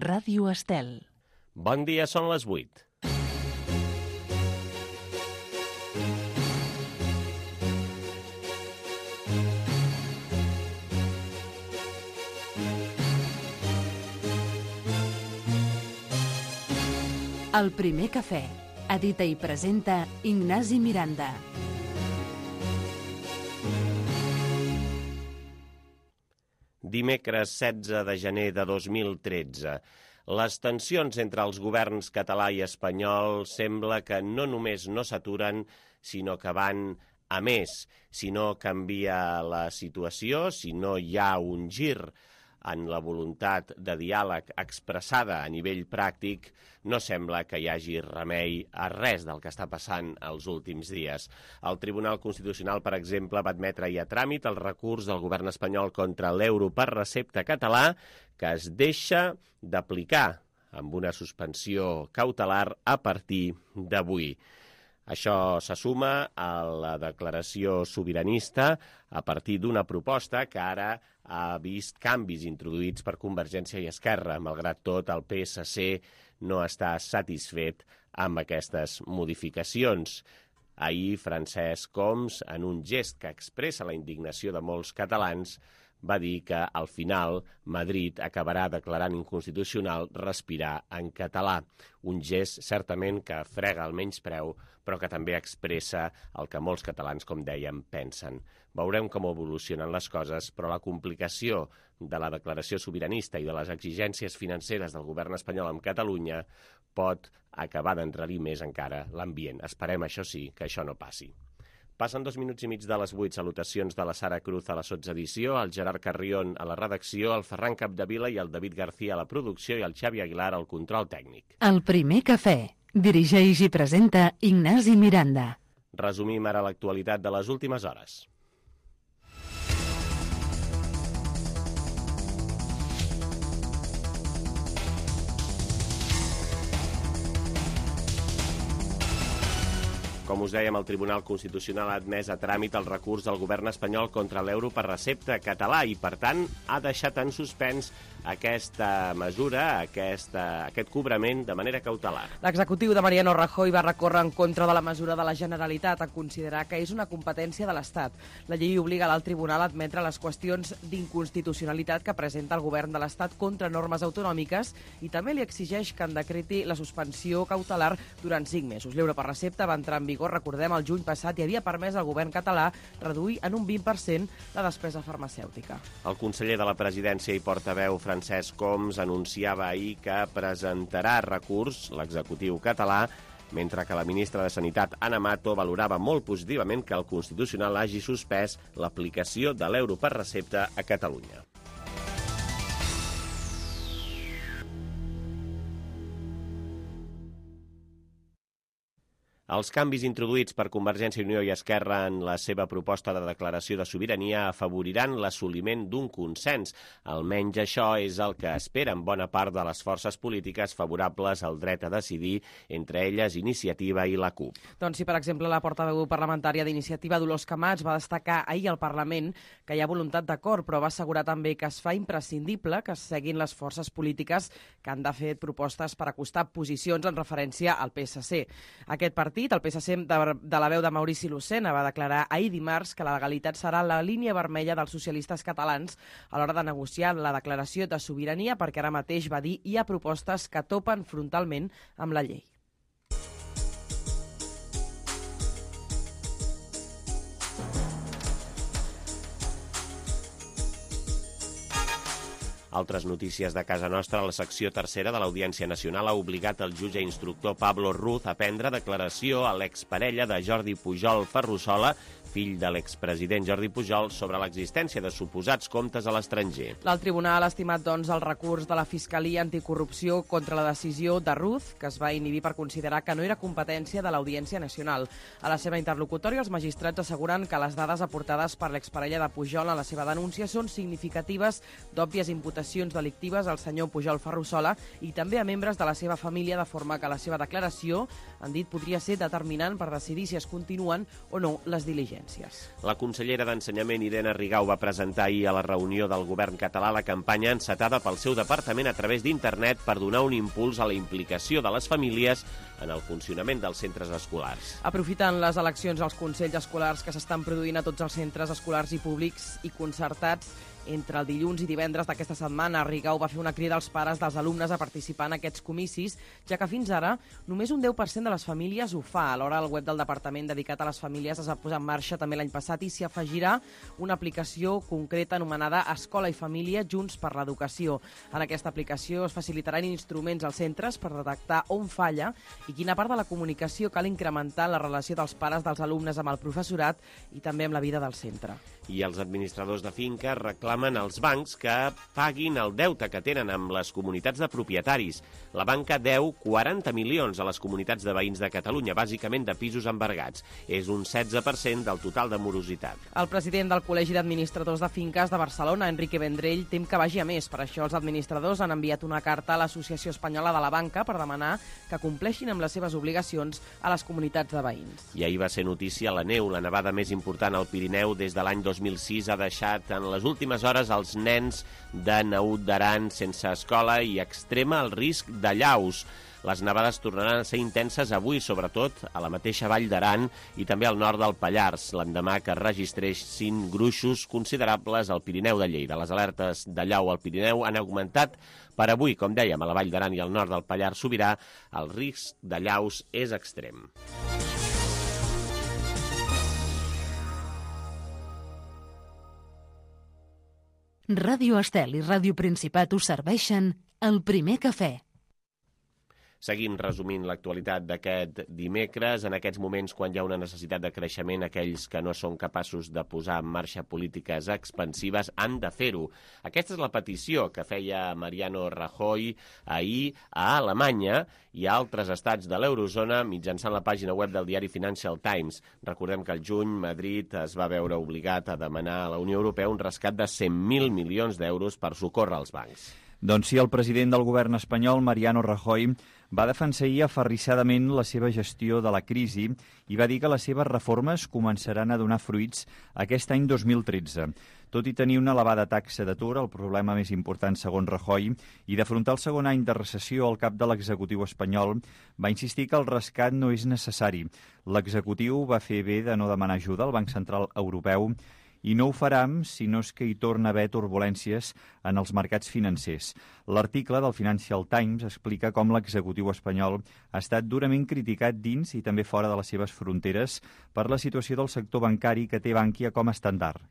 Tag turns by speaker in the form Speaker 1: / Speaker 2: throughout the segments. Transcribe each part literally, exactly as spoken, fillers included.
Speaker 1: Ràdio Estel.
Speaker 2: Bon dia, són les vuit.
Speaker 1: El primer cafè. Edita i presenta Ignasi Miranda.
Speaker 2: Dimecres setze de gener de dos mil tretze. Les tensions entre els governs català i espanyol sembla que no només no s'aturen, sinó que van a més. Si no canvia la situació, si no hi ha un gir en la voluntat de diàleg expressada a nivell pràctic, no sembla que hi hagi remei a res del que està passant els últims dies. El Tribunal Constitucional, per exemple, va admetre ahir a tràmit el recurs del govern espanyol contra l'euro per recepta català, que es deixa d'aplicar amb una suspensió cautelar a partir d'avui. Això se suma a la declaració sobiranista a partir d'una proposta que ara ha vist canvis introduïts per Convergència i Esquerra. Malgrat tot, el P S C no està satisfet amb aquestes modificacions. Ahir, Francesc Homs, en un gest que expressa la indignació de molts catalans, va dir que, al final, Madrid acabarà declarant inconstitucional respirar en català. Un gest, certament, que frega el menyspreu, però que també expressa el que molts catalans, com dèiem, pensen. Veurem com evolucionen les coses, però la complicació de la declaració sobiranista i de les exigències financeres del govern espanyol amb Catalunya pot acabar d'enrarir més encara l'ambient. Esperem, això sí, que això no passi. Passen dos minuts i mig de les vuit. Salutacions de la Sara Cruz a la sotsedició, el Gerard Carrion a la redacció, el Ferran Capdevila i el David García a la producció i el Xavi Aguilar al control tècnic.
Speaker 1: El primer cafè. Dirigeix i presenta Ignasi Miranda.
Speaker 2: Resumim ara l'actualitat de les últimes hores. Com us dèiem, el Tribunal Constitucional ha admès a tràmit el recurs del govern espanyol contra l'euro per recepta català i, per tant, ha deixat en suspens aquesta mesura, aquesta, aquest cobrament de manera cautelar.
Speaker 3: L'executiu de Mariano Rajoy va recórrer en contra de la mesura de la Generalitat a considerar que és una competència de l'Estat. La llei obliga l'alt tribunal a admetre les qüestions d'inconstitucionalitat que presenta el govern de l'Estat contra normes autonòmiques i també li exigeix que en decreti la suspensió cautelar durant cinc mesos. L'euro per recepta va entrar en vigor, recordem, el juny passat i havia permès al govern català reduir en un vint per cent la despesa farmacèutica.
Speaker 2: El conseller de la Presidència i portaveu Francesc Homs anunciava ahir que presentarà recurs l'executiu català, mentre que la ministra de Sanitat, Ana Mato, valorava molt positivament que el Constitucional hagi suspès l'aplicació de l'euro per recepta a Catalunya. Els canvis introduïts per Convergència i Unió i Esquerra en la seva proposta de declaració de sobirania afavoriran l'assoliment d'un consens. Almenys això és el que esperen bona part de les forces polítiques favorables al dret a decidir, entre elles Iniciativa i la CUP.
Speaker 3: Doncs si, per exemple, la portaveu parlamentària d'Iniciativa, Dolors Camats, va destacar ahir al Parlament que hi ha voluntat d'acord, però va assegurar també que es fa imprescindible que es seguin les forces polítiques que han de fer propostes per acostar posicions en referència al P S C. Aquest partit, el P S C de, de la veu de Maurici Lucena, va declarar ahir dimarts que la legalitat serà la línia vermella dels socialistes catalans a l'hora de negociar la declaració de sobirania, perquè ara mateix, va dir, hi ha propostes que topen frontalment amb la llei.
Speaker 2: Altres notícies de casa nostra, la secció tercera de l'Audiència Nacional ha obligat el jutge instructor Pablo Ruz a prendre declaració a l'exparella de Jordi Pujol Ferrusola, fill de l'expresident Jordi Pujol, sobre l'existència de suposats comptes a l'estranger.
Speaker 3: L'alt tribunal ha estimat, doncs, el recurs de la Fiscalia Anticorrupció contra la decisió de Ruz, que es va inhibir per considerar que no era competència de l'Audiència Nacional. A la seva interlocutòria, els magistrats asseguren que les dades aportades per l'exparella de Pujol a la seva denúncia són significatives d'òbvies imputacions delictives al senyor Pujol Ferrusola i també a membres de la seva família, de forma que la seva declaració, han dit, podria ser determinant per decidir si es continuen o no les diligències. residències.
Speaker 2: La consellera d'Ensenyament, Irene Rigau, va presentar ahir a la reunió del govern català la campanya encetada pel seu departament a través d'internet per donar un impuls a la implicació de les famílies en el funcionament dels centres escolars.
Speaker 3: Aprofitant les eleccions als consells escolars que s'estan produint a tots els centres escolars i públics i concertats, entre el dilluns i divendres d'aquesta setmana, Rigau va fer una crida als pares dels alumnes a participar en aquests comicis, ja que fins ara només un deu per cent de les famílies ho fa. Alhora, el web del departament dedicat a les famílies es va posar en marxa també l'any passat i s'hi afegirà una aplicació concreta anomenada Escola i Família Junts per l'Educació. En aquesta aplicació es facilitaran instruments als centres per detectar on falla i quina part de la comunicació cal incrementar en la relació dels pares dels alumnes amb el professorat i també amb la vida del centre.
Speaker 2: I els administradors de finca reclamen als bancs que paguin el deute que tenen amb les comunitats de propietaris. La banca deu quaranta milions a les comunitats de veïns de Catalunya, bàsicament de pisos embargats. És un setze per cent del total de morositat.
Speaker 3: El president del Col·legi d'Administradors de Finques de Barcelona, Enrique Vendrell, tem que vagi a més. Per això els administradors han enviat una carta a l'Associació Espanyola de la Banca per demanar que compleixin amb les seves obligacions a les comunitats de veïns.
Speaker 2: I ahir va ser notícia la neu, la nevada més important al Pirineu des de l'any dos mil sis ha deixat en les últimes hores els nens de Naut d'Aran sense escola i extrema el risc d'allaus. Les nevades tornaran a ser intenses avui, sobretot a la mateixa Vall d'Aran i també al nord del Pallars, l'endemà que es registressin gruixos considerables al Pirineu de Lleida. Les alertes d'allau al Pirineu han augmentat per avui, com dèiem, a la Vall d'Aran i al nord del Pallars Sobirà, el risc d'allaus és extrem.
Speaker 1: Ràdio Estel i Ràdio Principat us serveixen el primer cafè.
Speaker 2: Seguim resumint l'actualitat d'aquest dimecres. En aquests moments, quan hi ha una necessitat de creixement, aquells que no són capaços de posar en marxa polítiques expansives han de fer-ho. Aquesta és la petició que feia Mariano Rajoy ahir a Alemanya i a altres estats de l'eurozona mitjançant la pàgina web del diari Financial Times. Recordem que al juny Madrid es va veure obligat a demanar a la Unió Europea un rescat de cent mil milions d'euros per socórrer els bancs.
Speaker 4: Doncs sí, el president del govern espanyol, Mariano Rajoy, va defensar ahir aferrissadament la seva gestió de la crisi i va dir que les seves reformes començaran a donar fruits aquest any dos mil tretze. Tot i tenir una elevada taxa d'atur, el problema més important segons Rajoy, i d'afrontar el segon any de recessió al cap de l'executiu espanyol, va insistir que el rescat no és necessari. L'executiu va fer bé de no demanar ajuda al Banc Central Europeu i no ho farà si no és que hi torna a haver turbulències en els mercats financers. L'article del Financial Times explica com l'executiu espanyol ha estat durament criticat dins i també fora de les seves fronteres per la situació del sector bancari que té Bankia com a estàndard.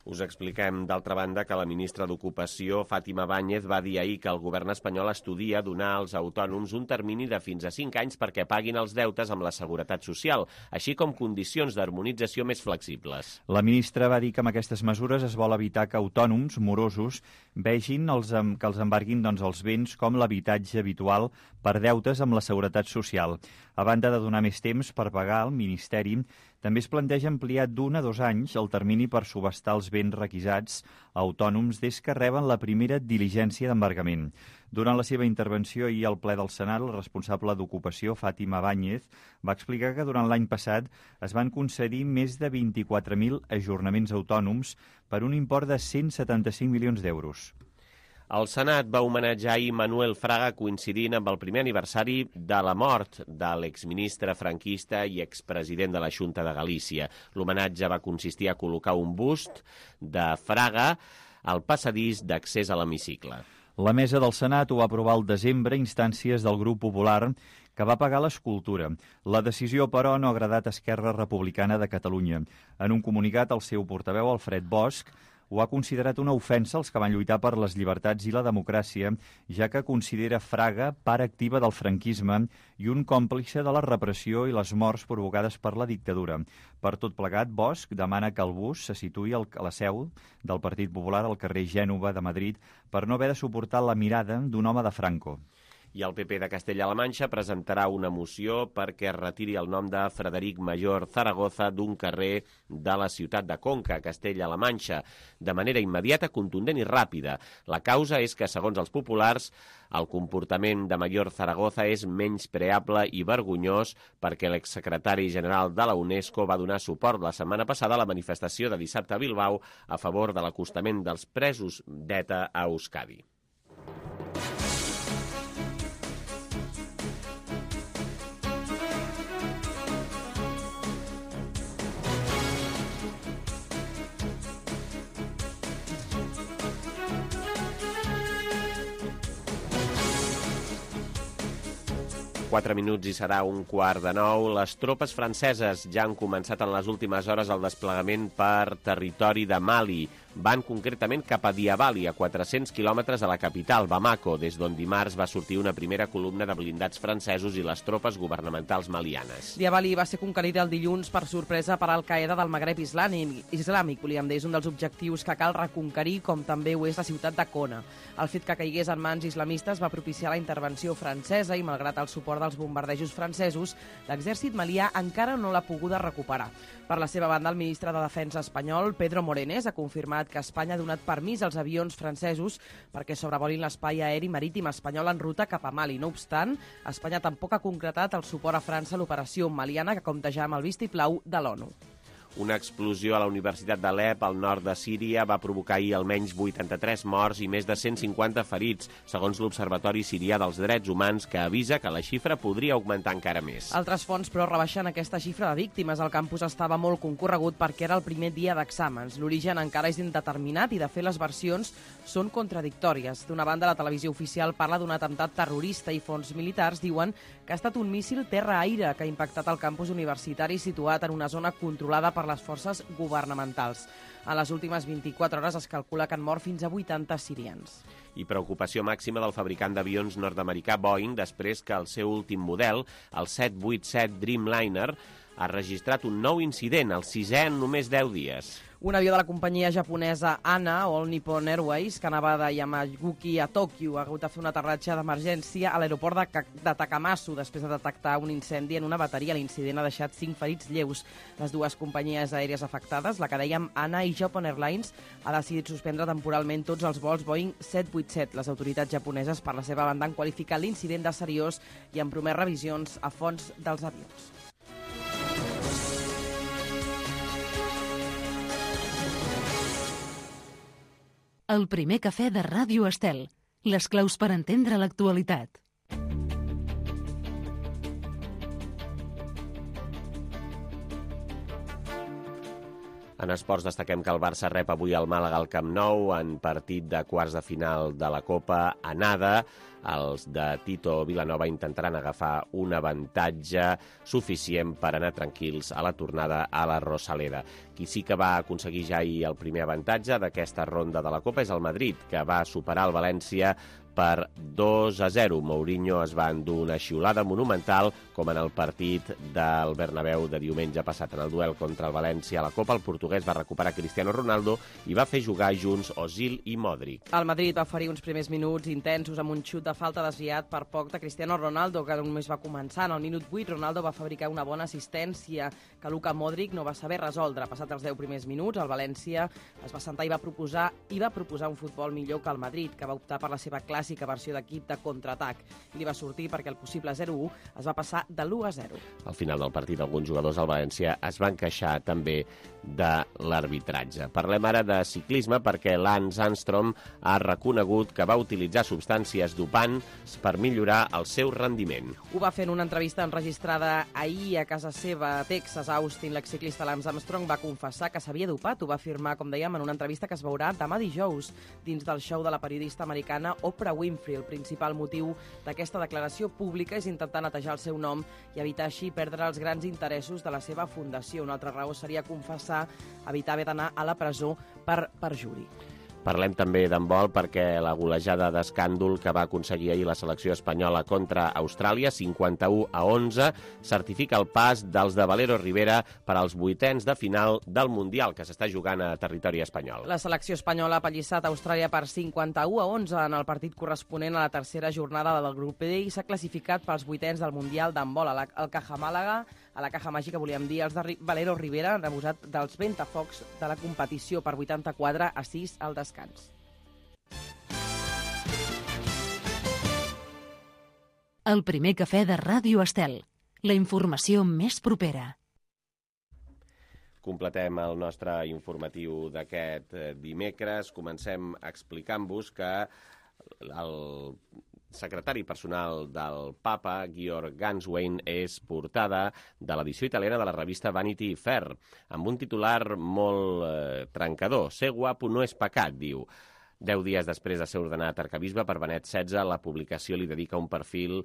Speaker 2: Us expliquem, d'altra banda, que la ministra d'Ocupació, Fátima Báñez, va dir ahir que el govern espanyol estudia donar als autònoms un termini de fins a cinc anys perquè paguin els deutes amb la Seguretat Social, així com condicions d'harmonització més flexibles.
Speaker 4: La ministra va dir que amb aquestes mesures es vol evitar que autònoms morosos vegin els, que els embarguin doncs, els béns com l'habitatge habitual per deutes amb la Seguretat Social. A banda de donar més temps per pagar, el Ministeri també es planteja ampliar d'un a dos anys el termini per subhastar els béns requisats a autònoms des que reben la primera diligència d'embargament. Durant la seva intervenció ahir al ple del Senat, el responsable d'Ocupació, Fátima Báñez, va explicar que durant l'any passat es van concedir més de vint-i-quatre mil ajornaments autònoms per un import de cent setanta-cinc milions d'euros.
Speaker 2: El Senat va homenatjar ahir Manuel Fraga coincidint amb el primer aniversari de la mort de l'exministre franquista i expresident de la Xunta de Galícia. L'homenatge va consistir a col·locar un bust de Fraga al passadís d'accés a l'hemicicle.
Speaker 4: La mesa del Senat ho va aprovar al desembre a instàncies del Grup Popular, que va pagar l'escultura. La decisió, però, no ha agradat a Esquerra Republicana de Catalunya. En un comunicat, el seu portaveu, Alfred Bosch, ho ha considerat una ofensa als que van lluitar per les llibertats i la democràcia, ja que considera Fraga part activa del franquisme i un còmplice de la repressió i les morts provocades per la dictadura. Per tot plegat, Bosch demana que el bus se situï a la seu del Partit Popular al carrer Gènova de Madrid per no haver de suportar la mirada d'un home de Franco.
Speaker 2: I el P P de Castella-La Manxa presentarà una moció perquè es retiri el nom de Frederic Mayor Zaragoza d'un carrer de la ciutat de Conca, Castella-La Manxa, de manera immediata, contundent i ràpida. La causa és que, segons els populars, el comportament de Mayor Zaragoza és menyspreable i vergonyós perquè l'exsecretari general de la UNESCO va donar suport la setmana passada a la manifestació de dissabte a Bilbao a favor de l'acostament dels presos d'ETA a Euskadi. Quatre minuts i serà un quart de nou. Les tropes franceses ja han començat en les últimes hores el desplegament per territori de Mali. Van concretament cap a Diabali, a quatre-cents quilòmetres de la capital, Bamako, des d'on dimarts va sortir una primera columna de blindats francesos i les tropes governamentals malianes.
Speaker 3: Diabali va ser conquerida el dilluns per sorpresa per Al-Qaeda del Magreb islàmic, islàmic volíem dir, és un dels objectius que cal reconquerir, com també ho és la ciutat de Kona. El fet que caigués en mans islamistes va propiciar la intervenció francesa i, malgrat el suport dels bombardejos francesos, l'exèrcit malià encara no l'ha poguda recuperar. Per la seva banda, el ministre de Defensa espanyol, Pedro Morenés, ha confirmat que Espanya ha donat permís als avions francesos perquè sobrevolin l'espai aeri marítim espanyol en ruta cap a Mali. No obstant, Espanya tampoc ha concretat el suport a França a l'operació maliana, que compta ja amb el vistiplau de l'ONU.
Speaker 2: Una explosió a la Universitat d'Alep, al nord de Síria, va provocar ahir almenys vuitanta-tres morts i més de cent cinquanta ferits, segons l'Observatori Sirià dels Drets Humans, que avisa que la xifra podria augmentar encara més.
Speaker 3: Altres fonts, però, rebaixen aquesta xifra de víctimes. El campus estava molt concorregut perquè era el primer dia d'exàmens. L'origen encara és indeterminat i, de fet, les versions són contradictòries. D'una banda, la televisió oficial parla d'un atemptat terrorista i fonts militars diuen que ha estat un míssil terra-aire que ha impactat el campus universitari situat en una zona controlada per les forces governamentals. En les últimes vint-i-quatre hores es calcula que han mort fins a vuitanta sirians.
Speaker 2: I preocupació màxima del fabricant d'avions nord-americà Boeing després que el seu últim model, el set vuitanta-set Dreamliner, ha registrat un nou incident, el sisè en només deu dies.
Speaker 3: Un avió de la companyia japonesa ANA, All Nippon Airways, que anava de Yamaguchi a Tòquio, ha hagut de fer un aterratge d'emergència a l'aeroport de, de Takamatsu després de detectar un incendi en una bateria. L'incident ha deixat cinc ferits lleus. Les dues companyies aèries afectades, la que dèiem ANA i Japan Airlines, ha decidit suspendre temporalment tots els vols Boeing set vuitanta-set. Les autoritats japoneses, per la seva banda, han qualificat l'incident de seriós i han promès revisions a fons dels avions.
Speaker 1: El primer cafè de Ràdio Estel. Les claus per entendre l'actualitat.
Speaker 2: En esports destaquem que el Barça rep avui al Màlaga al Camp Nou en partit de quarts de final de la Copa Anada. Els de Tito Vilanova intentaran agafar un avantatge suficient per anar tranquils a la tornada a la Rosaleda. Qui sí que va aconseguir ja ahir el primer avantatge d'aquesta ronda de la Copa és el Madrid, que va superar el València per dos a zero. Mourinho es va endur una xiulada monumental, com en el partit del Bernabéu de diumenge passat. En el duel contra el València a la Copa, el portuguès va recuperar Cristiano Ronaldo i va fer jugar junts Ozil i Modric.
Speaker 3: El Madrid va oferir uns primers minuts intensos amb un xut de falta desviat per poc de Cristiano Ronaldo, que només va començar. En el minut vuit, Ronaldo va fabricar una bona assistència que Luka Modric no va saber resoldre. Passat els deu primers minuts, el València es va sentar i va proposar i va proposar un futbol millor que el Madrid, que va optar per la seva clàssica versió d'equip de contraatac. I li va sortir perquè el possible zero a u es va passar de l'u a zero.
Speaker 2: Al final del partit, alguns jugadors del València es van queixar també de l'arbitratge. Parlem ara de ciclisme perquè Lance Armstrong ha reconegut que va utilitzar substàncies dopants per millorar el seu rendiment.
Speaker 3: Ho va fer en una entrevista enregistrada ahir a casa seva a Texas, a Austin. L'exciclista Lance Armstrong va confessar que s'havia dopat. Ho va afirmar, com dèiem, en una entrevista que es veurà demà dijous dins del show de la periodista americana Oprah Winfrey. El principal motiu d'aquesta declaració pública és intentar netejar el seu nom i evitar així perdre els grans interessos de la seva fundació. Una altra raó seria confessar, evitar haver d'anar a la presó per perjuri.
Speaker 2: Parlem també d'handbol perquè la golejada d'escàndol que va aconseguir ahir la selecció espanyola contra Austràlia, cinquanta-u a onze, certifica el pas dels de Valero Rivera per als vuitens de final del Mundial, que s'està jugant a territori espanyol.
Speaker 3: La selecció espanyola ha pallissat a Austràlia per cinquanta-u a onze en el partit corresponent a la tercera jornada del grup D i s'ha classificat pels vuitens del Mundial d'handbol. Al Caja Màlaga, a la Caja Màgica, volíem dir, els de Valero Rivera han abusat dels ventafocs de la competició per vuitanta-quatre a sis al descans.
Speaker 1: El primer cafè de Ràdio Estel. La informació més propera.
Speaker 2: Completem el nostre informatiu d'aquest dimecres. Comencem explicant-vos que el secretari personal del papa, Georg Ganswein, és portada de l'edició italiana de la revista Vanity Fair, amb un titular molt eh, trencador. Ser guapo no és pecat, diu. Deu dies després de ser ordenat arquebisbe per Benet setze, la publicació li dedica un perfil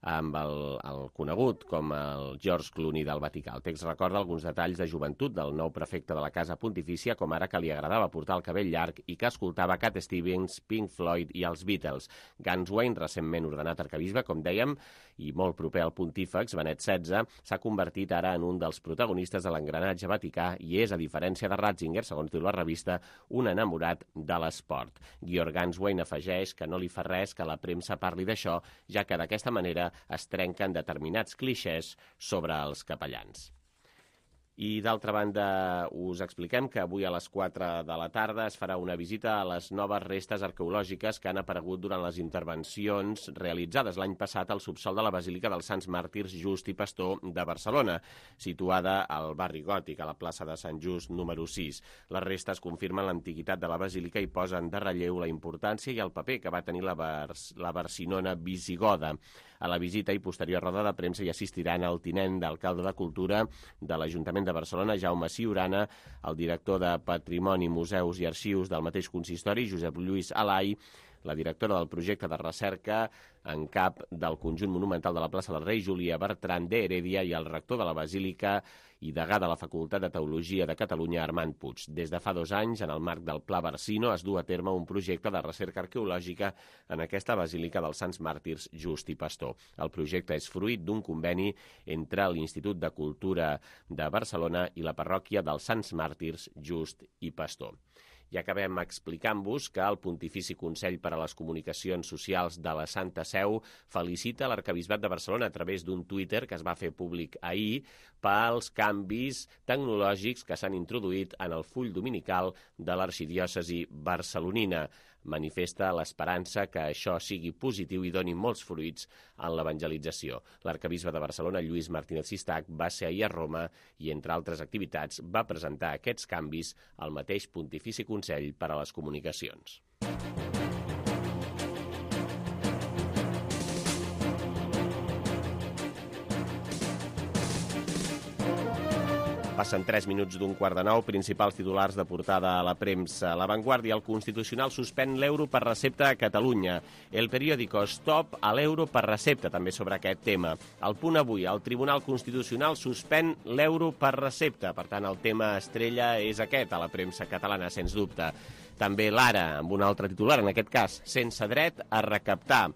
Speaker 2: amb el, el conegut com el George Clooney del Vaticà. El text recorda alguns detalls de joventut del nou prefecte de la Casa Pontifícia, com ara que li agradava portar el cabell llarg i que escoltava Cat Stevens, Pink Floyd i els Beatles. Ganswein, recentment ordenat arquebisbe, com dèiem, i molt proper al pontífex, Benet setze, s'ha convertit ara en un dels protagonistes de l'engranatge vaticà i és, a diferència de Ratzinger, segons diu la revista, un enamorat de l'esport. Georg Ganswein afegeix que no li fa res que la premsa parli d'això, ja que d'aquesta manera es trenquen determinats clixés sobre els capellans. I, d'altra banda, us expliquem que avui a les quatre de la tarda es farà una visita a les noves restes arqueològiques que han aparegut durant les intervencions realitzades l'any passat al subsòl de la Basílica dels Sants Màrtirs Just i Pastor de Barcelona, situada al barri Gòtic, a la plaça de Sant Just número sis. Les restes confirmen l'antiguitat de la basílica i posen de relleu la importància i el paper que va tenir la, Bars la Barcinona visigoda. A la visita i posterior roda de premsa hi assistiran el tinent d'alcalde de Cultura de l'Ajuntament de Barcelona, Jaume Ciurana, el director de Patrimoni, Museus i Arxius del mateix consistori, Josep Lluís Alai, la directora del projecte de recerca en cap del conjunt monumental de la plaça del Rei, Júlia Bertran de Heredia, i el rector de la Basílica i degà de la Facultat de Teologia de Catalunya, Armand Puig. Des de fa dos anys, en el marc del Pla Barsino, es du a terme un projecte de recerca arqueològica en aquesta Basílica dels Sants Màrtirs Just i Pastor. El projecte és fruit d'un conveni entre l'Institut de Cultura de Barcelona i la parròquia dels Sants Màrtirs Just i Pastor. I acabem explicant-vos que el Pontifici Consell per a les Comunicacions Socials de la Santa Seu felicita l'arquebisbat de Barcelona a través d'un Twitter que es va fer públic ahir pels canvis tecnològics que s'han introduït en el full dominical de l'arxidiòcesi barcelonina. Manifesta l'esperança que això sigui positiu i doni molts fruits en l'evangelització. L'arquebisbe de Barcelona, Lluís Martínez Sistac, va ser ahir a Roma i, entre altres activitats, va presentar aquests canvis al mateix Pontifici Consell per a les Comunicacions. Passen tres minuts d'un quart de nou, principals titulars de portada a la premsa. La Vanguardia, el Constitucional suspèn l'euro per recepta a Catalunya. El periòdico, stop a l'euro per recepta, també sobre aquest tema. El Punt Avui, el Tribunal Constitucional suspèn l'euro per recepta. Per tant, el tema estrella és aquest a la premsa catalana, sens dubte. També l'Ara, amb un altre titular, en aquest cas, sense dret a recaptar.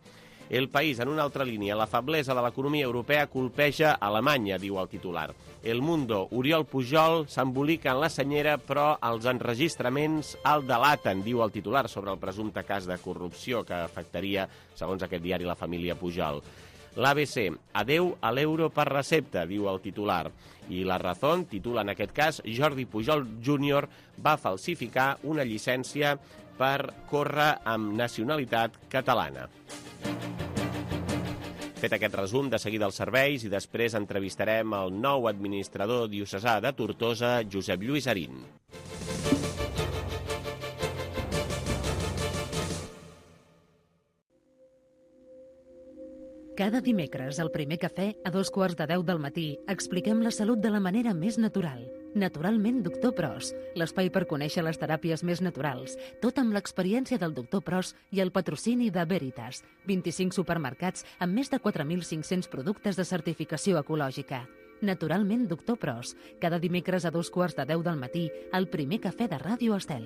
Speaker 2: El País, en una altra línia, la feblesa de l'economia europea colpeja Alemanya, diu el titular. El Mundo, Oriol Pujol s'embolica en la senyera, però els enregistraments el delaten, diu el titular, sobre el presumpte cas de corrupció que afectaria, segons aquest diari, la família Pujol. L'A B C, adeu a l'euro per recepta, diu el titular. I La Razón titula, en aquest cas, Jordi Pujol júnior va falsificar una llicència per córrer amb nacionalitat catalana. Fet aquest resum, de seguida els serveis i després entrevistarem el nou administrador diocesà de Tortosa, Josep Lluís Arín.
Speaker 1: Cada dimecres, al primer cafè, a dos quarts de deu del matí, expliquem la salut de la manera més natural. Naturalment, doctor Pros, l'espai per conèixer les teràpies més naturals, tot amb l'experiència del doctor Pros i el patrocini de Veritas, vint-i-cinc supermercats amb més de quatre mil cinc-cents productes de certificació ecològica. Naturalment, doctor Pros, cada dimecres a dos quarts de deu del matí, al primer cafè de Ràdio Estel.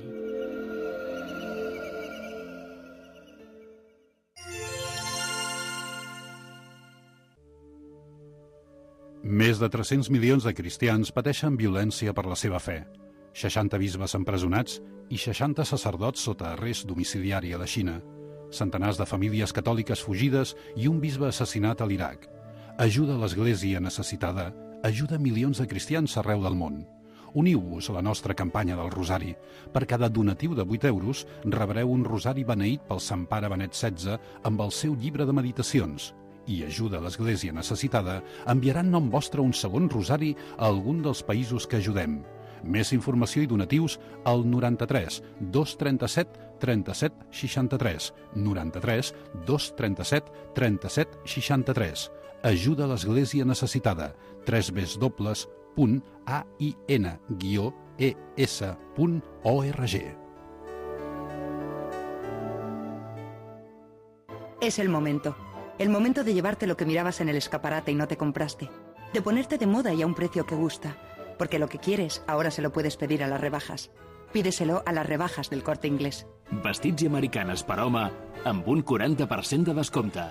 Speaker 5: Més de tres-cents milions de cristians pateixen violència per la seva fe. seixanta bisbes empresonats i seixanta sacerdots sota arrest domiciliari a la Xina. Centenars de famílies catòliques fugides i un bisbe assassinat a l'Iraq. Ajuda a l'Església necessitada, ajuda milions de cristians arreu del món. Uniu-vos a la nostra campanya del Rosari. Per cada donatiu de vuit euros rebreu un rosari beneït pel Sant Pare Benet setze amb el seu llibre de meditacions. I ajuda a l'Església necessitada enviarà en nom vostre un segon rosari a algun dels països que ajudem. Més informació i donatius al noranta-tres dos trenta-set trenta-set seixanta-tres, noranta-tres dos trenta-set trenta-set seixanta-tres. Ajuda a l'Església necessitada. tres w punt a i n guió e s punt org.
Speaker 6: Es el momento. El momento de llevarte lo que mirabas en el escaparate y no te compraste. De ponerte de moda y a un precio que gusta. Porque lo que quieres, ahora se lo puedes pedir a las rebajas. Pídeselo a las rebajas del Corte Inglés.
Speaker 7: Vestits i americanes per home amb un quaranta per cent de descompte.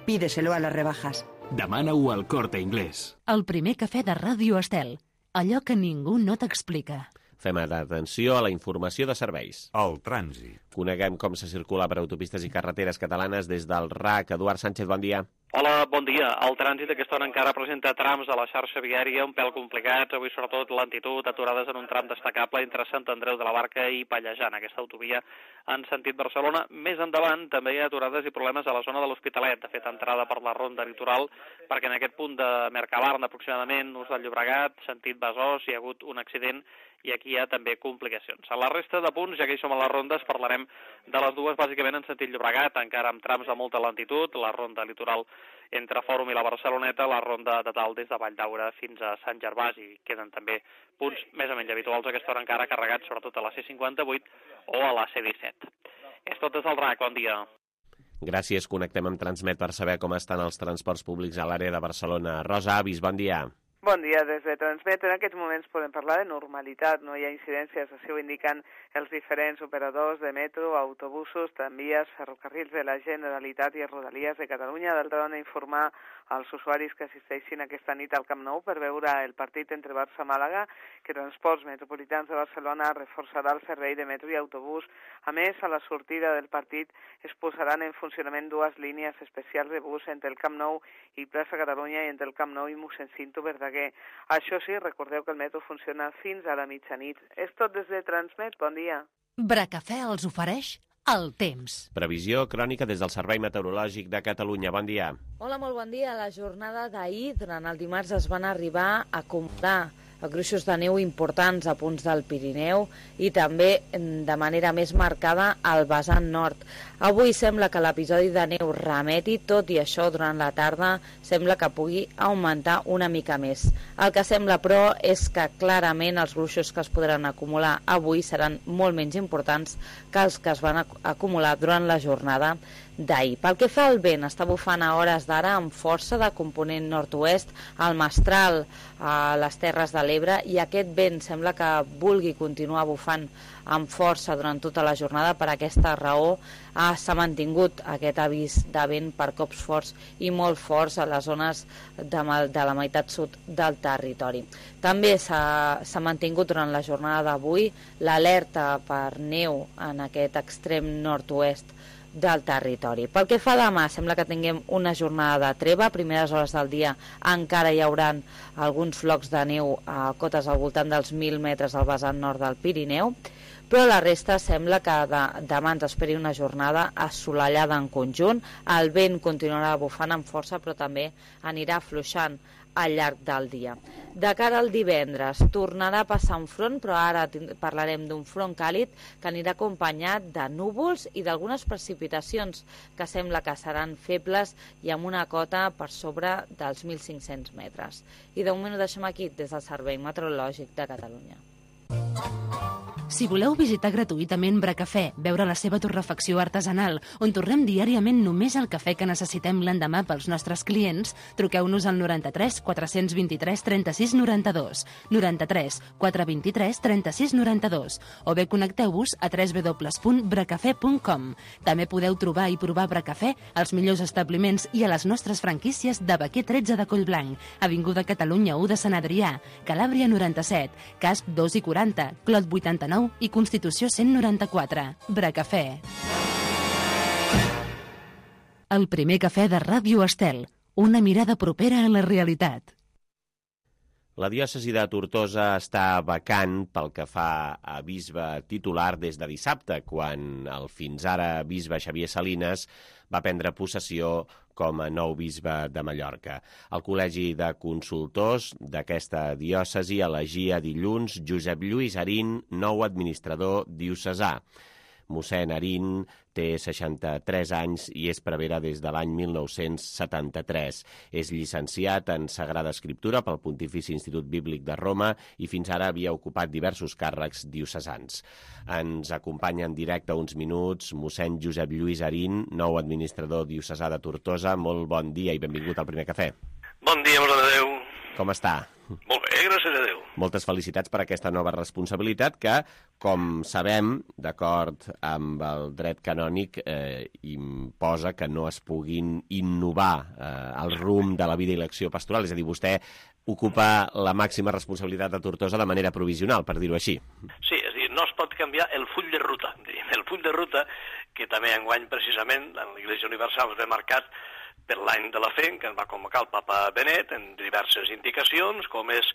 Speaker 6: Pídeselo a las rebajas.
Speaker 7: Demana-ho al Corte Inglés.
Speaker 1: El primer cafè de Ràdio Estel. Allò que ningú no t'explica.
Speaker 2: Fem atenció a la informació de serveis.
Speaker 8: El trànsit.
Speaker 2: Coneguem com se circula per autopistes i carreteres catalanes des del R A C. Eduard Sánchez, bon dia.
Speaker 9: Hola, bon dia. El trànsit aquesta hora encara presenta trams a la xarxa viària un pèl complicats, avui sobretot lentitud, aturades en un tram destacable entre Sant Andreu de la Barca i Pallejà, en aquesta autovia en sentit Barcelona. Més endavant també hi ha aturades i problemes a la zona de l'Hospitalet, de fet entrada per la ronda litoral, perquè en aquest punt de Mercabarna aproximadament, ús del Llobregat, sentit Besòs, hi ha hagut un accident i aquí hi ha també complicacions. A la resta de punts, ja que hi som a les rondes, parlarem de les dues bàsicament en sentit Llobregat, encara amb trams de molta lentitud, la ronda litoral entre Fòrum i la Barceloneta, la ronda de dalt des de Valldaura fins a Sant Gervasi. Queden també punts més o menys habituals a aquesta hora encara carregats, sobretot a la C cinquanta-vuit o a la C disset. És tot des del R A C, bon dia.
Speaker 2: Gràcies, connectem amb Transmet per saber com estan els transports públics a l'àrea de Barcelona. Rosa Avis, bon dia.
Speaker 10: Bon dia, des de Transmet. En aquests moments podem parlar de normalitat, no hi ha incidències, així ho indiquen els diferents operadors de metro, autobusos, tramvies, ferrocarrils de la Generalitat i Rodalies de Catalunya. D'altra banda, informar als usuaris que assisteixin aquesta nit al Camp Nou per veure el partit entre Barça i Màlaga, que Transports Metropolitans de Barcelona reforçarà el servei de metro i autobús. A més, a la sortida del partit es posaran en funcionament dues línies especials de bus entre el Camp Nou i Plaça Catalunya i entre el Camp Nou i Mossèn Cinto Verdaguer. Això sí, recordeu que el metro funciona fins a la mitjanit. És tot des de Transmet, bon dia.
Speaker 1: Bracafè els ofereix el temps.
Speaker 2: Previsió crònica des del Servei Meteorològic de Catalunya. Bon dia.
Speaker 11: Hola, molt bon dia. La jornada d'ahir, durant el dimarts, es van arribar a acumular gruixos de neu importants a punts del Pirineu i també de manera més marcada al vessant nord. Avui sembla que l'episodi de neu remeti, tot i això durant la tarda sembla que pugui augmentar una mica més. El que sembla, però, és que clarament els gruixos que es podran acumular avui seran molt menys importants que els que es van acumular durant la jornada d'ahir. Pel que fa al vent, està bufant a hores d'ara amb força de component nord-oest al Mestral, a les Terres de l'Ebre, i aquest vent sembla que vulgui continuar bufant amb força durant tota la jornada. Per aquesta raó s'ha mantingut aquest avís de vent per cops forts i molt forts a les zones de, de la meitat sud del territori. També s'ha mantingut durant la jornada d'avui l'alerta per neu en aquest extrem nord-oest del territori. Pel que fa a demà, sembla que tinguem una jornada de treva. A primeres hores del dia encara hi haurà alguns flocs de neu a cotes al voltant dels mil metres al vessant nord del Pirineu, però la resta sembla que de, demà ens esperi una jornada assolellada en conjunt. El vent continuarà bufant amb força, però també anirà afluixant al llarg del dia. De cara al divendres, tornarà a passar un front, però ara parlarem d'un front càlid que anirà acompanyat de núvols i d'algunes precipitacions que sembla que seran febles i amb una cota per sobre dels mil cinc-cents metres. I de moment ho deixem aquí des del Servei Meteorològic de Catalunya.
Speaker 1: Si voleu visitar gratuïtament Bracafè, veure la seva torrefacció artesanal, on torrem diàriament només el cafè que necessitem l'endemà pels nostres clients, truqueu-nos al noranta-tres quatre-cents vint-i-tres trenta-sis noranta-dos, noranta-tres quatre-cents vint-i-tres trenta-sis noranta-dos, o bé connecteu-vos a w w w punt bracafè punt com. També podeu trobar i provar Bracafè als millors establiments i a les nostres franquícies de Baquer tretze de Collblanc, Avinguda Catalunya u de Sant Adrià, Calàbria noranta-set, Casp dos i quaranta, Clot vuitanta-nou i Constitució cent noranta-quatre. Bracafè. El primer cafè de Ràdio Estel. Una mirada propera a la realitat.
Speaker 2: La diòcesi de Tortosa està vacant pel que fa a bisbe titular des de dissabte, quan el fins ara bisbe Xavier Salines va prendre possessió com a nou bisbe de Mallorca. El Col·legi de Consultors d'aquesta diòcesi elegia dilluns Josep Lluís Arín, nou administrador diocesà. Mossèn Arín té seixanta-tres anys i és prevere des de l'any mil nou-cents setanta-tres. És llicenciat en Sagrada Escriptura pel Pontifici Institut Bíblic de Roma i fins ara havia ocupat diversos càrrecs diocesans. Ens acompanya en directe uns minuts mossèn Josep Lluís Arín, nou administrador diocesà de Tortosa. Molt bon dia i benvingut al Primer Cafè.
Speaker 8: Bon dia, mare de Déu.
Speaker 2: Com està?
Speaker 8: Molt bé, gràcies a Déu.
Speaker 2: Moltes felicitats per aquesta nova responsabilitat que, com sabem, d'acord amb el dret canònic, eh, imposa que no es puguin innovar eh, el rumb de la vida i l'acció pastoral. És a dir, vostè ocupa la màxima responsabilitat de Tortosa de manera provisional, per dir-ho així.
Speaker 8: Sí, és a dir, no es pot canviar el full de ruta. El full de ruta, que també enguany precisament en l'Església Universal es ve marcat per l'any de la fe, que ens va convocar el papa Benet en diverses indicacions, com és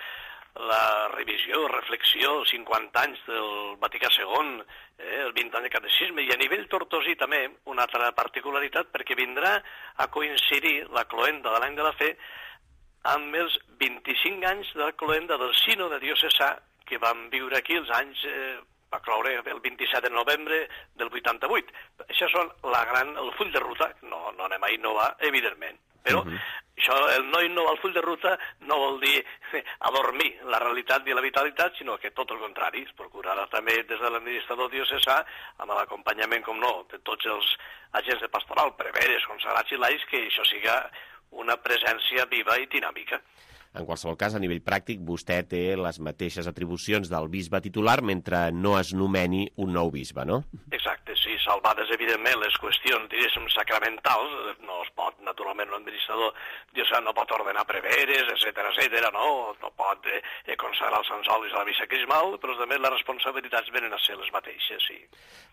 Speaker 8: la revisió, reflexió, els cinquanta anys del Vaticà segon, eh, els vint anys de catecisme, i a nivell tortosí també una altra particularitat, perquè vindrà a coincidir la cloenda de l'any de la fe amb els vint-i-cinc anys de la cloenda del sínode diocesà que vam viure aquí els anys... Eh, va cloure el vint-i-set de novembre del vuitanta-vuit. Això són la gran, el full de ruta, no, no anem a innovar, evidentment. Però uh -huh. això, el no innovar el full de ruta no vol dir adormir la realitat i la vitalitat, sinó que tot el contrari, es procurarà també des de l'administrador diocesà, amb l'acompanyament, com no, de tots els agents de pastoral, preveres, consagrats i laics, que això siga una presència viva i dinàmica.
Speaker 2: En qualsevol cas, a nivell pràctic, vostè té les mateixes atribucions del bisbe titular mentre no es nomeni un nou bisbe, no?
Speaker 8: Exacte, sí, salvades, evidentment, les qüestions, diguéssim, sacramentals, no es pot, naturalment, l'administrador diocesà no pot ordenar preveres, etcètera, etcètera, no? No pot eh, consagrar els sansolis a la missa crismal, però també les responsabilitats venen a ser les mateixes, sí.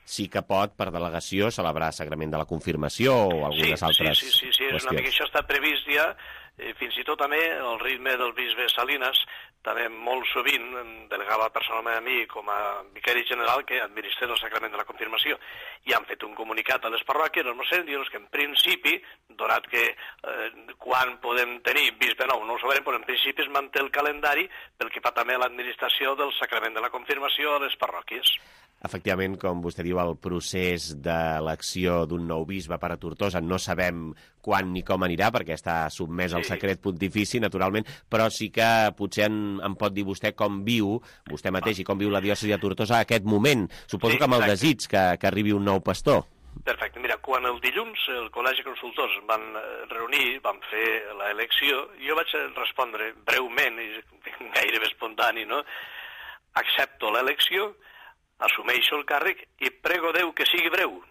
Speaker 2: Sí que pot, per delegació, celebrar sagrament de la confirmació o algunes
Speaker 8: sí,
Speaker 2: altres
Speaker 8: sí, sí, sí, sí, és
Speaker 2: qüestions.
Speaker 8: una mica, això està previst ja. Eh, fins i tot també el ritme del bisbe Salines, també molt sovint em delegava personalment a mi com a vicari general que administrés el sacrament de la confirmació, i han fet un comunicat a les parròquies, els mossèns, dient que en principi, donat que eh, quan podem tenir bisbe nou, no ho sabrem, però en principi es manté el calendari pel que fa també a l'administració del sacrament de la confirmació a les parròquies.
Speaker 2: Efectivament, com vostè diu, el procés d'elecció d'un nou bisbe per a Tortosa no sabem quan ni com anirà, perquè està sotmès al secret pontifici, naturalment, però sí que potser en, en pot dir vostè com viu, vostè mateix, i com viu la diòcesi de Tortosa aquest moment. Suposo
Speaker 8: Sí,
Speaker 2: que amb el
Speaker 8: exacte.
Speaker 2: desig que, que arribi un nou pastor.
Speaker 8: Perfecte. Mira, quan el dilluns el Col·legi de Consultors van reunir, van fer l'elecció, jo vaig respondre breument, i gairebé espontani, no? Accepto l'elecció, assumeixo el càrrec i prego Déu que sigui breu.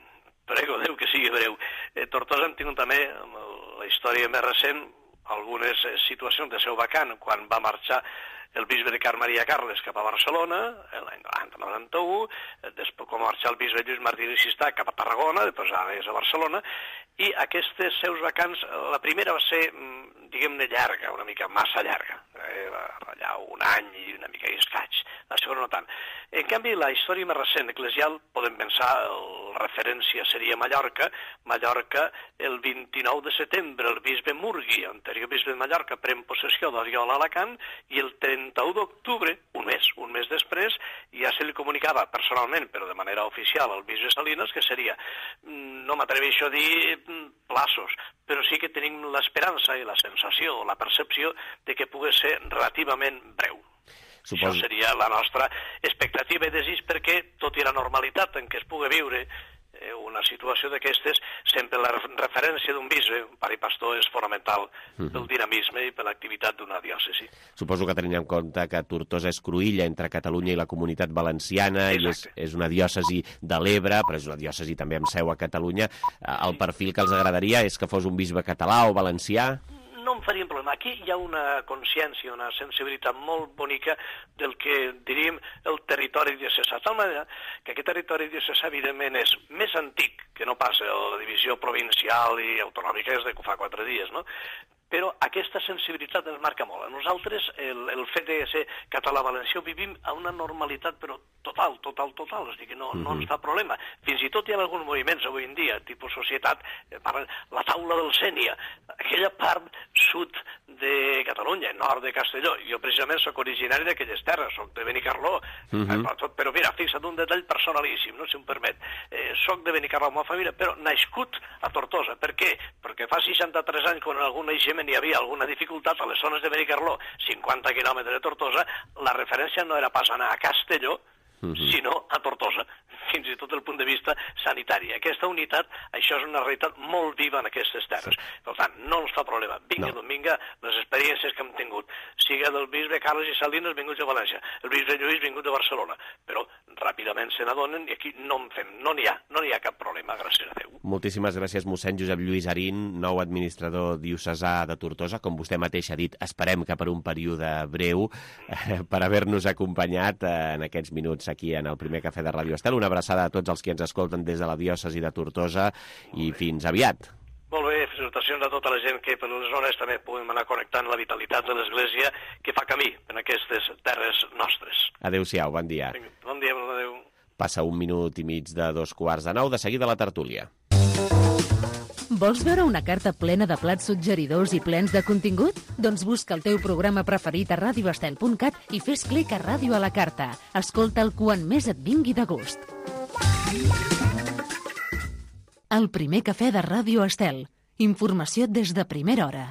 Speaker 8: Prego Déu que sigui breu. Eh, Tortosa hem tingut també, amb la història més recent, algunes situacions de seu vacant, quan va marxar el bisbe de Car Maria Carles cap a Barcelona, l'any noranta-u, després com va marxar el bisbe Lluís Martí Sistà cap a Tarragona, després ara és a Barcelona, i aquestes seus vacants, la primera va ser, diguem-ne, llarga, una mica massa llarga, eh, allà un any i una mica i escaig, la segona no tant. En canvi, la història més recent eclesial, podem pensar, la referència seria Mallorca, Mallorca el vint-i-nou de setembre, el bisbe Murgui, anterior bisbe de Mallorca, pren possessió d'Oriola Alacant, i el trenta-u d'octubre, un mes, un mes després, ja se li comunicava personalment, però de manera oficial, al bisbe Salines, que seria, no m'atreveixo a dir plaços, però sí que tenim l'esperança i la sensació o la percepció de que pugui ser relativament breu. Suposo... Això seria la nostra expectativa i desig, perquè, tot i la normalitat en què es pugui viure una situació d'aquestes, sempre la referència d'un bisbe, un pare i pastor, és fonamental mm-hmm. pel dinamisme i per l'activitat d'una diòcesi.
Speaker 2: Suposo que tenim en compte que Tortosa és cruïlla entre Catalunya i la Comunitat Valenciana. Exacte. I és, és una diòcesi de l'Ebre, però és una diòcesi també amb seu a Catalunya. El perfil que els agradaria és que fos un bisbe català o valencià?
Speaker 8: No em faria un problema. Aquí hi ha una consciència, una sensibilitat molt bonica del que diríem el territori diocesà. De tal manera que aquest territori diocesà, evidentment, és més antic que no pas la divisió provincial i autonòmica, és de que fa quatre dies, no? Però aquesta sensibilitat ens marca molt. A nosaltres, el, el fet de ser català-valencià, vivim a una normalitat, però total, total, total. És a dir, que no, uh-huh. no ens fa problema. Fins i tot hi ha alguns moviments avui en dia, tipus societat, eh, parlen la taula del Sènia, aquella part sud de Catalunya, nord de Castelló. Jo precisament sóc originari d'aquelles terres, sóc de Benicarló, uh-huh. eh, però mira, fixa't un detall personalíssim, no, si em permet. Eh, soc de Benicarló amb la família, però nascut a Tortosa. Per què? Perquè fa seixanta-tres anys, quan algun naixement hi havia alguna dificultat a les zones de Benicarló, cinquanta quilòmetres de Tortosa, la referència no era pas anar a Castelló, uh-huh. sinó a Tortosa, fins i tot el punt de vista sanitari. Aquesta unitat, això és una realitat molt viva en aquestes terres. Per tant, no ens fa problema. Vinga, no. vinga, les experiències que hem tingut. Siga del bisbe Carles i Salinas, vinguts de València, el bisbe Lluís, vingut de Barcelona. Però ràpidament se n'adonen i aquí no en fem, no n'hi ha, no n'hi ha cap problema, gràcies a Déu.
Speaker 2: Moltíssimes gràcies, mossèn Josep Lluís Arín, nou administrador diocesà de Tortosa. Com vostè mateix ha dit, esperem que per un període breu, eh, per haver-nos acompanyat eh, en aquests minuts aquí en el primer cafè de Ràdio Estel. Una abraçada a tots els que ens escolten des de la diòcesi de Tortosa i fins aviat.
Speaker 8: Molt bé, felicitacions a tota la gent que per les zones també puguem anar connectant la vitalitat de l'Església que fa camí en aquestes terres nostres.
Speaker 2: Adéu-siau, bon dia.
Speaker 8: Bon dia, bon adéu.
Speaker 2: Passa un minut i mig de dos quarts de nou, de seguida la tertúlia.
Speaker 1: Vols veure una carta plena de plats suggeridors i plens de contingut? Doncs busca el teu programa preferit a radio estel punt cat i fes clic a Ràdio a la Carta. Escolta'l quan més et vingui de gust. El primer cafè de Ràdio Estel. Informació des de primera hora.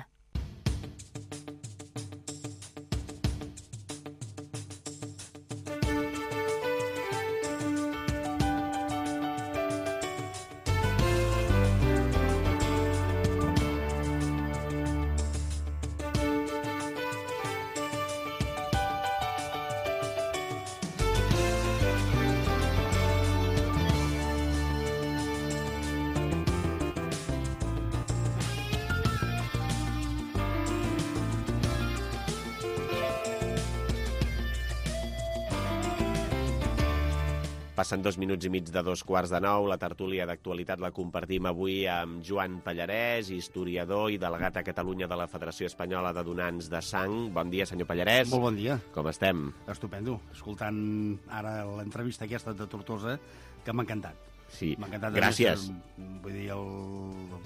Speaker 2: Passen dos minuts i mig de dos quarts de nou. La tertúlia d'actualitat la compartim avui amb Joan Pallarès, historiador i delegat a Catalunya de la Federació Espanyola de Donants de Sang. Bon dia, senyor Pallarès.
Speaker 12: Molt bon dia.
Speaker 2: Com estem?
Speaker 12: Estupendo. Escoltant ara l'entrevista aquesta de Tortosa, que m'ha encantat.
Speaker 2: Sí,
Speaker 12: m'ha encantat.
Speaker 2: gràcies.
Speaker 12: Més, vull dir, el...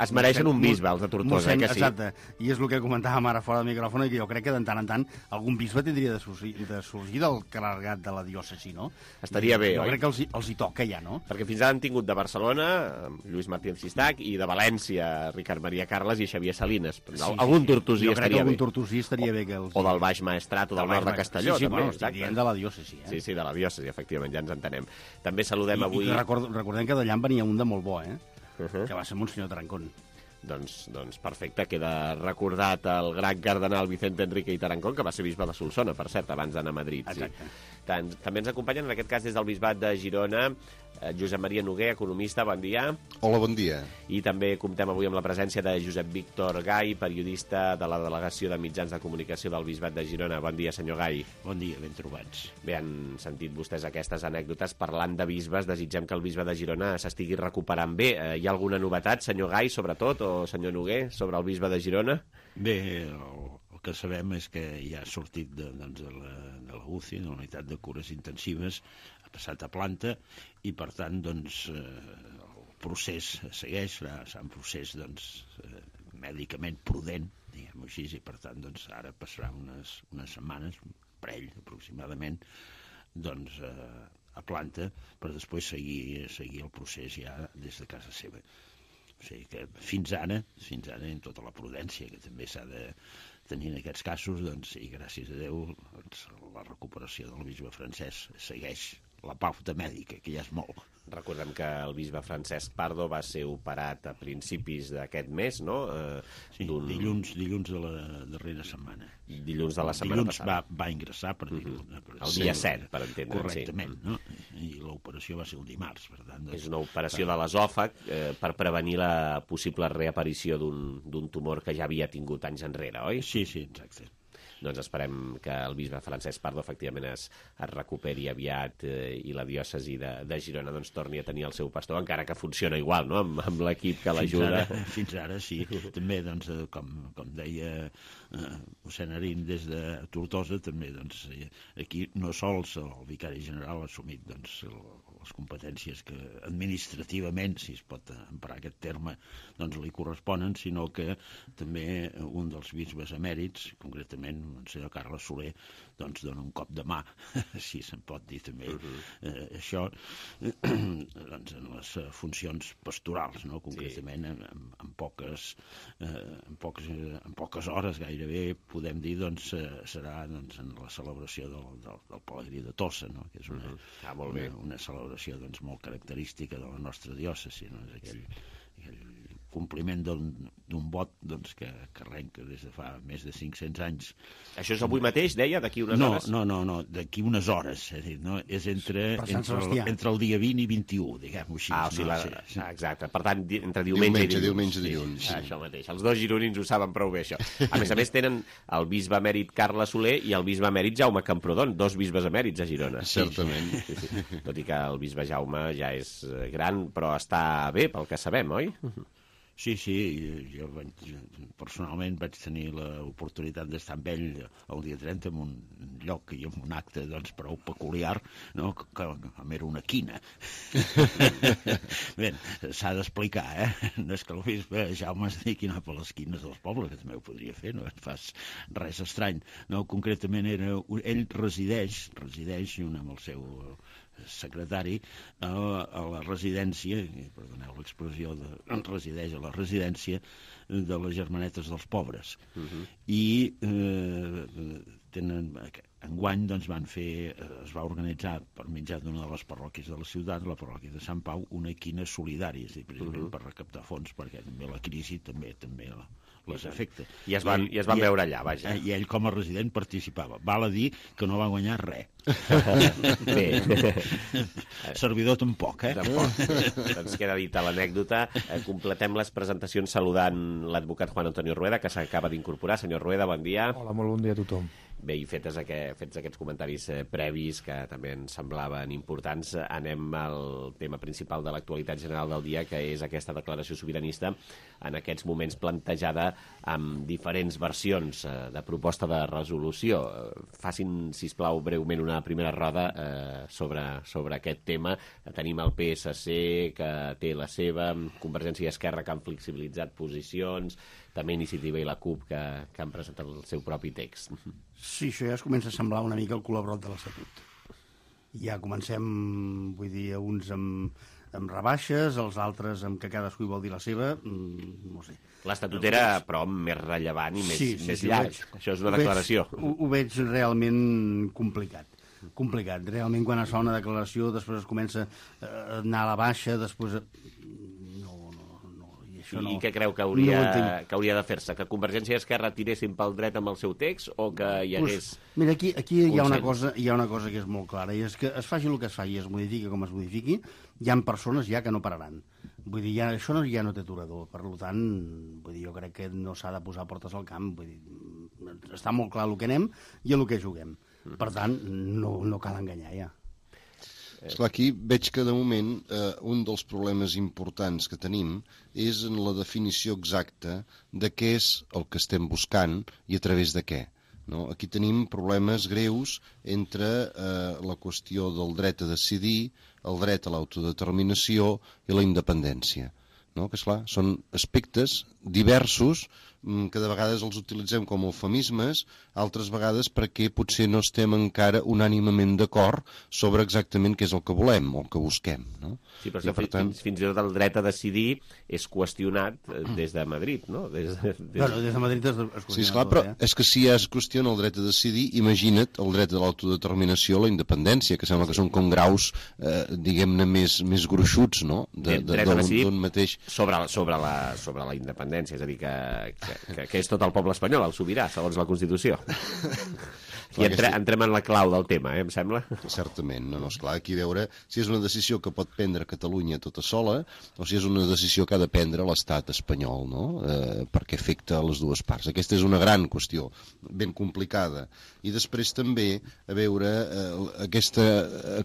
Speaker 2: Es mereixen un bisbe, els de Tortosa,
Speaker 12: mossèn,
Speaker 2: eh, que sí?
Speaker 12: Exacte. I és el que comentàvem ara fora del micròfon, que jo crec que de tant en tant algun bisbe tindria de sorgir, de sorgir del clergat de la diòcesi, no?
Speaker 2: Estaria bé,
Speaker 12: jo
Speaker 2: oi?
Speaker 12: Jo crec que els, els hi toca ja, no?
Speaker 2: Perquè fins ara han tingut de Barcelona Lluís Martí Sistac i de València Ricard Maria Carles i Xavier Salines. Sí, algun tortosí estaria bé.
Speaker 12: Jo crec que algun tortosí estaria bé. Que els...
Speaker 2: O del Baix Maestrat o del, del nord de Castelló.
Speaker 12: Sí, sí,
Speaker 2: també,
Speaker 12: bueno, estic dient de la diòcesi. Eh?
Speaker 2: Sí, sí, de la diòcesi, efectivament, ja ens entenem. També saludem
Speaker 12: I,
Speaker 2: avui...
Speaker 12: I record, recordem que d'allà en venia un de molt bo, eh?
Speaker 2: Uh-huh.
Speaker 12: Que va ser Monsenyor Tarancón.
Speaker 2: Doncs, doncs perfecte, queda recordat el gran cardenal Vicente Enrique i Tarancón, que va ser bisbe de Solsona, per cert, abans d'anar a Madrid.
Speaker 12: Exacte.
Speaker 2: Sí. Tant, també ens acompanyen, en aquest cas, des del bisbat de Girona, eh, Josep Maria Noguer, economista, bon dia.
Speaker 13: Hola, bon dia.
Speaker 2: I també comptem avui amb la presència de Josep Víctor Gai, periodista de la Delegació de Mitjans de Comunicació del bisbat de Girona. Bon dia, senyor Gai.
Speaker 14: Bon dia, ben trobats.
Speaker 2: Bé, han sentit vostès aquestes anècdotes. Parlant de bisbes, desitgem que el bisbe de Girona s'estigui recuperant bé. Eh, hi ha alguna novetat, senyor Gai, sobretot, o senyor Noguer, sobre el bisbe de Girona?
Speaker 14: Bé, el, el que sabem és que ja ha sortit de, doncs, de, la, de la U C I, de la unitat de cures intensives, ha passat a planta i, per tant, doncs, eh, el procés segueix, serà un procés doncs, eh, mèdicament prudent, diguem-ho així, i, per tant, doncs, ara passarà unes, unes setmanes, un parell aproximadament, doncs, eh, a planta, per després seguir, seguir el procés ja des de casa seva. O sigui que fins ara, fins ara, en tota la prudència que també s'ha de tenir en aquests casos, doncs sí, gràcies a Déu, doncs, la recuperació del bisbe Francesc segueix la pauta mèdica, que ja és molt.
Speaker 2: Recordem que el bisbe Francesc Pardo va ser operat a principis d'aquest mes, no? Eh,
Speaker 14: sí, dilluns, dilluns de la darrera setmana.
Speaker 2: Dilluns de la setmana
Speaker 14: dilluns
Speaker 2: passada.
Speaker 14: Va, va ingressar per dir-ho.
Speaker 2: Mm-hmm. Per el dia set, per entendre.
Speaker 14: Correctament,
Speaker 2: sí.
Speaker 14: No? I l'operació va ser el dimarts, per tant. Doncs,
Speaker 2: és una operació de l'esòfag eh, per prevenir la possible reaparició d'un tumor que ja havia tingut anys enrere, oi?
Speaker 14: Sí, sí, exacte.
Speaker 2: Doncs esperem que el bisbe Francesc Pardo efectivament es, es recuperi aviat eh, i la diòcesi de, de Girona doncs, torni a tenir el seu pastor, encara que funciona igual, no?, amb, amb l'equip que l'ajuda.
Speaker 14: Fins, fins ara, sí. També, doncs, com, com deia eh, Mossèn Arín des de Tortosa, també, doncs, aquí no sols el vicari general ha assumit doncs, el, les competències que administrativament, si es pot emprar aquest terme, doncs li corresponen, sinó que també un dels bisbes emèrits, concretament el senyor Carles Soler, doncs dona un cop de mà, si se'n pot dir també, uh-huh. eh, això, eh, doncs en les funcions pastorals, no? Concretament sí. en, en, poques, eh, en, poques, en poques hores gairebé podem dir, doncs, eh, serà doncs, en la celebració del, del, del Pelegrí de Tossa, no? Que és una, uh-huh. ah, molt bé. una, una celebració doncs, molt característica de la nostra diòcesi, no? És aquell, aquell compliment d'un vot doncs, que, que arrenca des de fa més de cinc-cents anys.
Speaker 2: Això és avui mateix, deia, d'aquí unes
Speaker 14: no,
Speaker 2: hores?
Speaker 14: No, no, no, d'aquí unes hores. És, dir, no? és entre, entre, el, entre el dia vint i vint-i-u, diguem-ho així.
Speaker 2: Ah, o sigui,
Speaker 14: no?
Speaker 2: la...
Speaker 14: sí, sí.
Speaker 2: ah, exacte. Per tant, entre diumenge,
Speaker 13: diumenge
Speaker 2: i dilluns.
Speaker 13: Diumenge, dilluns.
Speaker 2: Sí. Ah, això mateix. Els dos gironins ho saben prou bé, això. A més a més, tenen el bisbe emèrit Carles Soler i el bisbe emèrit Jaume Camprodon, dos bisbes emèrits a Girona.
Speaker 13: Certament.
Speaker 2: Sí, sí. Tot i que el bisbe Jaume ja és gran, però està bé, pel que sabem, oi?
Speaker 14: Sí, sí, jo vaig, personalment vaig tenir l'oportunitat d'estar amb ell el dia trenta en un lloc i en un acte doncs, prou peculiar, no? que, que era una quina. Bé, s'ha d'explicar, eh? No és que el bisbe Jaume es dediqui a anar per les quines dels pobles, que també ho podria fer, no et fas res estrany. No, concretament, era, ell resideix, resideix junt amb el seu secretari a, a la residència, perdoneu l'expressió, de, resideix a la residència de les Germanetes dels Pobres. Uh-huh. I eh, tenen, enguany doncs, van fer, es va organitzar per mitjà d'una de les parròquies de la ciutat, la parròquia de Sant Pau, una quina solidària, és a dir, precisament uh-huh. per recaptar fons, perquè també la crisi també també les afecta.
Speaker 2: I es van, i es van I, veure allà, vaja.
Speaker 14: I ell com a resident participava. Val a dir que no va guanyar res.
Speaker 2: Bé.
Speaker 14: Servidor tampoc, eh?
Speaker 2: Tampoc. Doncs queda dita l'anècdota. Completem les presentacions saludant l'advocat Juan Antonio Rueda, que s'acaba d'incorporar. Senyor Rueda, bon dia.
Speaker 15: Hola, molt bon dia a tothom.
Speaker 2: Bé, i fetes aquest, fets aquests comentaris eh, previs que també ens semblaven importants, anem al tema principal de l'actualitat general del dia, que és aquesta declaració sobiranista, en aquests moments plantejada amb diferents versions eh, de proposta de resolució. Facin, sisplau, breument una primera roda eh, sobre, sobre aquest tema. Tenim el P S C, que té la seva, Convergència i Esquerra, que han flexibilitzat posicions, també Iniciativa i la CUP, que, que han presentat el seu propi text.
Speaker 12: Sí, això ja es comença a semblar una mica el col·laborat de l'Estatut. Ja comencem, vull dir, uns amb, amb rebaixes, els altres amb que cadascú hi vol dir la seva, no sé.
Speaker 2: L'Estatut era, però, més rellevant i més,
Speaker 12: sí, sí,
Speaker 2: més
Speaker 12: sí,
Speaker 2: llarg.
Speaker 12: Veig,
Speaker 2: això és una declaració.
Speaker 12: Ho veig, ho, ho veig realment complicat. Complicat. Realment, quan es fa una declaració, després es comença a anar a la baixa, després...
Speaker 2: I, no, I què creu que hauria, no que hauria de fer-se? Que Convergència i Esquerra tiressin pel dret amb el seu text o que hi hagués...
Speaker 12: Pues, mira, aquí, aquí hi, ha una cosa, hi ha una cosa que és molt clara, i és que es faci el que es faci, es modifiqui com es modifiqui, hi ha persones ja que no pararan. Vull dir, ja, això no, ja no té aturador. Per tant, vull dir, jo crec que no s'ha de posar portes al camp. Vull dir, està molt clar el que anem i el que juguem. Per tant, no, no cal enganyar ja.
Speaker 13: Esclar, aquí veig que de moment eh, un dels problemes importants que tenim és en la definició exacta de què és el que estem buscant i a través de què. No? Aquí tenim problemes greus entre eh, la qüestió del dret a decidir, el dret a l'autodeterminació i la independència. No? Que, esclar, són aspectes diversos, que de vegades els utilitzem com eufemismes, altres vegades perquè potser no estem encara unànimament d'acord sobre exactament què és el que volem o el que busquem, no?
Speaker 2: Sí, però per tant... fins, fins i tot el dret a decidir és qüestionat des de Madrid, no? Des de, des...
Speaker 12: Bueno, des de Madrid es, es
Speaker 13: sí, esclar, però eh? és que si ja es qüestiona el dret a decidir, imagina't el dret a l'autodeterminació o la independència, que sembla que són com graus, eh, diguem-ne, més, més gruixuts, no? De, de,
Speaker 2: dret a decidir
Speaker 13: mateix...
Speaker 2: sobre, sobre, la, sobre la independència, és a dir, que, que, que, que és tot el poble espanyol, el sobirà, segons la Constitució. I entre, entrem en la clau del tema, eh, em sembla?
Speaker 13: Certament, no, no, esclar, aquí veure si és una decisió que pot prendre Catalunya tota sola o si és una decisió que ha de prendre l'estat espanyol, no? Eh, perquè afecta les dues parts. Aquesta és una gran qüestió, ben complicada. I després també, a veure, eh, aquesta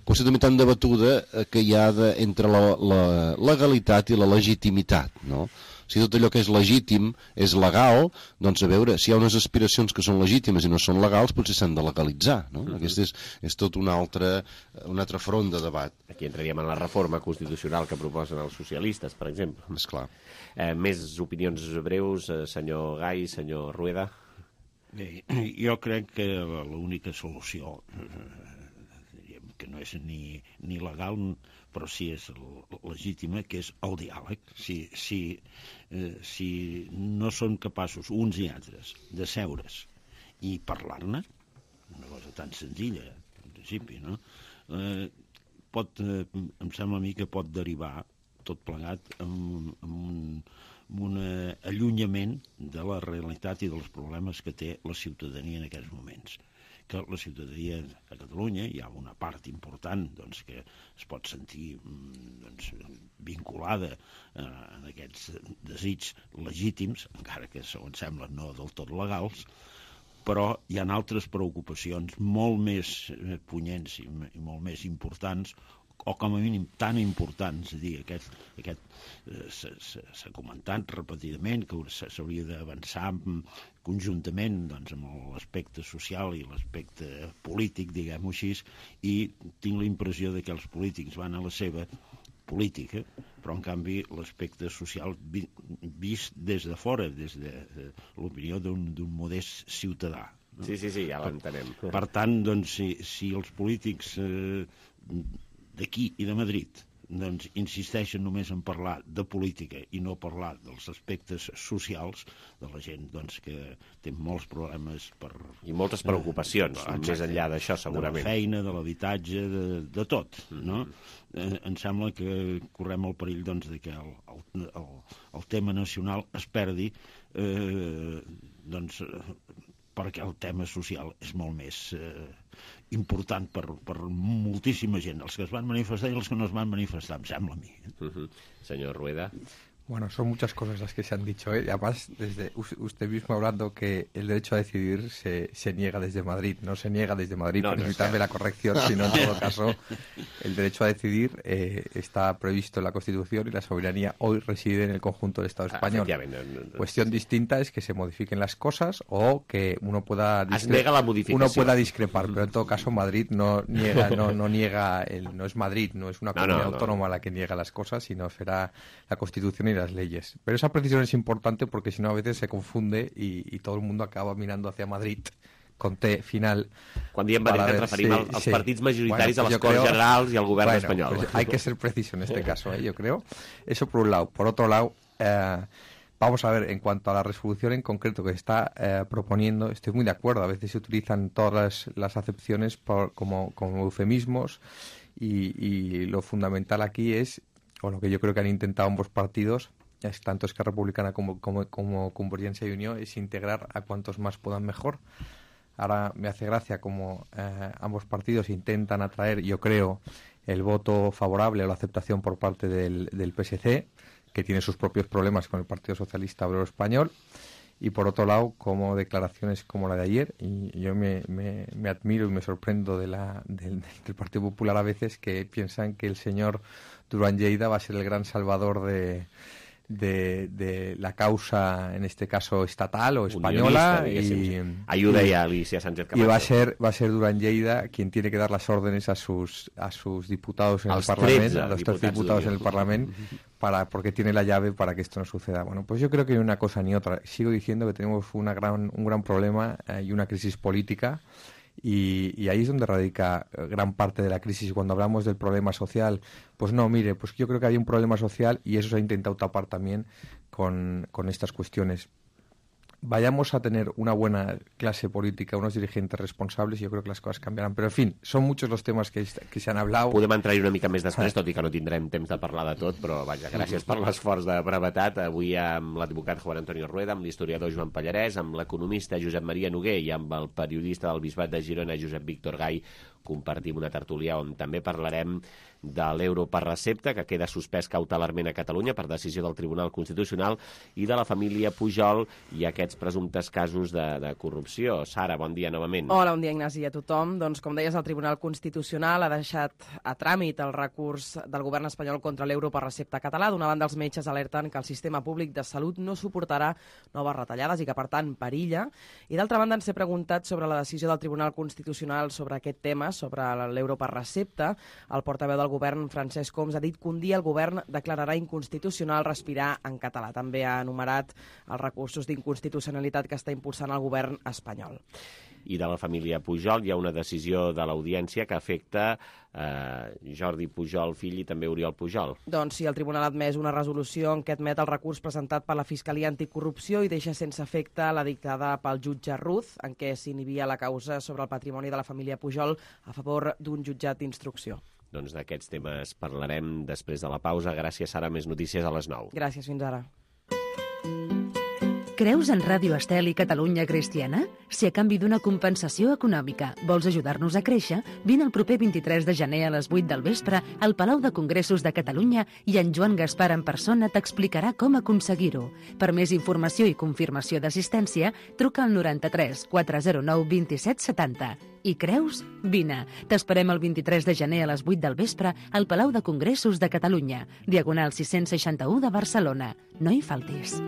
Speaker 13: qüestió també tan debatuda eh, que hi ha de, entre la, la legalitat i la legitimitat, no? Si tot allò que és legítim és legal, doncs a veure, si hi ha unes aspiracions que són legítimes i no són legals, potser s'han de legalitzar, no? Uh-huh. Aquest és, és tot un altre, un altre front de debat.
Speaker 2: Aquí entraríem en la reforma constitucional que proposen els socialistes, per exemple.
Speaker 13: Esclar.
Speaker 2: Eh, més opinions breus, eh, senyor Gai, senyor Rueda?
Speaker 14: Bé, jo crec que l'única solució, eh, que no és ni, ni legal, però sí és legítima, que és el diàleg. Si, si, eh, si no són capaços, uns i altres, de seure's i parlar-ne, una cosa tan senzilla, en principi, no? Eh, pot, eh, em sembla a mi que pot derivar tot plegat amb, amb un amb un allunyament de la realitat i dels problemes que té la ciutadania en aquests moments. Que la ciutadania a Catalunya hi ha una part important doncs, que es pot sentir doncs, vinculada eh, en aquests desitjos legítims, encara que segons sembla no del tot legals, però hi ha altres preocupacions molt més punyents i, i molt més importants, o com a mínim tan importants, és a dir, aquest, aquest eh, s'ha comentat repetidament que s'hauria d'avançar conjuntament doncs, amb l'aspecte social i l'aspecte polític, diguem-ho així, i tinc la impressió de que els polítics van a la seva política, però en canvi l'aspecte social vi, vist des de fora, des de, de l'opinió d'un modest ciutadà. No?
Speaker 2: Sí, sí, sí, ja l'entenem.
Speaker 14: Per, per tant, doncs, si, si els polítics eh, d'aquí i de Madrid doncs, insisteixen només en parlar de política i no parlar dels aspectes socials de la gent doncs, que té molts problemes per...
Speaker 2: I moltes preocupacions, eh, més enllà d'això, segurament.
Speaker 14: De la feina, de l'habitatge, de, de tot, no? Mm-hmm. eh, em sembla que correm el perill doncs, de que el, el, el, el tema nacional es perdi eh, doncs, perquè el tema social és molt més... Eh, important per, per moltíssima gent, els que es van manifestar i els que no es van manifestar, em sembla a mi.
Speaker 2: Uh-huh. Señor Rueda.
Speaker 15: Bueno, son muchas cosas las que se han dicho, ¿eh? Y además, desde usted mismo hablando que el derecho a decidir se, se niega desde Madrid, no se niega desde Madrid, no, permítame no la corrección, sino en todo caso, el derecho a decidir eh, está previsto en la Constitución y la soberanía hoy reside en el conjunto del Estado español.
Speaker 2: Ah, no, no, no,
Speaker 15: Cuestión distinta es que se modifiquen las cosas o que uno pueda,
Speaker 2: discre la
Speaker 15: uno pueda discrepar, pero en todo caso Madrid no niega, no, no niega, el, no es Madrid, no es una comunidad no, no, autónoma no. la que niega las cosas, sino será la Constitución y las leyes. Pero esa precisión es importante porque si no a veces se confunde y, y todo el mundo acaba mirando hacia Madrid con T final.
Speaker 2: Quan diem Madrid ens referim sí, als sí. partits majoritaris, bueno, pues a les Corts creo... Generals y al gobierno
Speaker 15: bueno,
Speaker 2: español.
Speaker 15: Pues hay que ser preciso en este caso, ¿eh? Yo creo. Eso por un lado. Por otro lado, eh, vamos a ver, en cuanto a la resolución en concreto que está eh, proponiendo, estoy muy de acuerdo. A veces se utilizan todas las, las acepciones por, como, como eufemismos y, y lo fundamental aquí es, o lo que yo creo que han intentado ambos partidos, es tanto Esquerra Republicana como, como, como Convergencia y Unió, es integrar a cuantos más puedan mejor. Ahora me hace gracia como eh, ambos partidos intentan atraer, yo creo, el voto favorable o la aceptación por parte del, del P S C, que tiene sus propios problemas con el Partido Socialista Obrero Español, y por otro lado, como declaraciones como la de ayer, y yo me, me, me admiro y me sorprendo de la, del, del Partido Popular a veces, que piensan que el señor Duran Lleida va a ser el gran salvador de... de, de la causa, en este caso estatal o española, y
Speaker 2: ayuda ya Alicia Sánchez Camacho.
Speaker 15: Y va a ser va a ser Durán Lleida quien tiene que dar las órdenes a sus a sus diputados en el Parlamento, a los tres diputados en el Parlamento, para porque tiene la llave para que esto no suceda. Bueno, pues yo creo que ni una cosa ni otra. Sigo diciendo que tenemos una gran un gran problema eh, y una crisis política. Y, y ahí es donde radica gran parte de la crisis. Cuando hablamos del problema social, pues no, mire, pues yo creo que hay un problema social y eso se ha intentado tapar también con, con estas cuestiones. Vayamos a tener una buena clase política, unos dirigentes responsables, y yo creo que les coses canviaran. Però, en fi, són molts els temes que, que s'han hablat.
Speaker 2: Podem entrar-hi una mica més després, tot i que no tindrem temps de parlar de tot, però vaja, gràcies per l'esforç de brevetat. Avui amb l'advocat Juan Antonio Rueda, amb l'historiador Joan Pallarès, amb l'economista Josep Maria Noguer i amb el periodista del Bisbat de Girona, Josep Víctor Gai, compartim una tertúlia on també parlarem de l'euro per recepta, que queda suspès cautelarment a Catalunya per decisió del Tribunal Constitucional, i de la família Pujol i aquests presumptes casos de, de corrupció. Sara, bon dia novament.
Speaker 3: Hola, bon dia, Ignasi, a tothom. Doncs, com deies, el Tribunal Constitucional ha deixat a tràmit el recurs del govern espanyol contra l'euro per recepta català. D'una banda, els metges alerten que el sistema públic de salut no suportarà noves retallades i que, per tant, perilla. I, d'altra banda, ens he preguntat sobre la decisió del Tribunal Constitucional sobre aquest tema, sobre l'euro per recepta. El portaveu del govern, Francesc Homs, ha dit que un dia el govern declararà inconstitucional respirar en català. També ha enumerat els recursos d'inconstitucionalitat que està impulsant el govern espanyol.
Speaker 2: I de la família Pujol hi ha una decisió de l'Audiència que afecta eh, Jordi Pujol, fill, i també Oriol Pujol.
Speaker 3: Doncs sí, el tribunal ha admès una resolució en què admet el recurs presentat per la Fiscalia Anticorrupció i deixa sense efecte la dictada pel jutge Ruz, en què s'inhibia la causa sobre el patrimoni de la família Pujol a favor d'un jutjat d'instrucció.
Speaker 2: Doncs d'aquests temes parlarem després de la pausa. Gràcies, Sara. Més notícies a les nou.
Speaker 3: Gràcies, fins ara.
Speaker 1: Creus en Ràdio Estel i Catalunya Cristiana? Si a canvi d'una compensació econòmica vols ajudar-nos a créixer, vine el proper vint-i-tres de gener a les vuit del vespre al Palau de Congressos de Catalunya i en Joan Gaspar en persona t'explicarà com aconseguir-ho. Per més informació i confirmació d'assistència, truca al noranta-tres quatre zero nou vint-i-set setanta. I creus? Vine. T'esperem el vint-i-tres de gener a les vuit del vespre al Palau de Congressos de Catalunya, diagonal sis-cents seixanta-u de Barcelona. No hi faltis.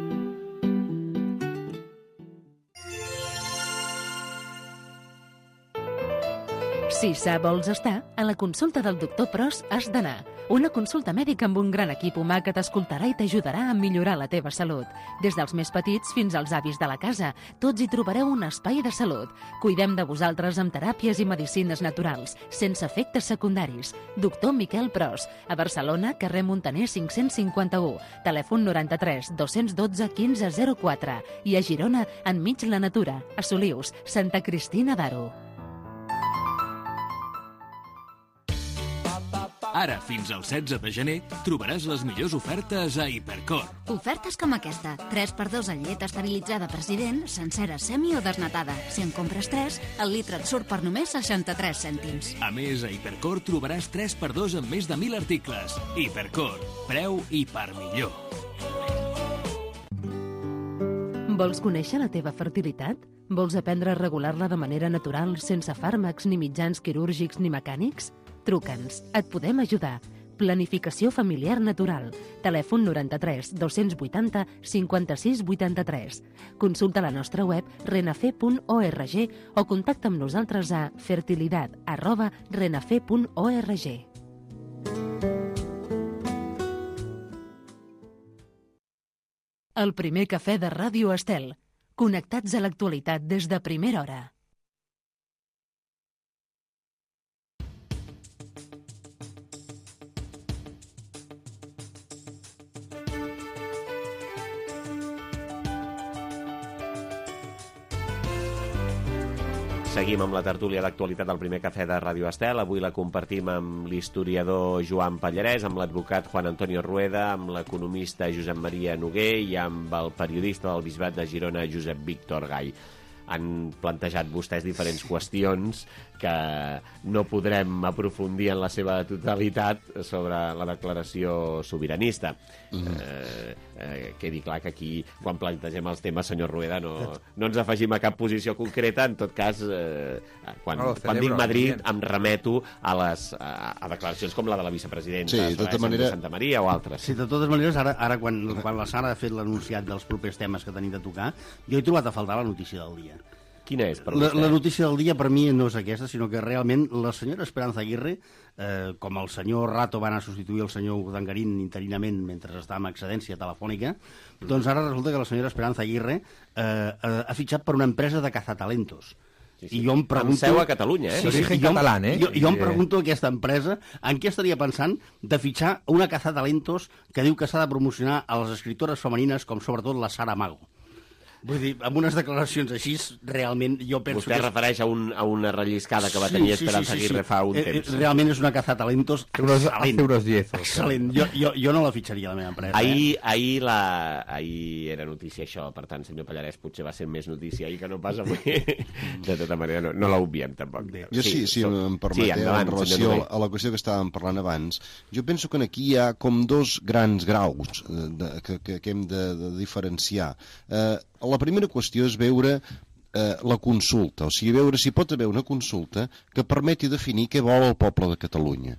Speaker 1: Si sa vols estar, a la consulta del doctor Pros has d'anar. Una consulta mèdica amb un gran equip humà que t'escoltarà i t'ajudarà a millorar la teva salut. Des dels més petits fins als avis de la casa, tots hi trobareu un espai de salut. Cuidem de vosaltres amb teràpies i medicines naturals, sense efectes secundaris. Doctor Miquel Pros, a Barcelona, carrer Montaner cinc-cents cinquanta-u, telèfon noranta-tres dos-cents dotze quinze zero quatre, i a Girona, enmig la natura, a Solius, Santa Cristina d'Aro.
Speaker 7: Ara, fins al setze de gener, trobaràs les millors ofertes a Hipercor.
Speaker 16: Ofertes com aquesta. tres per dos en llet esterilitzada President, sencera, semi o desnatada. Si en compres tres, el litre et surt per només seixanta-tres cèntims.
Speaker 7: A més, a Hipercor trobaràs tres per dos amb més de mil articles. Hipercor. Preu i per millor.
Speaker 1: Vols conèixer la teva fertilitat? Vols aprendre a regular-la de manera natural, sense fàrmacs ni mitjans quirúrgics ni mecànics? Truca'ns, et podem ajudar. Planificació familiar natural. Telèfon noranta-tres dos-cents vuitanta cinquanta-sis vuitanta-tres. Consulta la nostra web renafe punt org o contacta amb nosaltres a fertilidad arroba renafe punt org. El primer cafè de Ràdio Estel. Connectats a l'actualitat des de primera hora.
Speaker 2: Seguim amb la tertúlia d'actualitat del primer cafè de Ràdio Estel. Avui la compartim amb l'historiador Joan Pallarès, amb l'advocat Juan Antonio Rueda, amb l'economista Josep Maria Noguer i amb el periodista del Bisbat de Girona, Josep Víctor Gai. Han plantejat vostès diferents qüestions que no podrem aprofundir en la seva totalitat sobre la declaració sobiranista. Mm. Eh, eh, quedi clar que aquí, quan plantegem els temes, senyor Rueda, no, no ens afegim a cap posició concreta. En tot cas, eh, quan, no, quan dic Madrid bien. Em remeto a, les, a, a declaracions com la de la vicepresidenta,
Speaker 13: sí, de tota manera...
Speaker 2: Santa Maria o altres.
Speaker 12: Sí, de totes maneres, ara, ara quan, quan la Sara ha fet l'anunciat dels propers temes que tenim de tocar, jo he trobat a faltar la notícia del dia.
Speaker 2: Quina és, per
Speaker 12: la, la notícia del dia per mi no és aquesta, sinó que realment la senyora Esperanza Aguirre, eh, com el senyor Rato va anar a substituir el senyor Urdangarín interinament mentre estava en excedència telefònica, mm. doncs ara resulta que la senyora Esperanza Aguirre eh, eh, ha fitxat per una empresa de cazatalentos.
Speaker 2: Sí, sí.
Speaker 12: I jo em pregunto...
Speaker 2: Amb seu a Catalunya, eh?
Speaker 12: Sí, sí, sí, jo, català, eh? Jo, jo em pregunto aquesta empresa en què estaria pensant de fitxar una cazatalentos que diu que s'ha de promocionar a les escriptores femenines com sobretot la Sara Mago. Vull dir, amb unes declaracions així, realment jo penso
Speaker 2: Vostè
Speaker 12: que...
Speaker 2: Vostè es refereix a, un, a una relliscada que va tenir sí, sí, Esperanza sí, sí, Aguirre sí. fa un
Speaker 12: eh,
Speaker 2: temps.
Speaker 12: Realment és una cazatalentos excel·lent.
Speaker 15: Euros diez.
Speaker 12: Excel·lent. Jo, jo, jo no la fitxaria a la meva empresa.
Speaker 2: Ahir,
Speaker 12: eh?
Speaker 2: ahir, la, ahir era notícia això, per tant, senyor Pallarès, potser va ser més notícia ahir que no pas avui. De tota manera, no, no l'obviem tampoc.
Speaker 13: Jo sí, si sí, em permeteu, sí, endavant, en relació a la qüestió que estàvem parlant abans, jo penso que aquí hi ha com dos grans graus de, que, que, que hem de, de diferenciar. Eh, La primera qüestió és veure eh, la consulta, o sigui, veure si pot haver una consulta que permeti definir què vol el poble de Catalunya.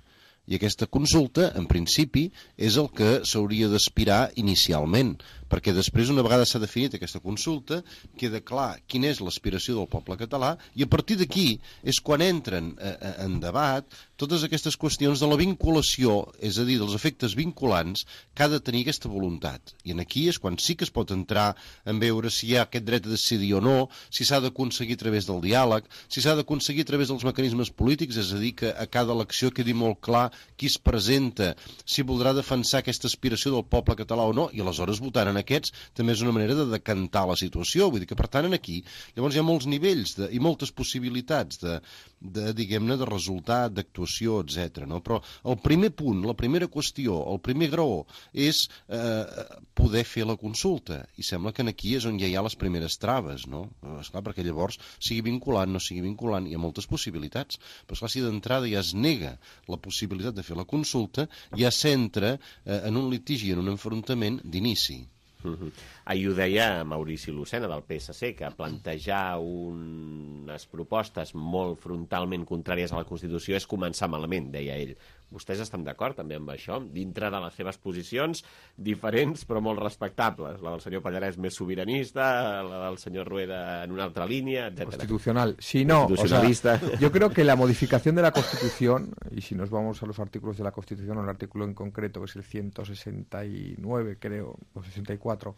Speaker 13: I aquesta consulta, en principi, és el que s'hauria d'aspirar inicialment, perquè després, una vegada s'ha definit aquesta consulta, queda clar quina és l'aspiració del poble català, i a partir d'aquí és quan entren eh, en debat totes aquestes qüestions de la vinculació, és a dir, dels efectes vinculants que ha de tenir aquesta voluntat. I aquí és quan sí que es pot entrar en veure si hi ha aquest dret a decidir o no, si s'ha d'aconseguir a través del diàleg, si s'ha d'aconseguir a través dels mecanismes polítics, és a dir, que a cada elecció quedi molt clar qui es presenta, si voldrà defensar aquesta aspiració del poble català o no, i aleshores votant en aquests també és una manera de decantar la situació. Vull dir que, per tant, aquí llavors hi ha molts nivells de, i moltes possibilitats de, de diguem-ne, de resultat, d'actuació, etcètera. No? Però el primer punt, la primera qüestió, el primer graó és eh, poder fer la consulta. I sembla que aquí és on ja hi ha les primeres traves, no? Esclar, perquè llavors sigui vinculant, no sigui vinculant, hi ha moltes possibilitats. Però esclar, si d'entrada ja es nega la possibilitat de fer la consulta, ja s'entra eh, en un litigi, en un enfrontament d'inici.
Speaker 2: Uh-huh. Ahir ho deia Maurici Lucena del P S C, que plantejar unes propostes molt frontalment contràries a la Constitució és començar malament, deia ell. Vostès estan d'acord també amb això? Dintre de les seves posicions diferents però molt respectables. La del senyor Pallarès més sobiranista, la del senyor Rueda en una altra línia, etcétera.
Speaker 15: Constitucional. Si no, o sea, yo creo que la modificación de la Constitución, y si nos vamos a los artículos de la Constitución, o el artículo en concreto, que es el ciento sesenta y nueve, creo, o sesenta y cuatro,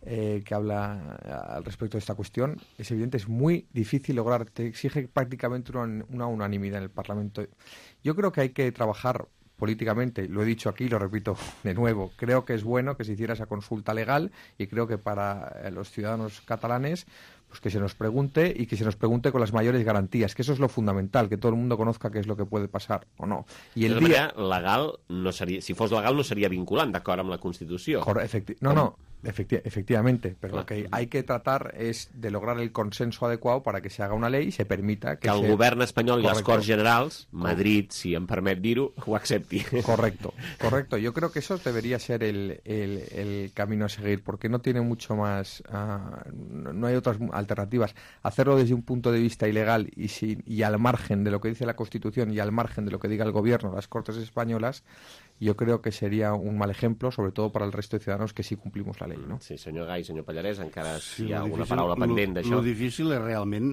Speaker 15: Eh, que habla al respecto de esta cuestión, es evidente, es muy difícil lograr, te exige prácticamente una, una unanimidad en el Parlamento. Yo creo que hay que trabajar políticamente, lo he dicho aquí, lo repito de nuevo, creo que es bueno que se hiciera esa consulta legal y creo que para eh, los ciudadanos catalanes pues que se nos pregunte y que se nos pregunte con las mayores garantías, que eso es lo fundamental, que todo el mundo conozca qué es lo que puede pasar o no. Y el
Speaker 2: día legal no seria, si fos legal no seria vinculant d'acord amb la Constitució.
Speaker 15: Efecti no, no, efecti efectivamente, pero Clar. Lo que hay que tratar es de lograr el consenso adecuado para que se haga una ley y se permita que,
Speaker 2: que el
Speaker 15: se...
Speaker 2: govern espanyol Correcto. I les Corts Generals, Madrid, si em permet dir-ho, ho accepti.
Speaker 15: Correcto, correcto. Yo creo que eso debería ser el, el, el camino a seguir, porque no tiene mucho más, uh, no hay otras alternativas. Hacerlo desde un punto de vista ilegal y, sin, y al margen de lo que dice la Constitución y al margen de lo que diga el gobierno, las Cortes españolas, yo creo que sería un mal ejemplo, sobre todo para el resto de ciudadanos que sí cumplimos la ley, ¿no?
Speaker 2: Sí, senyor Gai, senyor Pallarès, encara
Speaker 12: sí,
Speaker 2: hi ha alguna
Speaker 12: difícil,
Speaker 2: paraula pendent d'això.
Speaker 12: El difícil és realment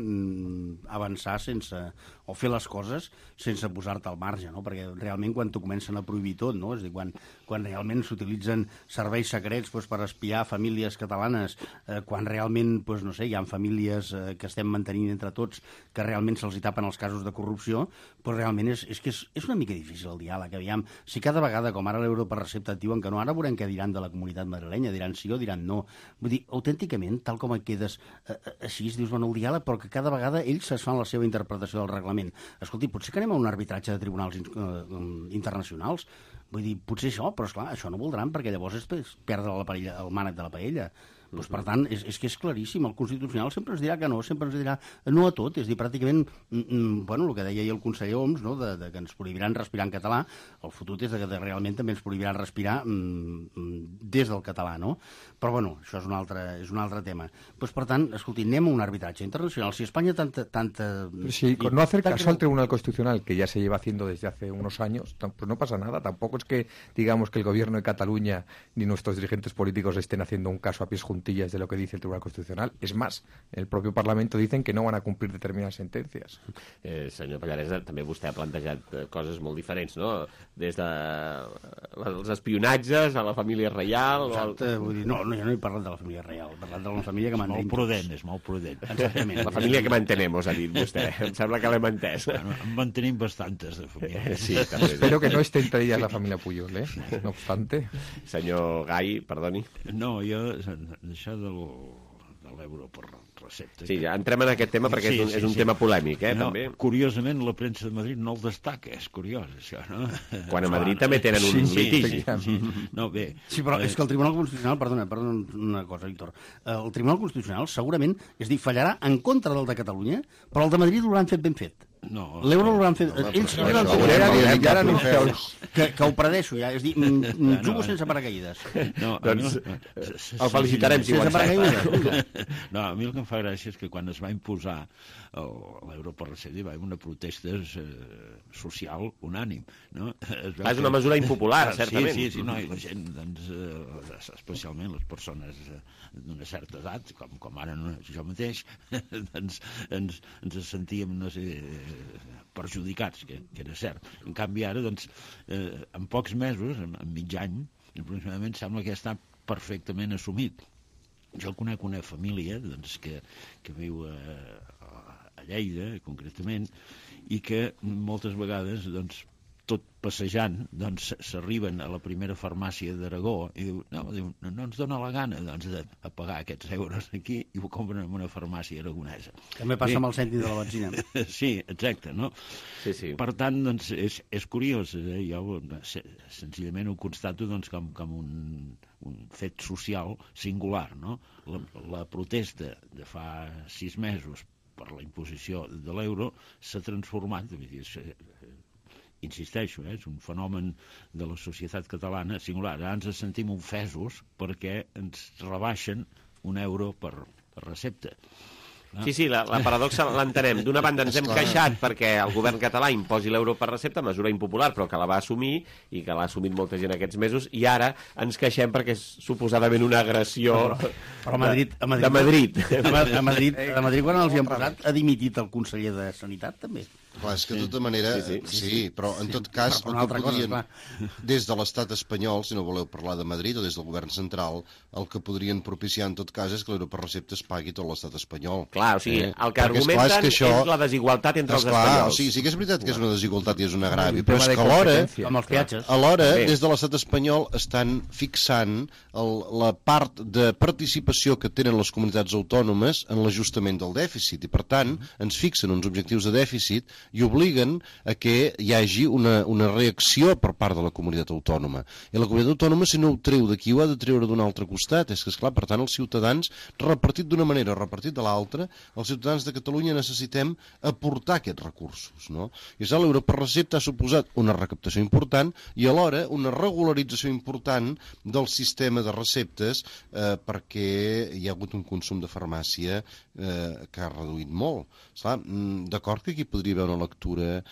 Speaker 12: avançar sense, o fer les coses sense posar-te al marge, no? Perquè realment quan t'ho comencen a prohibir tot, no? És a dir, quan, quan realment s'utilitzen serveis secrets doncs, per espiar famílies catalanes, eh, quan realment, doncs, no sé, hi ha famílies eh, que estem mantenint entre tots que realment se'ls hi tapen els casos de corrupció, doncs realment és, és que és, és una mica difícil el diàleg. Aviam, si cada vegada, com ara l'Europa Recepta et diuen que no, ara veurem què diran de la comunitat madrilenya, diran sí o diran no. Vull dir, autènticament, tal com et quedes eh, així, dius, bueno, el diàleg, però que cada vegada ells es fan la seva interpretació del reglament. Escolti, potser que anem a un arbitratge de tribunals eh, internacionals? Vull dir, potser això, però esclar, això no voldran, perquè llavors és perdre la paella, el mànec de la paella. Doncs, per tant, és, és que és claríssim. El Constitucional sempre ens dirà que no, sempre ens dirà no a tot. És dir, pràcticament, mm, bueno, el que deia el conseller Homs, no?, de, de que ens prohibiran respirar en català, el fotut és de que realment també ens prohibiran respirar mm, des del català, no? Però, bueno, això és un altre, és un altre tema. Pues, per tant, escolti, anem a un arbitratge internacional. Si Espanya tanta... tanta
Speaker 15: sí, con no hacer caso al Tribunal Constitucional, que ya se lleva haciendo desde hace unos años, pues no pasa nada. Tampoco es que digamos que el gobierno de Cataluña ni nuestros dirigentes políticos estén haciendo un caso a pies juntillas de lo que dice el Tribunal Constitucional. Es más, en el propio Parlamento dicen que no van a cumplir determinadas sentencias.
Speaker 2: Eh, senyor Pallaresa, també vostè ha plantejat coses molt diferents, no? Des de els espionatges a la família reial...
Speaker 12: Exacte, o el... vull dir, no, no, jo no he parlat de la família reial, he parlat de la família que mantenim.
Speaker 14: És molt prudent, és molt prudent.
Speaker 12: Exactament.
Speaker 2: La família que mantenemos, ha dit vostè. Em sembla que l'hem entès.
Speaker 14: Bueno, en mantenim bastantes de famílies.
Speaker 2: Sí, també.
Speaker 15: Espero que no esté entre ellas la familia Puyol, ¿eh? No obstante.
Speaker 2: Senyor Gai, perdoni.
Speaker 14: No, jo, això del, de l'euro per recepta...
Speaker 2: Sí, ja entrem en aquest tema perquè sí, és un, sí, és un sí. tema polèmic, eh, no, també.
Speaker 14: Curiosament, la premsa de Madrid no el destaca, és curiós, això, no?
Speaker 2: Quan a Madrid també tenen un sí, litigi.
Speaker 14: Sí, sí. No, bé...
Speaker 12: Sí, però és que el Tribunal Constitucional, perdona, perdona una cosa, Víctor, el Tribunal Constitucional segurament, és dir, fallarà en contra del de Catalunya, però el de Madrid l'hauran fet ben fet.
Speaker 14: No,
Speaker 12: l'euro l'hauran fet...
Speaker 13: No,
Speaker 12: ells
Speaker 13: no,
Speaker 12: l'han
Speaker 13: no,
Speaker 12: fet...
Speaker 13: no,
Speaker 12: Ja,
Speaker 13: ja
Speaker 12: no, que, que ho predeixo, ja. És dir, mm, jugo
Speaker 14: no,
Speaker 12: sense paracaïdes.
Speaker 14: No,
Speaker 2: doncs
Speaker 14: no,
Speaker 2: el felicitarem si ho
Speaker 14: encerta. No, a mi el que em fa gràcia és que quan es va imposar l'euro per recepta hi va haver una protesta eh, social unànim. No? Es
Speaker 2: ah, és una mesura impopular, certament.
Speaker 14: Sí, sí, sí, no, i la gent, doncs, eh, especialment les persones eh, d'una certa edat, com, com ara no, jo mateix, doncs, ens, ens sentíem, no sé, perjudicats, que, que era cert. En canvi, ara, doncs, eh, en pocs mesos, en, en mig any, aproximadament, sembla que ja està perfectament assumit. Jo conec una família doncs, que, que viu a, a Lleida, concretament, i que moltes vegades, doncs, tot passejant, doncs s'arriben a la primera farmàcia d'Aragó i diu, no, diu, no ens dona la gana doncs, de, de pagar aquests euros aquí i ho compren en una farmàcia aragonesa.
Speaker 12: També passa sí. amb el cèntim de la benzina.
Speaker 14: Sí, exacte, no?
Speaker 2: Sí, sí.
Speaker 14: Per tant, doncs, és, és curiós, eh? Jo senzillament ho constato doncs, com, com un, un fet social singular, no? La, la protesta de fa sis mesos per la imposició de l'euro s'ha transformat, vull dir, insisteixo, eh, és un fenomen de la societat catalana singular. Ara ens sentim ofesos perquè ens rebaixen un euro per, per recepta.
Speaker 2: Sí, sí, la, la paradoxa l'entenem. D'una banda ens hem queixat perquè el govern català imposi l'euro per recepta, mesura impopular, però que la va assumir i que l'ha assumit molta gent aquests mesos, i ara ens queixem perquè és suposadament una agressió
Speaker 12: però, però a Madrid, a Madrid,
Speaker 2: de Madrid.
Speaker 12: A Madrid, a Madrid, quan els hi han posat, ha dimitit el conseller de Sanitat, també.
Speaker 13: Clar, és que de tota manera, sí, sí, sí, sí però en tot cas,
Speaker 12: el que podrien,
Speaker 13: cosa, des de l'estat espanyol, si no voleu parlar de Madrid, o des del govern central, el que podrien propiciar en tot cas és que l'euro per recepta es pagui tot l'estat espanyol.
Speaker 2: Clar, o sigui, eh? el que Perquè argumenten és, clar, és, que això... és la desigualtat entre els
Speaker 13: espanyols.
Speaker 2: Clar,
Speaker 13: o sigui, sí que és veritat que és una desigualtat i és un agravi, però és que alhora,
Speaker 12: amb els peatges,
Speaker 13: alhora des de l'estat espanyol estan fixant el, la part de participació que tenen les comunitats autònomes en l'ajustament del dèficit, i per tant ens fixen uns objectius de dèficit i obliguen a que hi hagi una, una reacció per part de la comunitat autònoma. I la comunitat autònoma, si no ho treu d'aquí, ho ha de treure d'un altre costat. És que, esclar, per tant, els ciutadans, repartit d'una manera o repartit de l'altra, els ciutadans de Catalunya necessitem aportar aquests recursos, no? I això l'euro per recepta ha suposat una recaptació important i alhora una regularització important del sistema de receptes eh, perquè hi ha hagut un consum de farmàcia eh, que ha reduït molt. Esclar, d'acord que aquí podria haver una lectura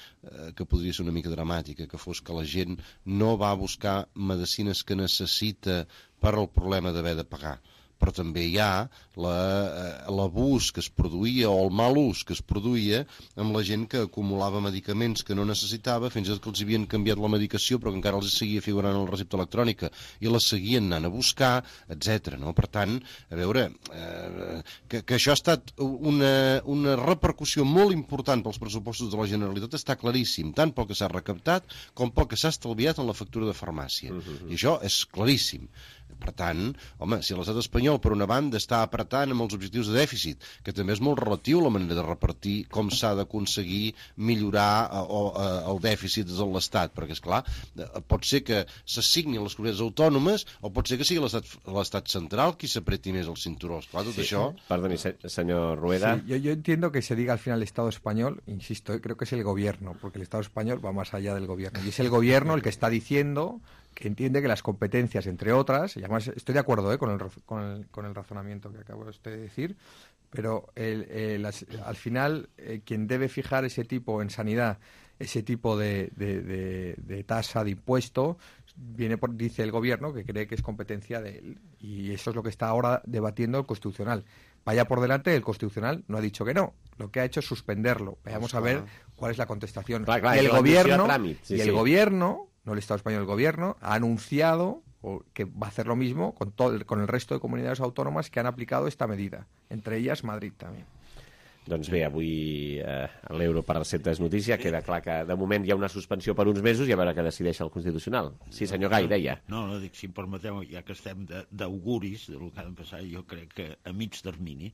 Speaker 13: que podria ser una mica dramàtica, que fos que la gent no va buscar medicines que necessita per al problema d'haver de pagar. Però també hi ha l'abús que es produïa o el mal ús que es produïa amb la gent que acumulava medicaments que no necessitava, fins i tot que els havien canviat la medicació però que encara els seguia figurant en la recepta electrònica i la seguien anant a buscar, etcètera. No? Per tant, a veure, eh, que, que això ha estat una, una repercussió molt important pels pressupostos de la Generalitat està claríssim, tant pel que s'ha recaptat com pel que s'ha estalviat en la factura de farmàcia. Uh-huh. I això és claríssim. Per tant, home, si l'estat espanyol, per una banda, està apretant amb els objectius de dèficit, que també és molt relatiu a la manera de repartir com s'ha d'aconseguir millorar eh, o, eh, el dèficit de l'Estat, perquè, esclar, eh, pot ser que s'assignin les comunitats autònomes o pot ser que sigui l'estat central qui s'apreti més el cinturó. Esclar, tot
Speaker 2: sí,
Speaker 13: això...
Speaker 2: Perdoni, señor Rueda.
Speaker 15: Sí, yo, yo entiendo que se diga al final el Estado español, insisto, eh, creo que es el gobierno, porque el Estado español va más allá del gobierno. Y es el gobierno el que está diciendo que entiende que las competencias, entre otras, y además estoy de acuerdo eh, con, el, con, el, con el razonamiento que acabo de decir, pero el, el, las, al final eh, quien debe fijar ese tipo en sanidad, ese tipo de, de, de, de tasa, de impuesto, viene por, dice el gobierno que cree que es competencia de él. Y eso es lo que está ahora debatiendo el Constitucional. Vaya por delante, el Constitucional no ha dicho que no. Lo que ha hecho es suspenderlo. Vayamos a ver cuál es la contestación.
Speaker 2: Clar, clar,
Speaker 15: y el gobierno,
Speaker 2: tràmit, sí,
Speaker 15: y el
Speaker 2: sí.
Speaker 15: gobierno, no el Estado español, el gobierno, ha anunciado que va a hacer lo mismo con, todo el, con el resto de comunidades autónomas que han aplicado esta medida. Entre ellas, Madrid también.
Speaker 2: Doncs bé, avui eh, l'euro per recepta és notícia. Queda clar que de moment hi ha una suspensió per uns mesos i a veure què decideix el Constitucional. Sí, senyor Gai, deia.
Speaker 14: No, no, dic, si em permeteu, ja que estem d'auguris del que ha de passar, jo crec que a mig termini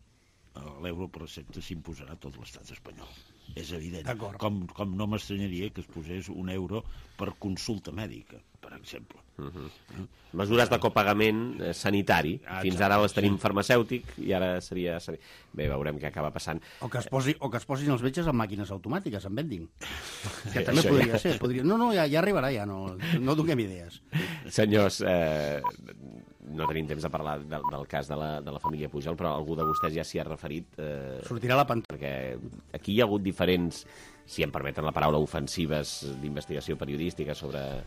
Speaker 14: l'euro per recepta s'imposarà a tot l'estat espanyol. És evident. Com, com no m'estranyaria que es posés un euro per consulta mèdica, per exemple.
Speaker 2: Uh -huh. Mesures de copagament eh, sanitari. Ah, fins ara les tenim farmacèutic i ara seria... Bé, veurem què acaba passant.
Speaker 12: O que es, posi, o que es posin els metges amb màquines automàtiques, en vending. Que també podria ja. ser. Podria... No, no, ja, ja arribarà, ja. No, no donem idees.
Speaker 2: Senyors, eh, no tenim temps de parlar del, del cas de la, de la família Pujol, però algú de vostès ja s'hi ha referit. Eh,
Speaker 12: Sortirà la pantalla.
Speaker 2: Perquè aquí hi ha hagut diferents, si em permeten la paraula, ofensives d'investigació periodística sobre...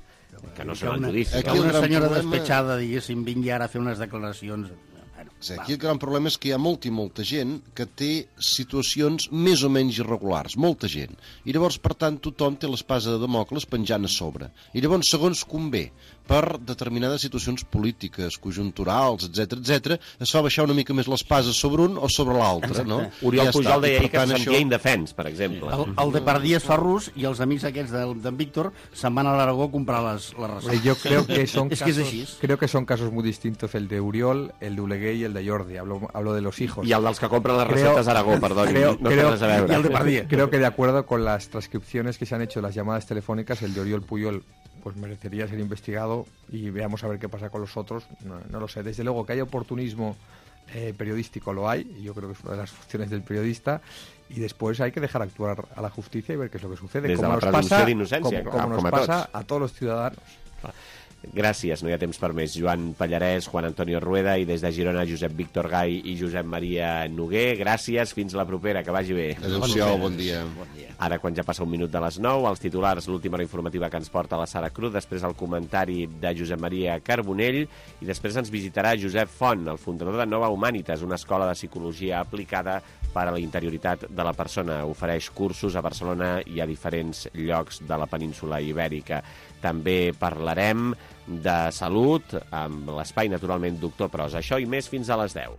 Speaker 2: que no són el judici.
Speaker 12: Que una senyora problema... despetxada, diguéssim, vingui ara a fer unes declaracions... Bueno,
Speaker 13: sí, aquí el gran problema és que hi ha molta i molta gent que té situacions més o menys irregulars, molta gent. I llavors, per tant, tothom té l'espasa de Damocles penjant a sobre. I llavors, segons convé, per determinades situacions polítiques, conjunturals, etcètera, etcètera, es fa baixar una mica més l'espasa sobre un o sobre l'altre, no?
Speaker 2: Oriol
Speaker 13: ja
Speaker 2: Pujol deia que se sentia indefens, per exemple.
Speaker 12: El, el Depardieu es fa rus i els amics aquests d'en Víctor se'n van a l'Aragó a comprar les, les receptes.
Speaker 15: Yo creo que son
Speaker 12: es
Speaker 15: casos,
Speaker 12: que es
Speaker 15: creo que son casos muy distintos, el de Uriol, el de Oleguer y el de Jordi. Hablo, hablo de los hijos.
Speaker 2: Y el dels que compren las recetas Aragó, perdón.
Speaker 15: Creo,
Speaker 2: no
Speaker 15: creo,
Speaker 2: a veure.
Speaker 15: Y el de Depardieu. Creo que de acuerdo con las transcripciones que se han hecho de las llamadas telefónicas, el de Oriol Pujol pues merecería ser investigado y veamos a ver qué pasa con los otros. No, no lo sé. Desde luego que hay oportunismo eh, periodístico, lo hay. Y yo creo que es una de las funciones del periodista. Y después hay que dejar actuar a la justicia y ver qué es lo que sucede.
Speaker 2: Des de
Speaker 15: como
Speaker 2: la
Speaker 15: nos pasa,
Speaker 2: d'innocència,
Speaker 15: como, como
Speaker 2: com,
Speaker 15: nos
Speaker 2: com a
Speaker 15: pasa
Speaker 2: tots.
Speaker 15: a todos los ciudadanos.
Speaker 2: Gràcies, no hi ha temps per més. Joan Pallarès, Juan Antonio Rueda i des de Girona Josep Víctor Gai i Josep Maria Noguer. Gràcies, fins la propera, que vagi bé.
Speaker 13: Adéu-siau, bon dia.
Speaker 14: Bon dia.
Speaker 2: Ara, quan ja passa un minut de les nou, els titulars, l'última hora informativa que ens porta la Sara Cruz, després el comentari de Josep Maria Carbonell i després ens visitarà Josep Font, el fundador de Nova Humanitas, una escola de psicologia aplicada per a la interioritat de la persona. Ofereix cursos a Barcelona i a diferents llocs de la península ibèrica. També parlarem de salut amb l'espai, naturalment, Doctor Pros. Això i més fins a les deu.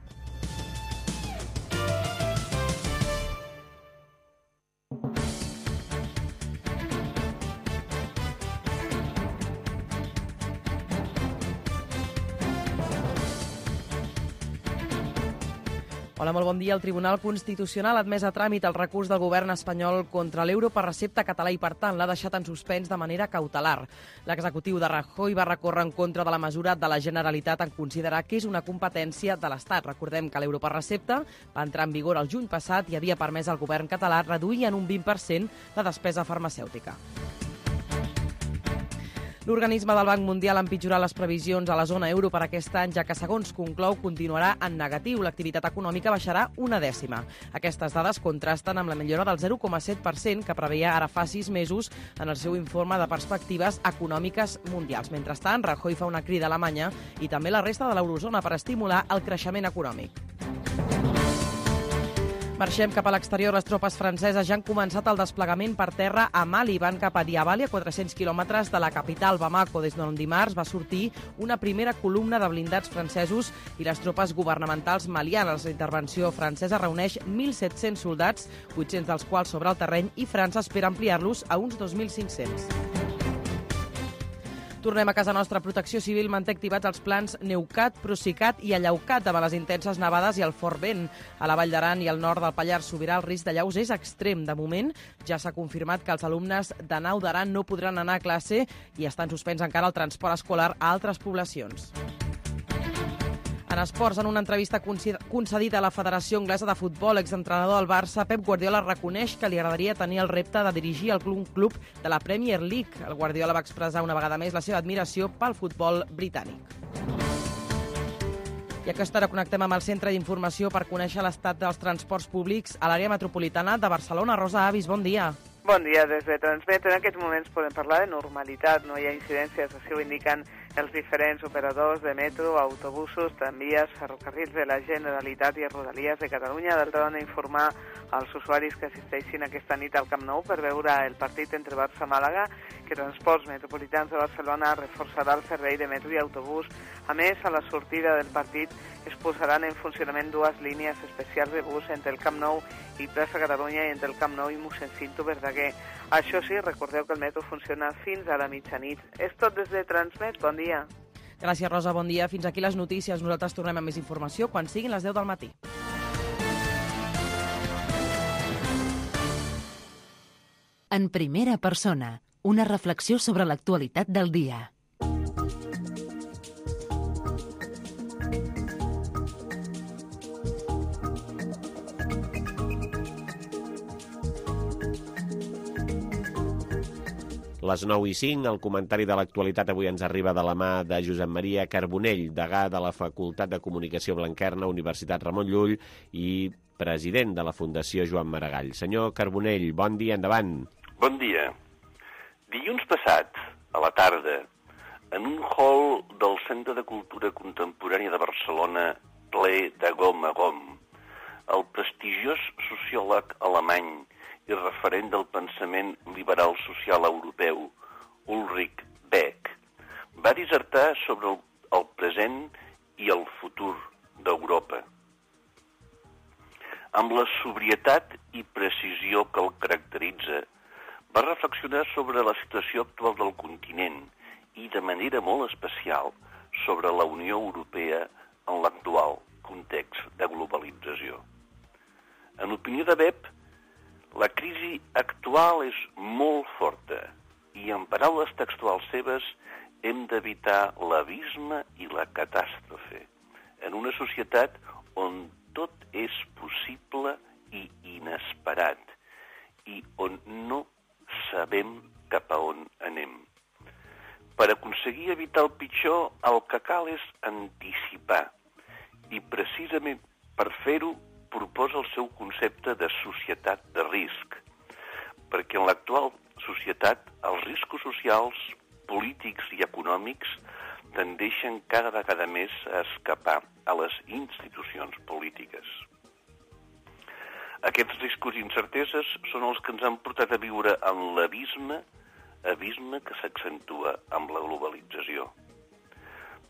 Speaker 3: Hola, molt bon dia. El Tribunal Constitucional ha admès a tràmit el recurs del govern espanyol contra l'euro per recepta català i, per tant, l'ha deixat en suspens de manera cautelar. L'executiu de Rajoy va recórrer en contra de la mesura de la Generalitat en considerar que és una competència de l'Estat. Recordem que l'euro per recepta va entrar en vigor el juny passat i havia permès al govern català reduir en un vint per cent la despesa farmacèutica. L'organisme del Banc Mundial ha empitjorat les previsions a la zona euro per aquest any, ja que, segons conclou, continuarà en negatiu. L'activitat econòmica baixarà una dècima. Aquestes dades contrasten amb la millora del zero coma set per cent que preveia ara fa sis mesos en el seu informe de perspectives econòmiques mundials. Mentrestant, Rajoy fa una crida a Alemanya i també la resta de l'eurozona per estimular el creixement econòmic. Marxem cap a l'exterior. Les tropes franceses ja han començat el desplegament per terra a Mali. Van cap a Diabali, a quatre-cents quilòmetres de la capital, Bamako. Des d'on dimarts va sortir una primera columna de blindats francesos i les tropes governamentals malianes. La intervenció francesa reuneix mil set-cents soldats, vuit-cents dels quals sobre el terreny, i França espera ampliar-los a uns dos mil cinc-cents. Tornem a casa nostra. Protecció Civil manté activats els plans Neucat, Procicat i Allaucat davant les intenses nevades i el fort vent. A la Vall d'Aran i al nord del Pallars Sobirà el risc de llaus és extrem. De moment ja s'ha confirmat que els alumnes de Nau d'Aran no podran anar a classe i estan suspens encara el transport escolar a altres poblacions. En esports, en una entrevista concedida a la Federació Anglesa de Futbol, exentrenador del Barça, Pep Guardiola reconeix que li agradaria tenir el repte de dirigir el club, club de la Premier League. El Guardiola va expressar una vegada més la seva admiració pel futbol britànic. I a aquesta hora connectem amb el Centre d'Informació per conèixer l'estat dels transports públics a l'àrea metropolitana de Barcelona. Rosa Avis, bon dia.
Speaker 10: Bon dia, des de Transmet. En aquests moments podem parlar de normalitat, no hi ha incidències, així ho indiquen els diferents operadors de metro, autobusos, tramvies, ferrocarrils de la Generalitat i Rodalies de Catalunya. D'altra banda, informar als usuaris que assisteixin aquesta nit al Camp Nou per veure el partit entre Barça i Màlaga, que Transports Metropolitans de Barcelona reforçarà el servei de metro i autobús. A més, a la sortida del partit es posaran en funcionament dues línies especials de bus entre el Camp Nou i Plaça Catalunya i entre el Camp Nou i Mossèn Cinto Verdaguer. Això sí, recordeu que el metro funciona fins a la mitjanit. És tot des de Transmet. Bon dia.
Speaker 3: Gràcies, Rosa. Bon dia. Fins aquí les notícies. Nosaltres tornem amb més informació quan siguin les deu del matí.
Speaker 1: En primera persona, una reflexió sobre l'actualitat del dia.
Speaker 2: Les nou i cinc, el comentari de l'actualitat avui ens arriba de la mà de Josep Maria Carbonell, degà de la Facultat de Comunicació Blanquerna, Universitat Ramon Llull i president de la Fundació Joan Maragall. Senyor Carbonell, bon dia, endavant.
Speaker 17: Bon dia. Dilluns passat, a la tarda, en un hall del Centre de Cultura Contemporània de Barcelona, ple de gom a gom, el prestigiós sociòleg alemany i referent del pensament liberal social europeu, Ulrich Beck, va dissertar sobre el, el present i el futur d'Europa. Amb la sobrietat i precisió que el caracteritza, va reflexionar sobre la situació actual del continent i, de manera molt especial, sobre la Unió Europea en l'actual context de globalització. En opinió de Beck, la crisi actual és molt forta i, en paraules textuals seves, hem d'evitar l'abisme i la catàstrofe en una societat on tot és possible i inesperat i on no sabem cap a on anem. Per aconseguir evitar el pitjor, el que cal és anticipar i, precisament per fer-ho, proposa el seu concepte de societat de risc, perquè en l'actual societat els riscos socials, polítics i econòmics tendeixen cada vegada més a escapar a les institucions polítiques. Aquests riscos i incerteses són els que ens han portat a viure en l'abisme, abisme que s'accentua amb la globalització.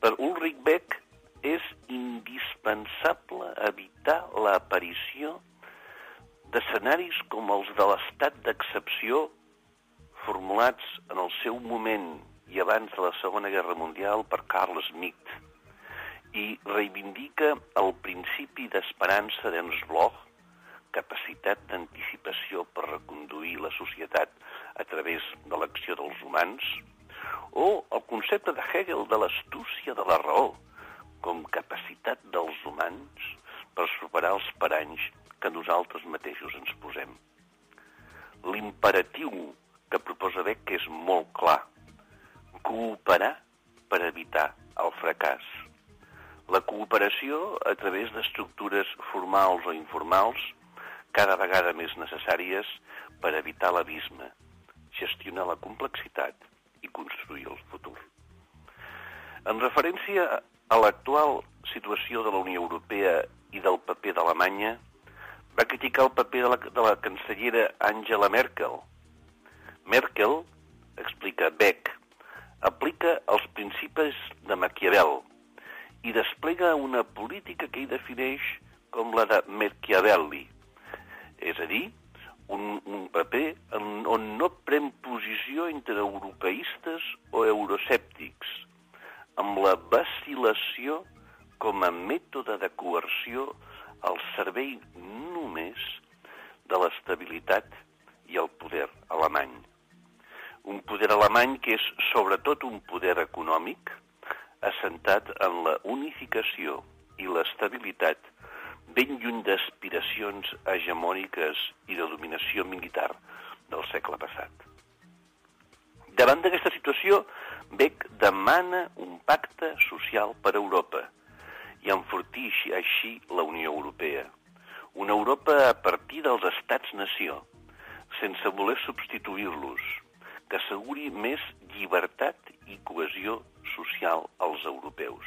Speaker 17: Per Ulrich Beck, és indispensable evitar l'aparició d'escenaris com els de l'estat d'excepció formulats en el seu moment i abans de la Segona Guerra Mundial per Carl Schmitt i reivindica el principi d'esperança d'Ernst Bloch, capacitat d'anticipació per reconduir la societat a través de l'acció dels humans, o el concepte de Hegel de l'astúcia de la raó, com capacitat dels humans per superar els paranys que nosaltres mateixos ens posem. L'imperatiu que proposa Beck és molt clar: cooperar per evitar el fracàs. La cooperació a través d'estructures formals o informals cada vegada més necessàries per evitar l'abisme, gestionar la complexitat i construir el futur. En referència a l'actual situació de la Unió Europea i del paper d'Alemanya, va criticar el paper de la, de la cancellera Angela Merkel. Merkel, explica Beck, aplica els principis de Maquiavel i desplega una política que ell defineix com la de Machiavelli, és a dir, un, un paper en, on no pren posició posició entre europeistes o euroscèptics, amb la vacil·lació com a mètode de coerció al servei només de l'estabilitat i el poder alemany. Un poder alemany que és sobretot un poder econòmic assentat en la unificació i l'estabilitat ben lluny d'aspiracions hegemòniques i de dominació militar del segle passat. Davant d'aquesta situació, Beck demana un pacte social per a Europa i enfortir així la Unió Europea. Una Europa a partir dels estats-nació, sense voler substituir-los, que asseguri més llibertat i cohesió social als europeus.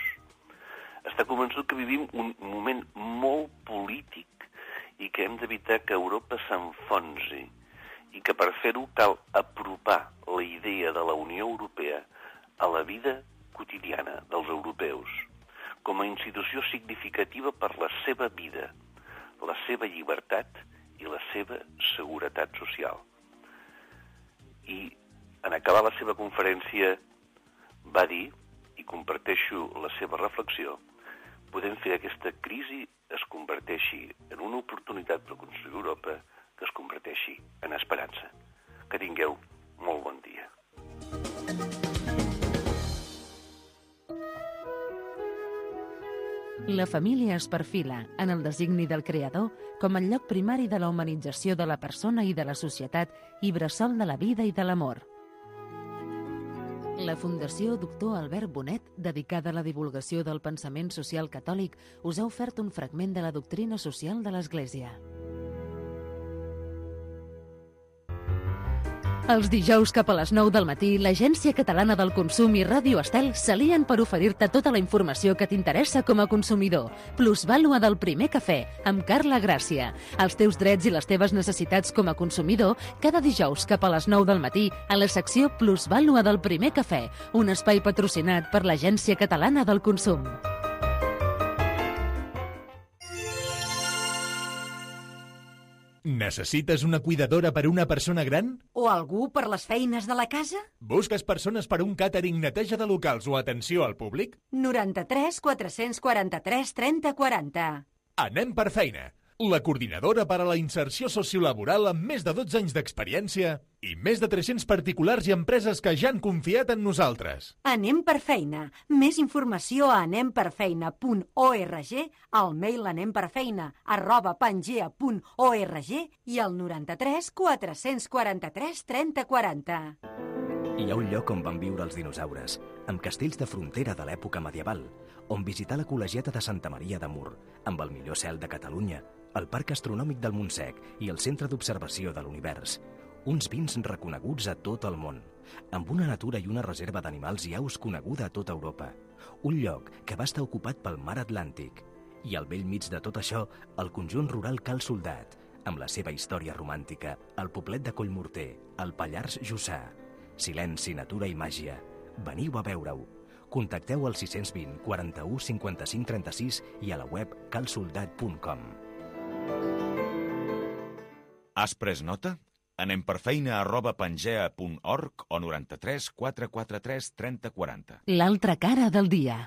Speaker 17: Està convençut que vivim un moment molt polític i que hem d'evitar que Europa s'enfonsi i que per fer-ho cal apropar la idea de la Unió Europea a la vida quotidiana dels europeus, com a institució significativa per la seva vida, la seva llibertat i la seva seguretat social. I en acabar la seva conferència va dir, i comparteixo la seva reflexió, podem fer que aquesta crisi es converteixi en una oportunitat per construir Europa, que es converteixi en esperança. Que tingueu molt bon dia.
Speaker 1: La família es perfila, en el designi del creador, com el lloc primari de la humanització de la persona i de la societat i bressol de la vida i de l'amor. La Fundació Doctor Albert Bonet, dedicada a la divulgació del pensament social catòlic, us ha ofert un fragment de la doctrina social de l'Església. Els dijous cap a les nou del matí, l'Agència Catalana del Consum i Ràdio Estel s'alien per oferir-te tota la informació que t'interessa com a consumidor. Plusvàlua del primer cafè, amb Carla Gràcia. Els teus drets i les teves necessitats com a consumidor, cada dijous cap a les nou del matí, a la secció Plusvàlua del primer cafè, un espai patrocinat per l'Agència Catalana del Consum.
Speaker 18: Necessites una cuidadora per a una persona gran?
Speaker 19: O algú per les feines de la casa?
Speaker 18: Busques persones per a un càtering, neteja de locals o atenció al públic?
Speaker 19: noranta-tres quatre-cents quaranta-tres trenta quaranta.
Speaker 18: Anem per feina. La coordinadora per a la inserció sociolaboral amb més de dotze anys d'experiència i més de tres-cents particulars i empreses que ja han confiat en nosaltres.
Speaker 19: Anem per feina. Més informació a anem per feina punt org, al mail anemperfeina arroba pangea punt org i al noranta-tres quatre-cents quaranta-tres trenta quaranta.
Speaker 20: Hi ha un lloc on van viure els dinosaures, amb castells de frontera de l'època medieval, on visitar la col·legiata de Santa Maria de Mur, amb el millor cel de Catalunya, el Parc Astronòmic del Montsec i el Centre d'Observació de l'Univers. Uns vins reconeguts a tot el món, amb una natura i una reserva d'animals i aus coneguda a tota Europa. Un lloc que va estar ocupat pel mar Atlàntic. I al vell mig de tot això, el conjunt rural Cal Soldat, amb la seva història romàntica, el poblet de Collmorter, el Pallars Jussà. Silenci, natura i màgia. Veniu a veure-ho. Contacteu al sis dos zero, quaranta-u, cinquanta-cinc, trenta-sis i a la web cal soldat punt com.
Speaker 21: Has pres nota? Anem per feina arroba pangea punt org o noranta-tres quatre quaranta-tres trenta quaranta.
Speaker 1: L'altra cara del dia.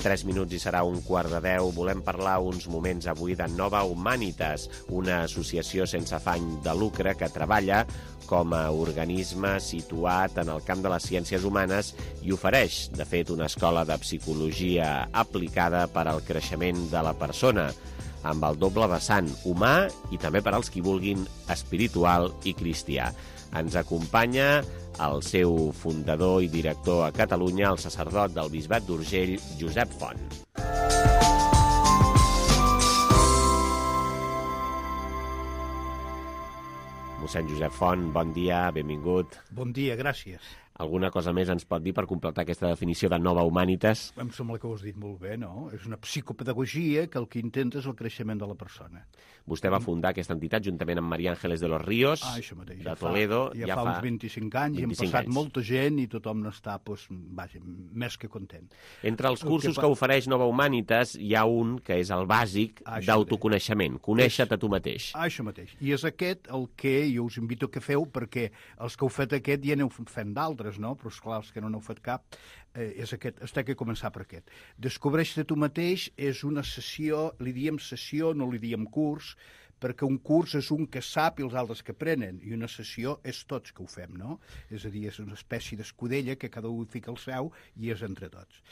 Speaker 2: Tres minuts i serà un quart de deu. Volem parlar uns moments avui de Nova Humanitas, una associació sense afany de lucre que treballa com a organisme situat en el camp de les ciències humanes i ofereix, de fet, una escola de psicologia aplicada per al creixement de la persona, amb el doble vessant humà i també per als qui vulguin espiritual i cristià. Ens acompanya el seu fundador i director a Catalunya, el sacerdot del Bisbat d'Urgell, Josep Font. Mossèn Josep Font, bon dia, benvingut.
Speaker 22: Bon dia, gràcies.
Speaker 2: Alguna cosa més ens pot dir per completar aquesta definició de Nova Humanitas?
Speaker 4: Em sembla que ho has dit molt bé, no? És una psicopedagogia que el que intenta és el creixement de la persona.
Speaker 2: Vostè va fundar aquesta entitat juntament amb María Ángeles de los Ríos,
Speaker 4: ah, això mateix,
Speaker 2: de
Speaker 4: ja
Speaker 2: Toledo.
Speaker 4: Fa, ja, ja fa uns vint-i-cinc anys, i hem passat anys. molta gent i tothom n'està, doncs, vaja, més que content.
Speaker 2: Entre els cursos que, que ofereix Nova Humanitas hi ha un que és el bàsic d'autoconeixement, conèixer-te tu mateix.
Speaker 4: Això mateix. I és aquest el que jo us invito que feu, perquè els que heu fet aquest ja n'heu fent d'altres, no? Però, esclar, els que no n'heu fet cap, eh, és aquest, has de començar per aquest. Descobreix-te tu mateix és una sessió, li diem sessió, no li diem curs, perquè un curs és un que sap i els altres que aprenen, i una sessió és tots que ho fem, no? És a dir, és una espècie d'escudella que cada un fica el seu i és entre tots.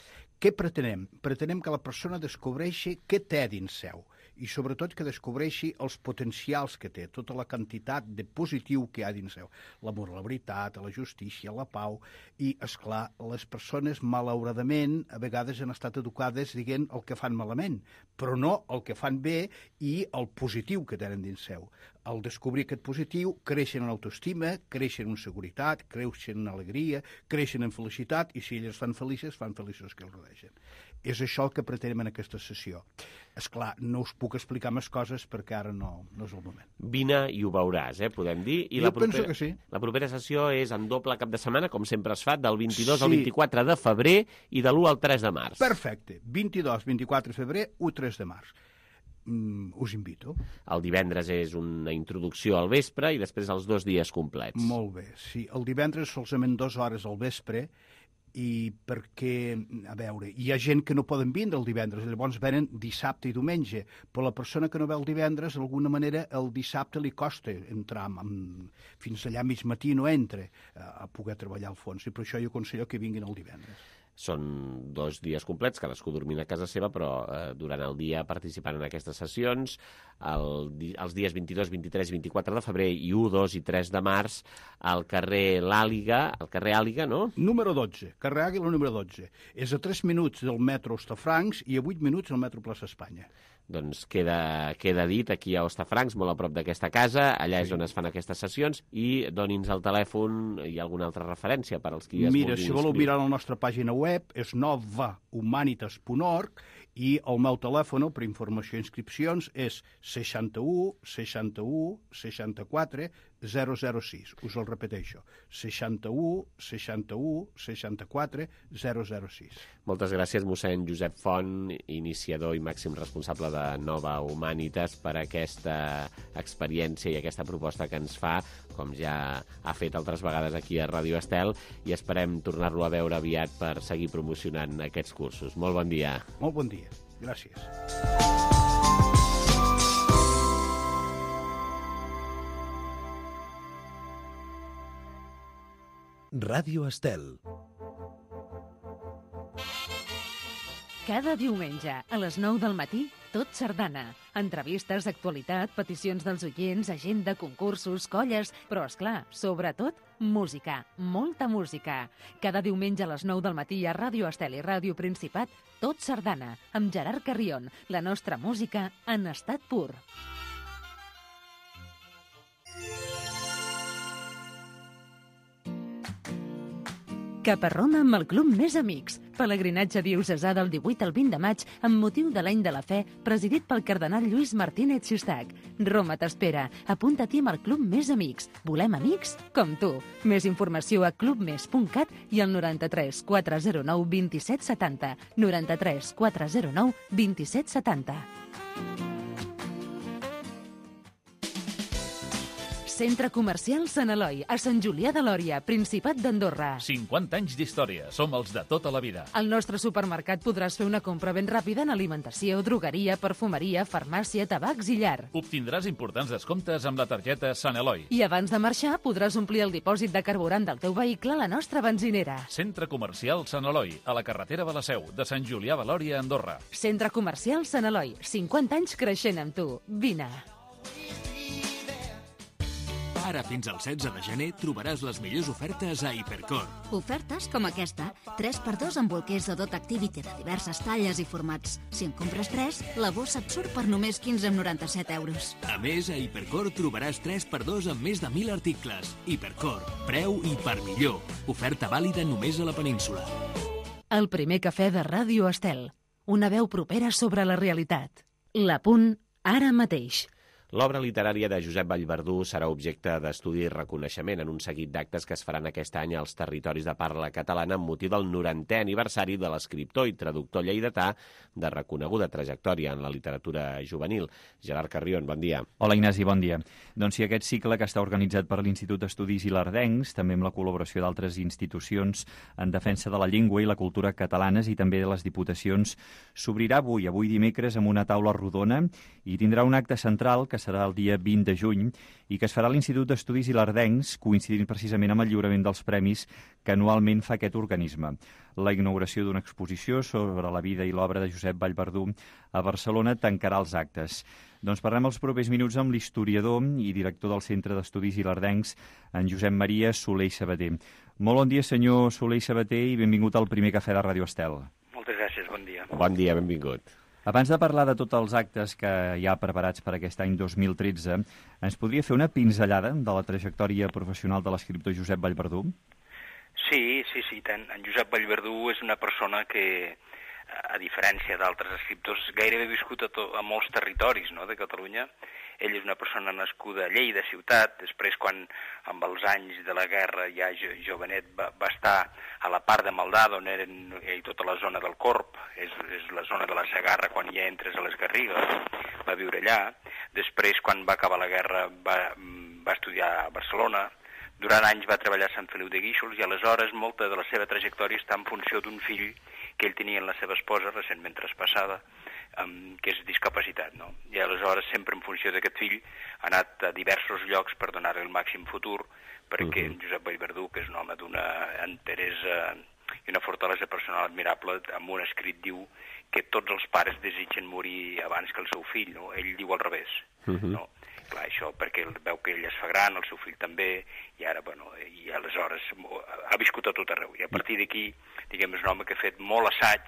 Speaker 4: Què pretenem? Pretenem que la persona descobreixi què té dins seu, i sobretot que descobreixi els potencials que té, tota la quantitat de positiu que hi ha dins seu. L'amor a la veritat, a la justícia, a la pau, i, esclar, les persones, malauradament, a vegades han estat educades dient el que fan malament, però no el que fan bé i el positiu que tenen dins seu. Al descobrir aquest positiu, creixen en autoestima, creixen en seguretat, creixen en alegria, creixen en felicitat, i si elles fan felices, fan feliços que els rodegen. És això el que pretenem en aquesta sessió. És clar, no us puc explicar més coses perquè ara no, no és el moment.
Speaker 2: Vine i ho veuràs, eh, podem dir. I
Speaker 4: jo
Speaker 2: la propera,
Speaker 4: penso que sí.
Speaker 2: La propera sessió és en doble cap de setmana, com sempre es fa, del vint-i-dos sí. al vint-i-quatre de febrer i de l'u al tres de març.
Speaker 4: Perfecte. vint-i-dos, vint-i-quatre de febrer, u tres de març. Mm, us invito.
Speaker 2: El divendres és una introducció al vespre i després els dos dies complets.
Speaker 4: Molt bé, sí. El divendres solament dues hores al vespre, i perquè, a veure, hi ha gent que no poden vindre el divendres, llavors venen dissabte i diumenge, però la persona que no ve el divendres, d'alguna manera, el dissabte li costa entrar, amb, fins allà mig matí no entra a, a poder treballar al fons, i per això jo aconsello que vinguin el divendres.
Speaker 2: Són dos dies complets, cadascú dormint a casa seva, però eh, durant el dia participant en aquestes sessions, el, els dies vint-i-dos, vint-i-tres i vint-i-quatre de febrer i u, dos i tres de març, al carrer L'Àliga, al carrer Àliga, no?
Speaker 4: Número dotze, carrer Àguila número dotze. És a tres minuts del metro Hostafrancs i a vuit minuts del metro Plaça Espanya.
Speaker 2: Doncs queda, queda dit aquí a Hostafrancs, molt a prop d'aquesta casa, allà sí. és on es fan aquestes sessions, i doni'ns el telèfon i alguna altra referència per als qui es
Speaker 4: Mira,
Speaker 2: vulguin
Speaker 4: si voleu
Speaker 2: inscriure.
Speaker 4: mirar la nostra pàgina web, és nova humanitas punt org, i el meu telèfon per informació i inscripcions és seixanta-u, seixanta-u, seixanta-quatre, zero zero sis. Us el repeteixo, seixanta-u, seixanta-u, seixanta-quatre, zero zero sis.
Speaker 2: Moltes gràcies, mossèn Josep Font, iniciador i màxim responsable de Nova Humanitas, per aquesta experiència i aquesta proposta que ens fa, com ja ha fet altres vegades aquí a Ràdio Estel, i esperem tornar-lo a veure aviat per seguir promocionant aquests cursos. Molt bon dia.
Speaker 4: Molt bon dia. Gràcies.
Speaker 20: Ràdio Estel.
Speaker 1: Cada diumenge, a les nou del matí, Tot Sardana. Entrevistes, actualitat, peticions dels oients, agenda, concursos, colles, però, esclar, sobretot, música, molta música. Cada diumenge a les nou del matí a Ràdio Estel i Ràdio Principat, Tot Sardana, amb Gerard Carrion, la nostra música en estat pur. Cap a Roma amb el Club Més Amics. Pelegrinatge diocesà del divuit al vint de maig amb motiu de l'Any de la Fe, presidit pel cardenal Lluís Martínez Xistac. Roma t'espera. Apunta-t'hi amb el Club Més Amics. Volem amics com tu. Més informació a clubmes punt cat i al noranta-tres quatre zero nou dos set set zero. noranta-tres quatre zero nou dos set set zero. Centre Comercial Sant Eloi, a Sant Julià de Lòria, Principat d'Andorra.
Speaker 18: cinquanta anys d'història. Som els de tota la vida.
Speaker 1: Al nostre supermercat podràs fer una compra ben ràpida en alimentació, drogueria, perfumeria, farmàcia, tabacs i llar.
Speaker 18: Obtindràs importants descomptes amb la targeta Sant Eloi.
Speaker 1: I abans de marxar podràs omplir el dipòsit de carburant del teu vehicle a la nostra benzinera.
Speaker 18: Centre Comercial Sant Eloi, a la carretera de la Seu, de Sant Julià de Lòria, Andorra.
Speaker 1: Centre Comercial Sant Eloi, cinquanta anys creixent amb tu. Vine.
Speaker 7: Ara fins al setze de gener trobaràs les millors ofertes a Hipercor.
Speaker 16: Ofertes com aquesta. tres per dos amb bolquers de Dot Activity de diverses talles i formats. Si en compres tres, la bossa et surt per només quinze coma noranta-set euros.
Speaker 7: A més, a Hipercor trobaràs tres per dos amb més de mil articles. Hipercor, preu i per millor. Oferta vàlida només a la península.
Speaker 1: El primer cafè de Ràdio Estel. Una veu propera sobre la realitat. La Punt, ara mateix.
Speaker 2: L'obra literària de Josep Vallverdú serà objecte d'estudi i reconeixement en un seguit d'actes que es faran aquest any als territoris de parla catalana amb motiu del norantè aniversari de l'escriptor i traductor lleidatà de reconeguda trajectòria en la literatura juvenil. Gerard Carrion, bon dia.
Speaker 5: Hola, Ignasi, bon dia. Doncs sí, aquest cicle que està organitzat per l'Institut d'Estudis Ilardencs, també amb la col·laboració d'altres institucions en defensa de la llengua i la cultura catalanes i també de les diputacions, s'obrirà avui, avui dimecres, amb una taula rodona i tindrà un acte central que serà el dia vint de juny i que es farà a l'Institut d'Estudis Ilardencs, coincidint precisament amb el lliurament dels premis que anualment fa aquest organisme. La inauguració d'una exposició sobre la vida i l'obra de Josep Vallverdú a Barcelona tancarà els actes. Doncs parlem els propers minuts amb l'historiador i director del Centre d'Estudis Ilardencs, en Josep Maria Soler i Sabater. Molt bon dia, senyor Soler i Sabater, i benvingut al primer cafè de Ràdio Estel.
Speaker 22: Moltes gràcies, bon dia.
Speaker 2: Bon dia, benvingut.
Speaker 5: Abans de parlar de tots els actes que hi ha preparats per aquest any dos mil tretze, ens podria fer una pinzellada de la trajectòria professional de l'escriptor Josep Vallverdú?
Speaker 22: Sí, sí, sí, tant. En Josep Vallverdú és una persona que, a diferència d'altres escriptors, gairebé ha viscut a, to a molts territoris, no?, de Catalunya. Ell és una persona nascuda a Lleida, ciutat, després quan amb els anys de la guerra ja jo, jovenet va, va estar a la part de Maldà, on eren eh, tota la zona del Corp, és, és la zona de la Segarra quan ja entres a les Garrigues, va viure allà. Després, quan va acabar la guerra, va, va estudiar a Barcelona. Durant anys va treballar a Sant Feliu de Guíxols i aleshores molta de la seva trajectòria està en funció d'un fill que ell tenia en la seva esposa, recentment traspassada, um, que és discapacitat, no? I aleshores, sempre en funció d'aquest fill, ha anat a diversos llocs per donar-li el màxim futur, perquè uh-huh. Josep Vallverdú, que és un home d'una enteresa i una fortalesa personal admirable, amb un escrit diu que tots els pares desitgen morir abans que el seu fill, no? Ell diu al revés, uh-huh. no? Clar, això perquè veu que ell es fa gran, el seu fill també, i ara, bueno, i aleshores ha viscut a tot arreu. I a partir d'aquí, diguem, és un home que ha fet molt assaig,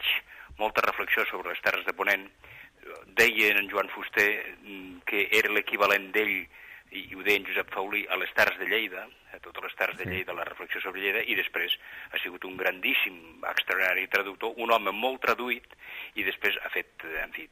Speaker 22: molta reflexió sobre les terres de Ponent. Deia en Joan Fuster que era l'equivalent d'ell, i ho deia en Josep Faulí, a les terres de Lleida, a totes les terres de Lleida, la reflexió sobre Lleida, i després ha sigut un grandíssim, extraordinari traductor, un home molt traduït, i després ha fet, en fi,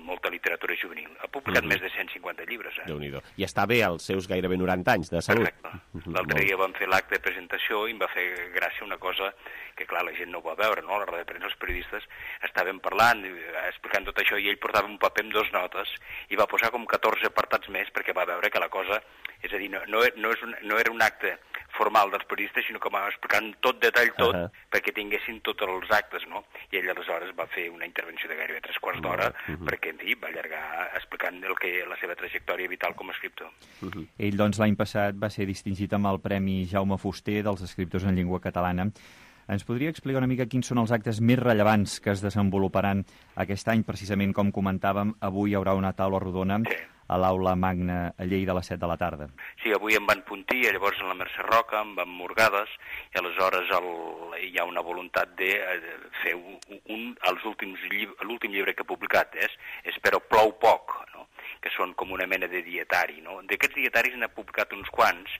Speaker 22: molta literatura juvenil. Ha publicat uh-huh. més de cent cinquanta llibres. Eh?
Speaker 2: Déu-n'hi-do. I està bé als seus gairebé noranta anys de salut.
Speaker 22: Correcte. L'altre dia vam fer l'acte de presentació i em va fer gràcia una cosa que, clar, la gent no ho va veure, no? A la roda de premsa, els periodistes estaven parlant, explicant tot això, i ell portava un paper amb dos notes i va posar com catorze apartats més perquè va veure que la cosa, és a dir, no, no, no, és un, no era un acte formal dels periodistes, sinó que va explicant tot detall tot, uh -huh. perquè tinguessin tots els actes, no? I ell aleshores va fer una intervenció de gairebé tres quarts d'hora, uh -huh. perquè, en fi, va allargar explicant el que, la seva trajectòria vital com a escriptor.
Speaker 5: Uh -huh. Ell, doncs, l'any passat va ser distingit amb el Premi Jaume Fuster dels escriptors en llengua catalana. Ens podria explicar una mica quins són els actes més rellevants que es desenvoluparan aquest any? Precisament, com comentàvem, avui hi haurà una taula rodona sí. a l'Aula Magna a Lleida a les set de la tarda.
Speaker 22: Sí, avui em van Puntí, llavors en la Mercè Roca, em van Morgades, i aleshores el, hi ha una voluntat de fer un, un els últims l'últim llibre que he publicat, és, és Però plou poc, no? Que són com una mena de dietari, no? D'aquests dietaris n'he publicat uns quants,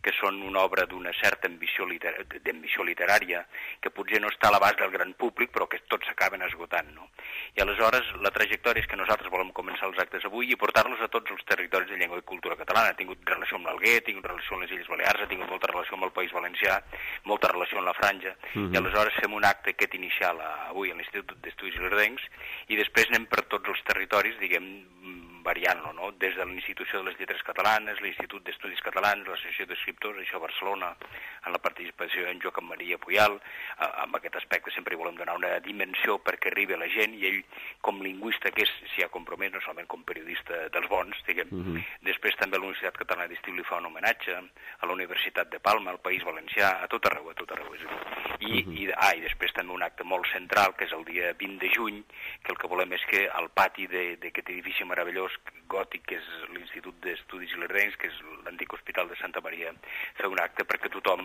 Speaker 22: que són una obra d'una certa ambició, liter d'ambició literària, que potser no està a l'abast del gran públic, però que tots s'acaben esgotant, no? I aleshores la trajectòria és que nosaltres volem començar els actes avui i portar-los a tots els territoris de llengua i cultura catalana. Ha tingut relació amb l'Alguer, ha tingut relació amb les Illes Balears, ha tingut molta relació amb el País Valencià, molta relació amb la Franja, uh-huh. i aleshores fem un acte aquest inicial a, avui a l'Institut d'Estudis Ilardencs i després anem per tots els territoris, diguem, variant-lo, no? Des de l'Institució de les Lletres Catalanes, l'Institut d'Estudis Catalans, l'Associació d'Escriptors, això a Barcelona, en la participació en Joaquim Maria Puyal, eh, amb aquest aspecte sempre volem donar una dimensió perquè arribi a la gent, i ell, com lingüista que és, s'hi ha compromès, no solament com periodista dels bons, diguem. Uh-huh. Després també a la Universitat Catalana d'Estiu li fa un homenatge, a la Universitat de Palma, al País Valencià, a tot arreu, a tot arreu. I, uh-huh. i, ah, i després també un acte molt central, que és el dia vint de juny, que el que volem és que al pati d'aquest edifici meravellós gòtic, que és l'Institut d'Estudis Ilerdencs, que és l'antic Hospital de Santa Maria, fer un acte perquè tothom,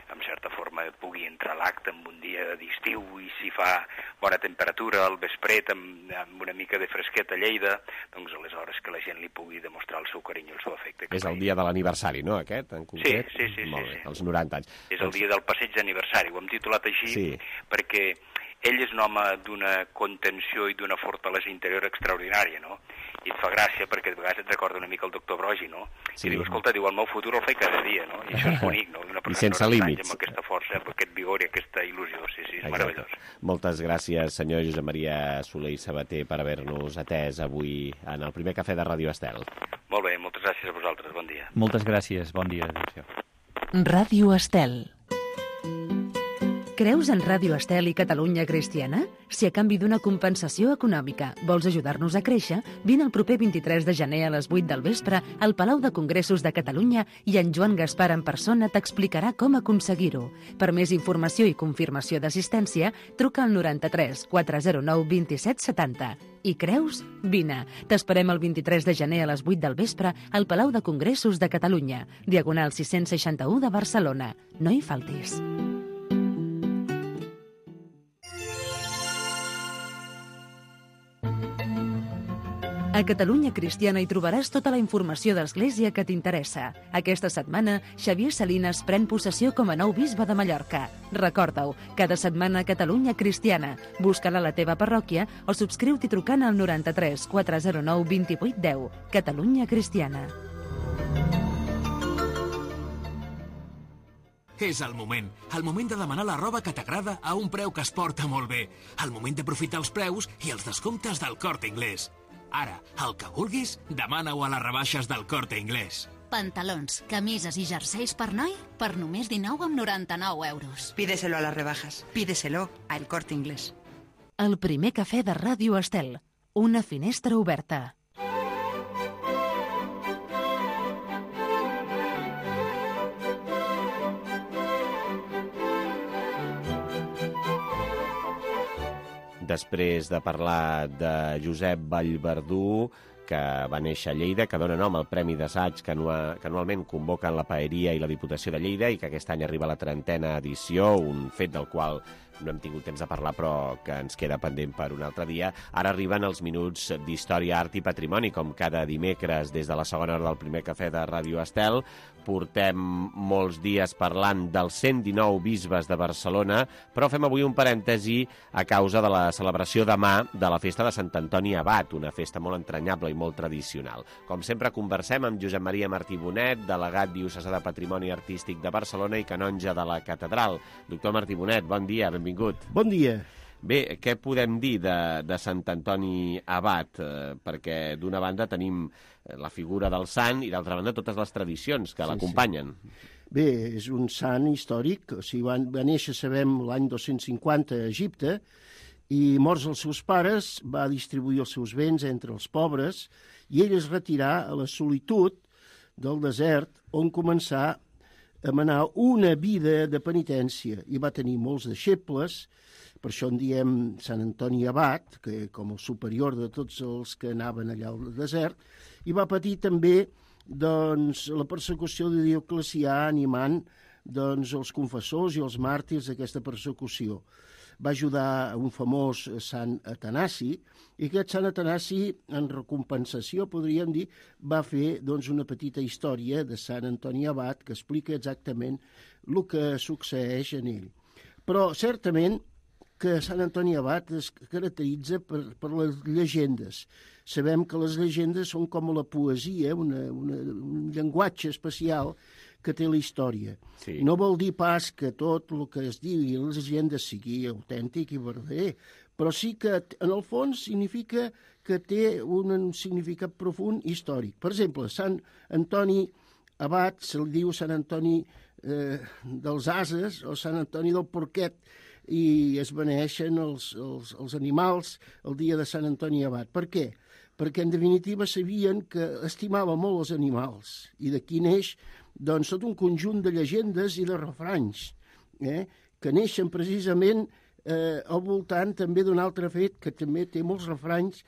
Speaker 22: en certa forma, pugui entrar a l'acte en un dia d'estiu i si fa bona temperatura al vespret amb, amb una mica de fresqueta a Lleida, doncs aleshores que la gent li pugui demostrar el seu carinyo, el seu afecte.
Speaker 2: És el dia de l'aniversari, no, aquest, en concret?
Speaker 22: Sí, sí, sí.
Speaker 2: Molt bé,
Speaker 22: sí, sí.
Speaker 2: els noranta anys.
Speaker 22: És el dia del passeig d'aniversari, ho hem titulat així
Speaker 2: sí.
Speaker 22: perquè ell és un home d'una contenció i d'una fortalesa interior extraordinària, no? I et fa gràcia perquè de vegades et recorda una mica el doctor Brogi, no?
Speaker 2: Sí.
Speaker 22: I diu, escolta, diu, el meu futur el faig cada dia, no? I això és bonic, no? Una
Speaker 2: I sense límits.
Speaker 22: Amb aquesta força, amb aquest vigor i aquesta il·lusió, sí, sí, és
Speaker 2: Exacte.
Speaker 22: meravellós.
Speaker 2: Moltes gràcies, senyor Josep Maria Soler i Sabater, per haver-nos atès avui en el primer cafè de Ràdio Estel.
Speaker 22: Molt bé, moltes gràcies a vosaltres, bon dia.
Speaker 5: Moltes gràcies, bon dia. Adéu.
Speaker 1: Ràdio Estel. Creus en Ràdio Estel i Catalunya Cristiana? Si a canvi d'una compensació econòmica vols ajudar-nos a créixer, vine el proper vint-i-tres de gener a les vuit del vespre al Palau de Congressos de Catalunya i en Joan Gaspar en persona t'explicarà com aconseguir-ho. Per més informació i confirmació d'assistència, truca al noranta-tres quatre zero nou vint-i-set setanta. I creus? Vine. T'esperem el vint-i-tres de gener a les vuit del vespre al Palau de Congressos de Catalunya, diagonal sis-cents seixanta-u de Barcelona. No hi faltis. A Catalunya Cristiana hi trobaràs tota la informació d'Església que t'interessa. Aquesta setmana, Xavier Salinas pren possessió com a nou bisbe de Mallorca. Recorda-ho, cada setmana a Catalunya Cristiana. Busca-la a la teva parròquia o subscriu-t'hi trucant al noranta-tres quatre zero nou vint-i-vuit deu. Catalunya Cristiana.
Speaker 7: És el moment. El moment de demanar la roba que t'agrada a un preu que es porta molt bé. El moment d'aprofitar els preus i els descomptes del Corte Inglés. Ara, el que vulguis, demana-ho a les rebaixes del Corte Inglés.
Speaker 16: Pantalons, camises i jerseis per noi per només dinou coma noranta-nou euros.
Speaker 6: Pídeselo a las rebajas. Pídeselo a El Corte Inglés.
Speaker 1: El primer cafè de Ràdio Estel. Una finestra oberta.
Speaker 2: Després de parlar de Josep Vallverdú, que va néixer a Lleida, que dona nom al Premi d'Assaig que, anua, que anualment convoquen la Paeria i la Diputació de Lleida i que aquest any arriba a la trentena edició, un fet del qual no hem tingut temps de parlar però que ens queda pendent per un altre dia. Ara arriben els minuts d'Història, Art i Patrimoni, com cada dimecres des de la segona hora del primer cafè de Ràdio Estel. Portem molts dies parlant dels cent dinou bisbes de Barcelona, però fem avui un parèntesi a causa de la celebració demà de la festa de Sant Antoni Abat, una festa molt entranyable i molt tradicional. Com sempre conversem amb Josep Maria Martí Bonet, delegat diocesà de Patrimoni Artístic de Barcelona i canonge de la Catedral. Doctor Martí Bonet, bon dia, benvingut.
Speaker 12: Bon dia.
Speaker 2: Bé, què podem dir de, de Sant Antoni Abat? Eh, perquè d'una banda tenim la figura del sant i d'altra banda totes les tradicions que sí, l'acompanyen.
Speaker 9: Sí. Bé, és un sant històric, o sigui, va, va néixer, sabem, l'any dos-cents cinquanta a Egipte i morts els seus pares va distribuir els seus béns entre els pobres i ell es retirà a la solitud del desert on començà a manar una vida de penitència i va tenir molts deixebles. Per això en diem Sant Antoni Abat, que com el superior de tots els que anaven allà al desert, i va patir també doncs, la persecució de Dioclecià animant doncs, els confessors i els màrtirs d'aquesta persecució. Va ajudar un famós Sant Atanasi, i aquest Sant Atanasi, en recompensació, podríem dir, va fer doncs, una petita història de Sant Antoni Abat que explica exactament el que succeeix en ell. Però, certament, que Sant Antoni Abat es caracteritza per, per les llegendes. Sabem que les llegendes són com la poesia, una, una, un llenguatge especial que té la història. Sí. No vol dir pas que tot el que es digui a les llegendes sigui autèntic i verdader, però sí que en el fons significa que té un significat profund històric. Per exemple, Sant Antoni Abat se li diu Sant Antoni eh, dels Ases o Sant Antoni del Porquet, i es beneixen els, els, els animals el dia de Sant Antoni Abat. Per què? Perquè, en definitiva, sabien que estimava molt els animals, i d'aquí neix doncs, tot un conjunt de llegendes i de refranys, eh? que neixen precisament eh, al voltant també d'un altre fet que també té molts refranys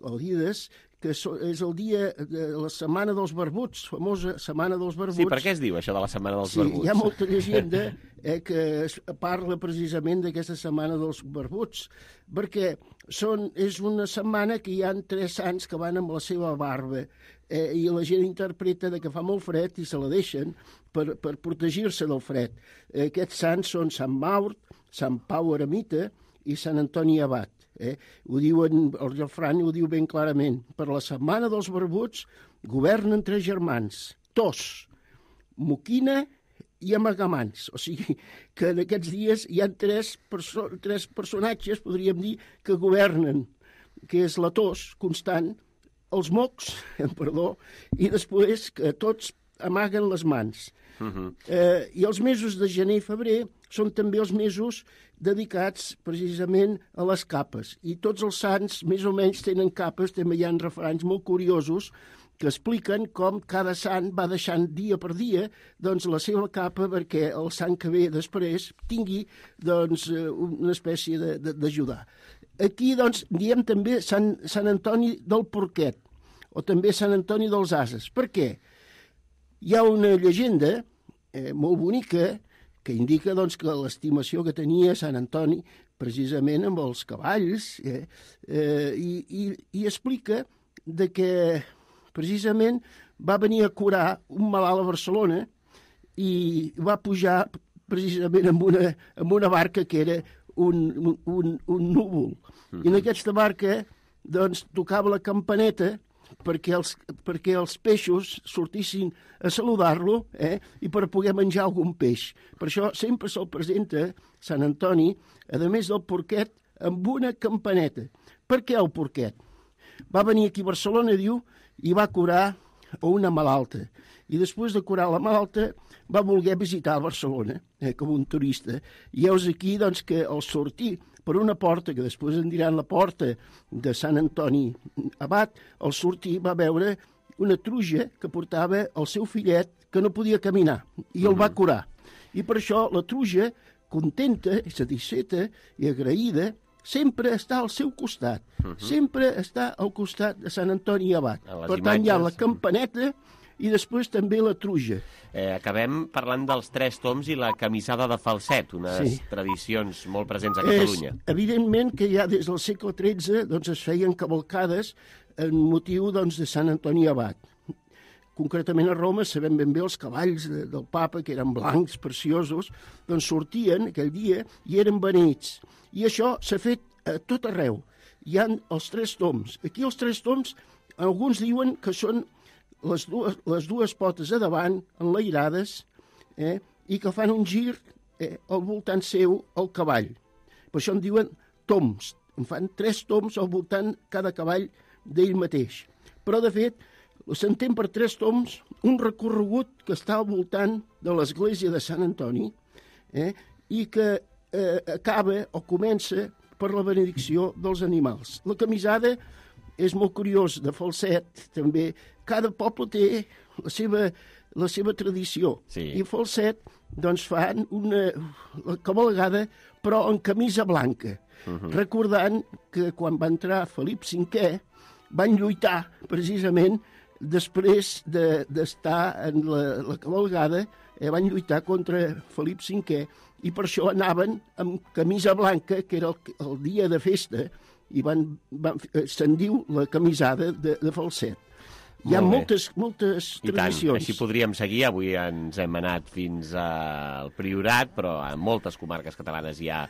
Speaker 9: o Dides, que és el dia de la Setmana dels Barbuts, famosa Setmana dels Barbuts.
Speaker 2: Sí, per què es diu això de la Setmana dels
Speaker 9: sí,
Speaker 2: Barbuts?
Speaker 9: Hi ha molta llegenda eh, que es parla precisament d'aquesta Setmana dels Barbuts, perquè són, és una setmana que hi ha tres sants que van amb la seva barba eh, i la gent interpreta de que fa molt fred i se la deixen per, per protegir-se del fred. Eh, aquests sants són Sant Maur, Sant Pau Eremita i Sant Antoni Abat. Eh? Ho diuen, el refrany ho diu ben clarament. Per la Setmana dels Barbuts governen tres germans, Tos, Moquina i Amagamans. O sigui que en aquests dies hi ha tres, perso tres personatges, podríem dir, que governen, que és la Tos constant, els mocs, perdó, i després que tots amaguen les mans. Uh-huh. eh, I els mesos de gener i febrer són també els mesos dedicats precisament a les capes. I tots els sants més o menys tenen capes, també hi ha refranys molt curiosos que expliquen com cada sant va deixant dia per dia doncs, la seva capa perquè el sant que ve després tingui doncs, una espècie d'ajudar. Aquí doncs, diem també Sant, Sant Antoni del Porquet, o també Sant Antoni dels Ases. Per què? Hi ha una llegenda eh, molt bonica que indica doncs, que l'estimació que tenia Sant Antoni precisament amb els cavalls eh, eh, i, i, i explica de que precisament va venir a curar un malalt a Barcelona i va pujar precisament amb una, amb una barca que era un, un, un núvol. Mm-hmm. I en aquesta barca doncs, tocava la campaneta perquè els, perquè els peixos sortissin a saludar-lo eh, i per poder menjar algun peix. Per això sempre se'l presenta Sant Antoni, a més del porquet, amb una campaneta. Per què el porquet? Va venir aquí a Barcelona, diu, i va curar una malalta. I després de curar la malalta va voler visitar Barcelona eh, com un turista. I heus aquí doncs, que al sortir per una porta, que després en diran la porta de Sant Antoni Abat, al sortir va veure una truja que portava el seu fillet que no podia caminar i el va curar. I per això la truja, contenta, satisfeta i agraïda, sempre està al seu costat. Uh -huh. Sempre està al costat de Sant Antoni Abat. Per tant, imatges... hi ha la campaneta i després també la truja.
Speaker 2: Eh, acabem parlant dels tres toms i la camisada de falset, unes sí. tradicions molt presents a Catalunya.
Speaker 9: És, evidentment que ja des del segle tretze doncs, es feien cavalcades en motiu doncs, de Sant Antoni Abat. Concretament a Roma sabem ben bé els cavalls de, del papa, que eren blancs, preciosos, doncs sortien aquell dia i eren beneïts. I això s'ha fet a tot arreu. Hi ha els tres toms. Aquí els tres toms, alguns diuen que són les dues, les dues potes a davant, enlairades, eh, i que fan un gir eh, al voltant seu al cavall. Per això en diuen toms. En fan tres toms al voltant cada cavall d'ell mateix. Però, de fet, s'entén per tres toms un recorregut que està al voltant de l'església de Sant Antoni eh, i que eh, acaba o comença per la benedicció dels animals. La camisada és molt curiós, de falset, també. Cada poble té la seva, la seva tradició. Sí. I falset, doncs, fan una cavalgada, però en camisa blanca, uh-huh. recordant que quan va entrar Felip cinquè van lluitar, precisament, després d'estar de, en la, la cavalgada, eh, van lluitar contra Felip cinquè, i per això anaven amb camisa blanca, que era el, el dia de festa, i van, van, se'n diu la camisada de, de falset. Hi ha moltes, moltes tradicions.
Speaker 2: I tant, així podríem seguir. Avui ens hem anat fins al Priorat, però en moltes comarques catalanes hi ha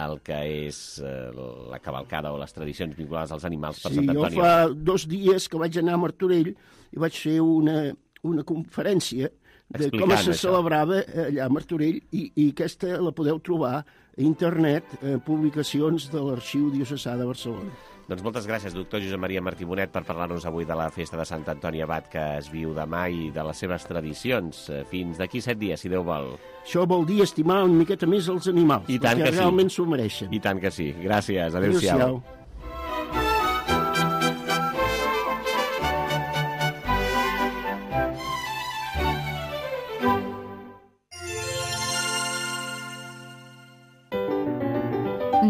Speaker 2: el que és eh, la cavalcada o les tradicions vinculades als animals per
Speaker 9: sí,
Speaker 2: Sant Antoni.
Speaker 9: Jo fa dos dies que vaig anar a Martorell i vaig fer una, una conferència de Explicant com se això. celebrava allà a Martorell i, i aquesta la podeu trobar a internet, a publicacions de l'Arxiu Diocesà de Barcelona.
Speaker 2: Doncs moltes gràcies, doctor Josep Maria Martí Bonet, per parlar-nos avui de la festa de Sant Antoni Abat que es viu demà i de les seves tradicions. Fins d'aquí set dies, si Déu vol.
Speaker 9: Això vol dir estimar una miqueta més els animals,
Speaker 2: I tant
Speaker 9: perquè
Speaker 2: que
Speaker 9: realment
Speaker 2: sí.
Speaker 9: s'ho mereixen.
Speaker 2: I tant que sí. Gràcies. Adéu-siau. Adéu-siau.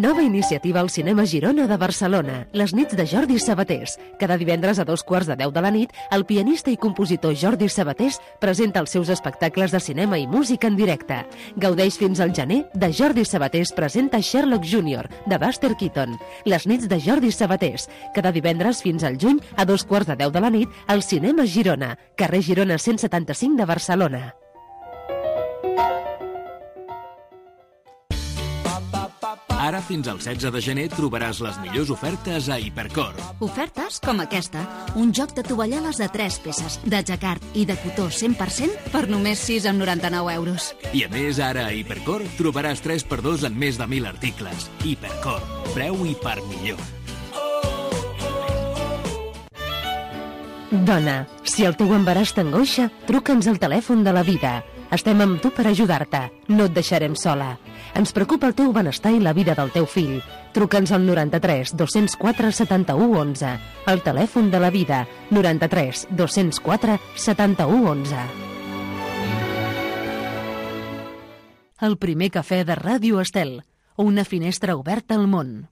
Speaker 1: Nova iniciativa al Cinema Girona de Barcelona, les nits de Jordi Sabatés. Cada divendres a dos quarts de deu de la nit, el pianista i compositor Jordi Sabatés presenta els seus espectacles de cinema i música en directe. Gaudeix fins al gener de Jordi Sabatés presenta Sherlock júnior, de Buster Keaton. Les nits de Jordi Sabatés, cada divendres fins al juny a dos quarts de deu de la nit, al Cinema Girona, carrer Girona cent setanta-cinc de Barcelona.
Speaker 7: Ara fins al setze de gener trobaràs les millors ofertes a Hipercor.
Speaker 16: Ofertes com aquesta. Un joc de tovalloles de tres peces, de jacquard i de cotó cent per cent per només sis coma noranta-nou euros.
Speaker 7: I a més, ara a Hipercor trobaràs tres per dos en més de mil articles. Hipercor. Preu i per millor.
Speaker 1: Dona, si el teu embaràs t'angoixa, truca'ns al telèfon de la vida. Estem amb tu per ajudar-te. No et deixarem sola. Ens preocupa el teu benestar i la vida del teu fill. Truca'ns al noranta-tres dos-cents quatre setanta-u onze. El telèfon de la vida, noranta-tres dos-cents quatre setanta-u onze. El primer cafè de Ràdio Estel. Una finestra oberta al món.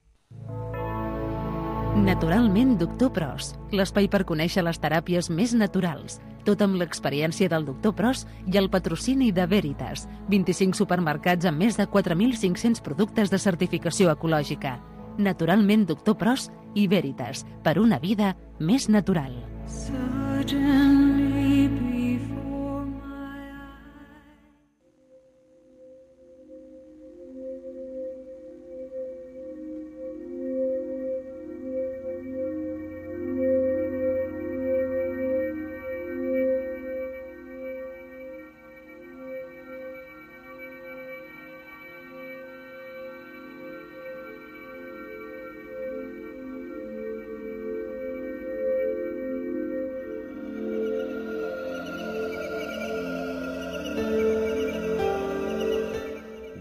Speaker 1: Naturalment, doctor Pros, l'espai per conèixer les teràpies més naturals. Tot amb l'experiència del doctor Pros i el patrocini de Veritas. vint-i-cinc supermercats amb més de quatre mil cinc-cents productes de certificació ecològica. Naturalment, doctor Pros i Veritas, per una vida més natural.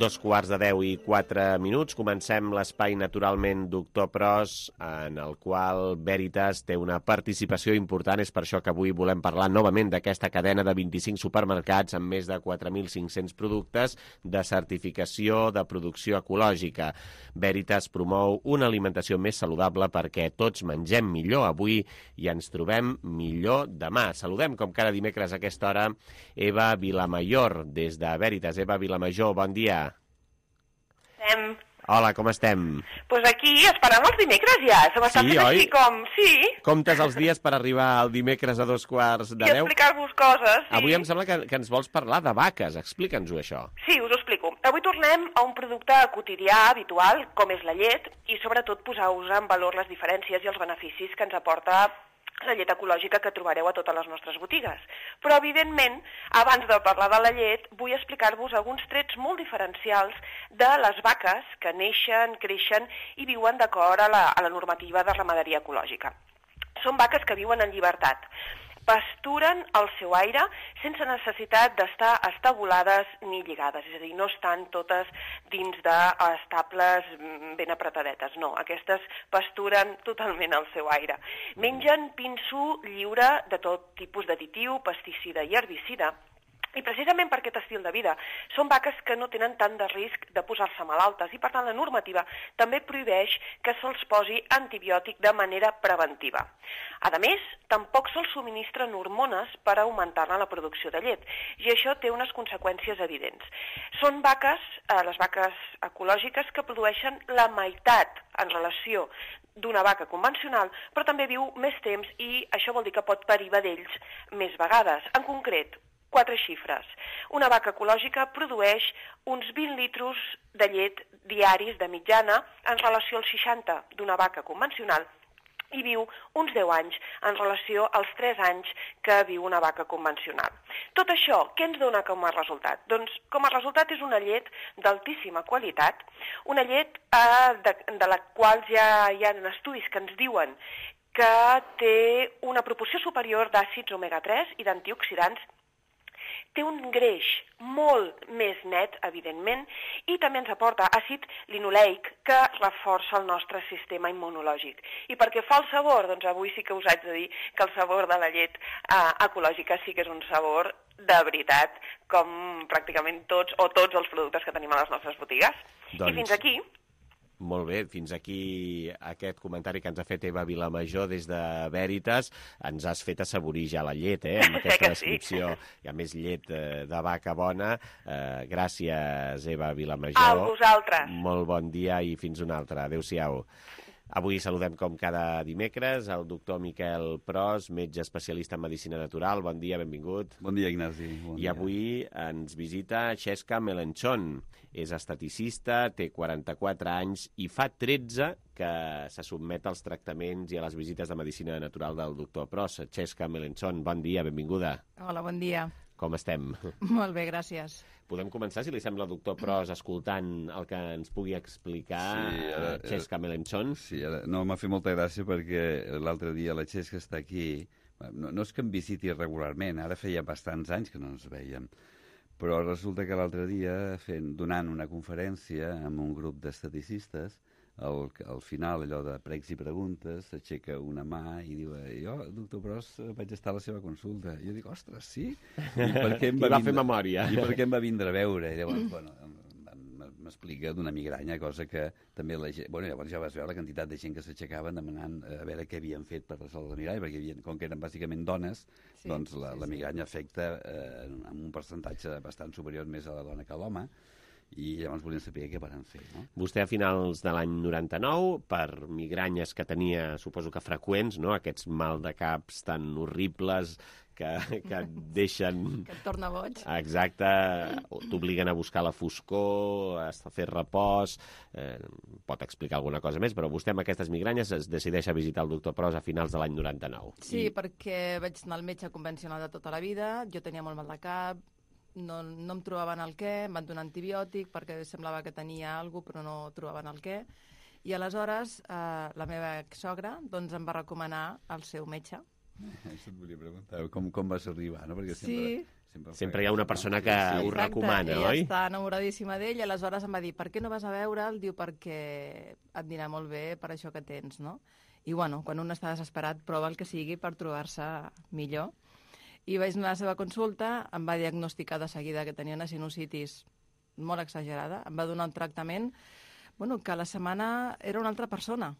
Speaker 2: Dos quarts de deu i quatre minuts. Comencem l'espai Naturalment Doctor Pros, en el qual Veritas té una participació important. És per això que avui volem parlar novament d'aquesta cadena de vint-i-cinc supermercats amb més de quatre mil cinc-cents productes de certificació de producció ecològica. Veritas promou una alimentació més saludable perquè tots mengem millor avui i ens trobem millor demà. Saludem, com cada dimecres a aquesta hora, Eva Vilamajor, des de Veritas. Eva Vilamajor, bon dia.
Speaker 8: Estem.
Speaker 2: Hola, com estem?
Speaker 8: Doncs pues aquí, esperant els dimecres ja. Se m'està
Speaker 2: sí,
Speaker 8: fent
Speaker 2: oi?
Speaker 8: així com... Sí.
Speaker 2: Comptes els dies per arribar al dimecres a dos quarts de
Speaker 8: I
Speaker 2: deu.
Speaker 8: I explicar-vos coses. Sí.
Speaker 2: Avui em sembla que, que ens vols parlar de vaques. Explica'ns-ho, això.
Speaker 8: Sí, us ho explico. Avui tornem a un producte quotidià, habitual, com és la llet, i sobretot posar-vos en valor les diferències i els beneficis que ens aporta la llet ecològica que trobareu a totes les nostres botigues. Però, evidentment, abans de parlar de la llet, vull explicar-vos alguns trets molt diferencials de les vaques que neixen, creixen i viuen d'acord a la, a la normativa de ramaderia ecològica. Són vaques que viuen en llibertat. Pasturen al seu aire sense necessitat d'estar estabulades ni lligades, és a dir, no estan totes dins d'estables ben apretadetes, no, aquestes pasturen totalment al seu aire. Mengen pinso lliure de tot tipus d'additiu, pesticida i herbicida, i precisament per aquest estil de vida són vaques que no tenen tant de risc de posar-se malaltes i per tant la normativa també prohibeix que se'ls posi antibiòtic de manera preventiva. A més, tampoc se'ls subministren hormones per augmentar-ne la producció de llet i això té unes conseqüències evidents. Són vaques, eh, les vaques ecològiques, que produeixen la meitat en relació d'una vaca convencional, però també viu més temps i això vol dir que pot parir vedells més vegades. En concret, quatre xifres. Una vaca ecològica produeix uns vint litres de llet diaris de mitjana en relació als seixanta d'una vaca convencional i viu uns deu anys en relació als tres anys que viu una vaca convencional. Tot això, què ens dona com a resultat? Doncs com a resultat és una llet d'altíssima qualitat, una llet eh, de, de la qual ja hi ha estudis que ens diuen que té una proporció superior d'àcids omega tres i d'antioxidants. Té un greix molt més net, evidentment, i també ens aporta àcid linoleic que reforça el nostre sistema immunològic. I perquè fa el sabor, doncs avui sí que us haig de dir que el sabor de la llet eh, ecològica sí que és un sabor de veritat, com pràcticament tots o tots els productes que tenim a les nostres botigues. Doncs... I fins aquí
Speaker 2: Molt bé, fins aquí aquest comentari que ens ha fet Eva Vilamajor des de Veritas. Ens has fet assaborir ja la llet, eh, amb aquesta descripció. Hi ha més llet eh, de vaca bona. Eh, gràcies, Eva Vilamajor.
Speaker 8: A vosaltres.
Speaker 2: Molt bon dia i fins una altra. Adéu-siau. Avui saludem, com cada dimecres, el doctor Miquel Pros, metge especialista en medicina natural. Bon dia, benvingut.
Speaker 11: Bon dia, Ignasi. Bon
Speaker 2: I avui ens visita Xesca Melenchon. És esteticista, té quaranta-quatre anys i fa tretze que se sotmet als tractaments i a les visites de medicina natural del doctor Pros. Xesca Melenchon, bon dia, benvinguda.
Speaker 15: Hola, bon dia.
Speaker 2: Com estem?
Speaker 15: Molt bé, gràcies.
Speaker 2: Podem començar, si li sembla, doctor Pros, escoltant el que ens pugui explicar sí, ara, Xesca Melenchon?
Speaker 11: Sí, ara, no, m'ha fet molta gràcia perquè l'altre dia la Xesca està aquí. No, no és que em visiti regularment, ara feia bastants anys que no ens veiem, però resulta que l'altre dia, fent, donant una conferència amb un grup d'esteticistes, al, al final, allò de pregs i preguntes, s'aixeca una mà i diu, jo, doctor Pros, vaig estar a la seva consulta. I jo dic, ostres, sí? I, per què em va,
Speaker 2: I va
Speaker 11: vindre...
Speaker 2: fer memòria.
Speaker 11: I per què em va vindre a veure? I llavors, bueno, m'explica d'una migranya, cosa que també la gent... Bueno, llavors ja vas veure la quantitat de gent que s'aixecaven demanant a veure què havien fet per resoldre la migranya, perquè havien, com que eren bàsicament dones, sí, doncs la, sí, la migranya afecta eh, amb un percentatge bastant superior més a la dona que a l'home, i llavors volíem saber què van fer, no?
Speaker 2: Vostè a finals de l'any noranta-nou, per migranyes que tenia, suposo que freqüents, no? Aquests mal de caps tan horribles que, que et deixen...
Speaker 15: Que et torna boig.
Speaker 2: Exacte, t'obliguen a buscar la foscor, a fer repòs, eh, pot explicar alguna cosa més, però vostè amb aquestes migranyes es decideix a visitar el doctor Pros a finals de l'any noranta-nou.
Speaker 15: Sí,
Speaker 2: I...
Speaker 15: perquè vaig anar al metge convencional de tota la vida, jo tenia molt mal de cap, no, no em trobaven el què, em van donar antibiòtic perquè semblava que tenia alguna cosa, però no trobaven el què. I aleshores eh, la meva exsogra doncs, em va recomanar el seu metge.
Speaker 11: Això et volia preguntar, com, com vas arribar, no? Perquè
Speaker 15: sí.
Speaker 11: sempre, sempre,
Speaker 2: sempre hi ha una persona que sí, ho recomana,
Speaker 15: ella
Speaker 2: oi?
Speaker 15: Ella està enamoradíssima d'ell i aleshores em va dir, per què no vas a veure'l? Diu, perquè et anirà molt bé per això que tens, no? I bueno, quan un està desesperat prova el que sigui per trobar-se millor. I vaig anar a la seva consulta, em va diagnosticar de seguida que tenia una sinusitis molt exagerada, em va donar un tractament, bueno, que a la setmana era una altra persona.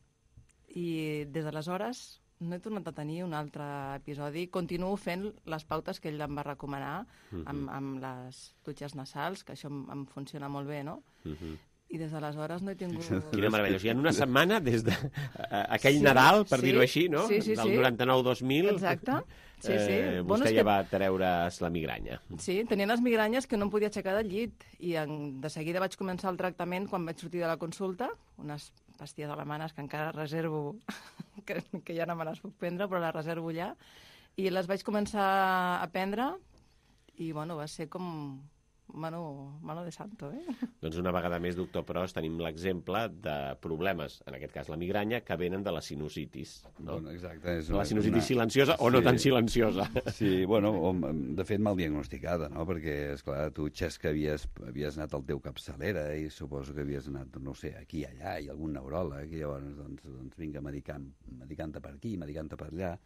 Speaker 15: I des d'aleshores no he tornat a tenir un altre episodi. Continuo fent les pautes que ell em va recomanar, uh-huh. amb, amb les dutxes nasals, que això em, em funciona molt bé, no? Uh-huh. I des d'aleshores no he tingut...
Speaker 2: Quina meravella. O sigui, en una setmana, des de uh, aquell sí, Nadal, per sí, dir-ho així, no?
Speaker 15: Sí, sí,
Speaker 2: del
Speaker 15: sí.
Speaker 2: noranta-nou dos mil...
Speaker 15: Exacte. Sí, sí.
Speaker 2: Eh,
Speaker 15: bueno,
Speaker 2: vostè
Speaker 15: ja
Speaker 2: que... va treure's la migranya.
Speaker 15: Sí, tenia les migranyes que no em podia aixecar del llit. I en, de seguida vaig començar el tractament quan vaig sortir de la consulta, unes pastilles alemanes que encara reservo, que, que ja no me les puc prendre, però les reservo ja. I les vaig començar a prendre i, bueno, va ser com... Mano, mano de santo, eh?
Speaker 2: Doncs una vegada més, doctor Pros, tenim l'exemple de problemes, en aquest cas la migranya, que venen de la sinusitis. No?
Speaker 11: Bueno, exacte. És
Speaker 2: la sinusitis
Speaker 11: una...
Speaker 2: silenciosa o
Speaker 11: sí,
Speaker 2: no tan silenciosa.
Speaker 11: Sí, bueno, de fet mal diagnosticada, no? Perquè, esclar, tu, Xesca, havies, havies anat al teu capçalera i suposo que havies anat, no sé, aquí i allà, i algun neuròleg, i llavors, doncs, doncs vinga, medicant, medicant-te per aquí, medicant-te per allà,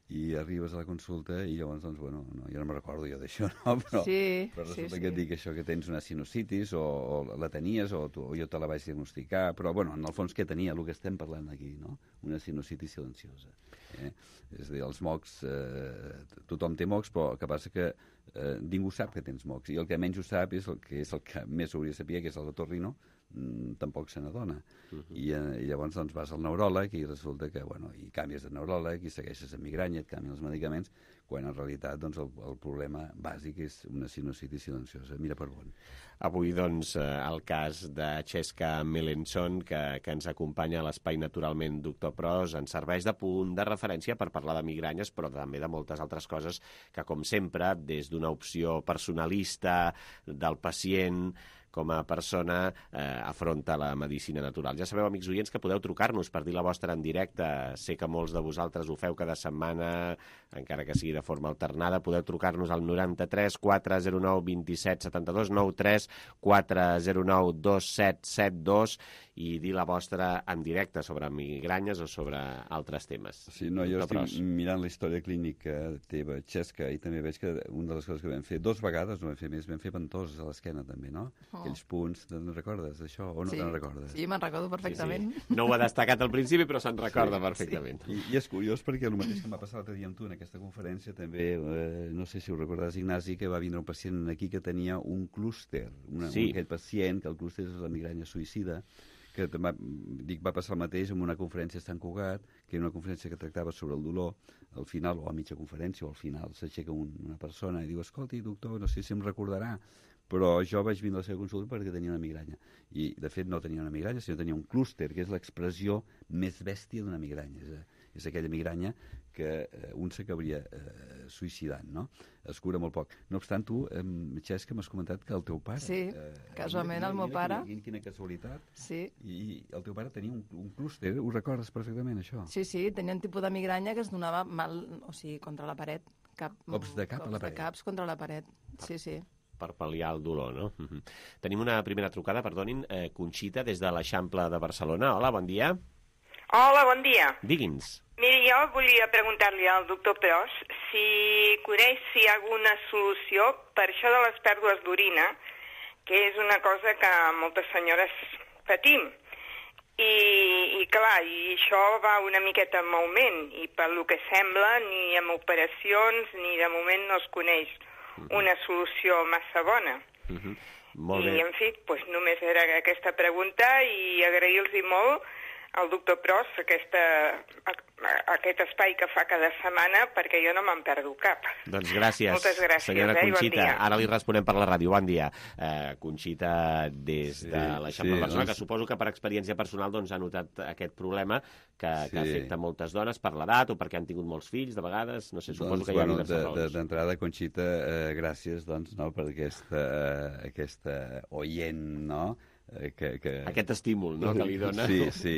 Speaker 11: i arribes a la consulta i llavors, doncs, bueno, no, jo no me'n recordo jo d'això, no? Però,
Speaker 15: sí,
Speaker 11: però resulta
Speaker 15: sí,
Speaker 11: que
Speaker 15: sí.
Speaker 11: et dic això, que tens una sinusitis o, o la tenies o, tu, o jo te la vaig diagnosticar, però, bueno, en el fons què tenia? El que estem parlant aquí, no? Una sinusitis silenciosa. Eh? És a dir, els mocs, eh, tothom té mocs, però el que passa que eh, ningú sap que tens mocs, i el que menys ho sap és el que és el que més hauria de saber, que és el otorrino, tampoc se n'adona. Uh -huh. I, eh, I llavors doncs, vas al neuròleg i resulta que, bueno, i canvies de neuròleg i segueixes amb migranya, et canvien els medicaments, quan en realitat doncs, el, el problema bàsic és una sinusitis silenciosa. Mira per on.
Speaker 2: Avui, doncs, el cas de Xesca Melenchon, que, que ens acompanya a l'Espai Naturalment Doctor Pros, ens serveix de punt de referència per parlar de migranyes, però també de moltes altres coses que, com sempre, des d'una opció personalista del pacient, com a persona, eh, afronta la medicina natural. Ja sabeu, amics oients, que podeu trucar-nos per dir la vostra en directe. Sé que molts de vosaltres ho feu cada setmana, encara que sigui de forma alternada. Podeu trucar-nos al noranta-tres quatre zero nou vint set setanta dos, noranta-tres quatre zero nou dos set set dos, i dir la vostra en directe sobre migranyes o sobre altres temes.
Speaker 11: Sí, no, jo estic mirant la història clínica teva, Xesca, i també veig que una de les coses que vam fer, dos vegades, no vam fer més, vam fer ventoses a l'esquena també, no? Oh. Aquells punts, te'n recordes d'això o no
Speaker 15: sí.
Speaker 11: te'n recordes?
Speaker 15: Sí, me'n recordo perfectament.
Speaker 2: Sí, sí. No ho ha destacat al principi, però se'n recorda sí, perfectament.
Speaker 11: Sí. I, I és curiós perquè el mateix que em va passar l'altre dia amb tu en aquesta conferència, també, eh, no sé si ho recordes, Ignasi, que va vindre un pacient aquí que tenia un clúster, una, sí. un, aquell pacient, que el clúster és la migranya suïcida, que va, dic, va passar el mateix en una conferència a Sant Cugat, que era una conferència que tractava sobre el dolor, al final, o a mitja conferència, o al final, s'aixeca un, una persona i diu, escolti, doctor, no sé si em recordarà, però jo vaig vindre a la seva consulta perquè tenia una migranya. I, de fet, no tenia una migranya, sinó tenia un clúster, que és l'expressió més bèstia d'una migranya. És, és aquella migranya que eh, un s'acabaria eh, suïcidant, no? Es cura molt poc. No obstant, tu, eh, Xesca, m'has comentat que el teu pare...
Speaker 15: Sí, eh, casualment
Speaker 11: mira,
Speaker 15: el meu
Speaker 11: mira,
Speaker 15: pare...
Speaker 11: Quina, quina casualitat.
Speaker 15: Sí.
Speaker 11: I el teu pare tenia un, un clúster, ho recordes perfectament, això?
Speaker 15: Sí, sí, tenia un tipus de migranya que es donava mal, o sigui, contra la paret. Cap,
Speaker 11: cops de cap
Speaker 15: cops
Speaker 11: a la paret.
Speaker 15: De caps contra la paret, sí, sí.
Speaker 2: Per pal·liar el dolor, no? Mm-hmm. Tenim una primera trucada, perdonin, eh, Conxita, des de l'Eixample de Barcelona. Hola, bon dia.
Speaker 13: Hola, bon dia.
Speaker 2: Digui'ns.
Speaker 13: Miri, jo volia preguntar-li al doctor Pros si coneix si hi ha alguna solució per això de les pèrdues d'orina, que és una cosa que moltes senyores patim. I, i clar, i això va una miqueta en augment, i pel que sembla, ni amb operacions ni de moment no es coneix una solució massa bona.
Speaker 2: Uh-huh. Molt bé.
Speaker 13: I, en fi, doncs només era aquesta pregunta i agrair-los molt al doctor Pros aquesta, aquest espai que fa cada setmana, perquè jo no me'n perdo cap.
Speaker 2: Doncs gràcies,
Speaker 13: Moltes gràcies,
Speaker 2: senyora
Speaker 13: eh,
Speaker 2: Conxita.
Speaker 13: Bon dia.
Speaker 2: Ara li responem per la ràdio. Bon dia. Eh, Conxita, des
Speaker 11: sí,
Speaker 2: de l'Eixample
Speaker 11: sí,
Speaker 2: de Barcelona,
Speaker 11: doncs...
Speaker 2: que suposo que per experiència personal doncs, ha notat aquest problema que,
Speaker 11: sí.
Speaker 2: que afecta moltes dones per l'edat o perquè han tingut molts fills, de vegades. No sé, suposo
Speaker 11: doncs,
Speaker 2: que hi ha
Speaker 11: bueno,
Speaker 2: diverses
Speaker 11: de,
Speaker 2: raons.
Speaker 11: D'entrada, Conxita, eh, gràcies doncs, no, per aquesta, eh, aquesta oient, no? Eh, que, que...
Speaker 2: Aquest estímul, no?, que li dona.
Speaker 11: Sí, sí.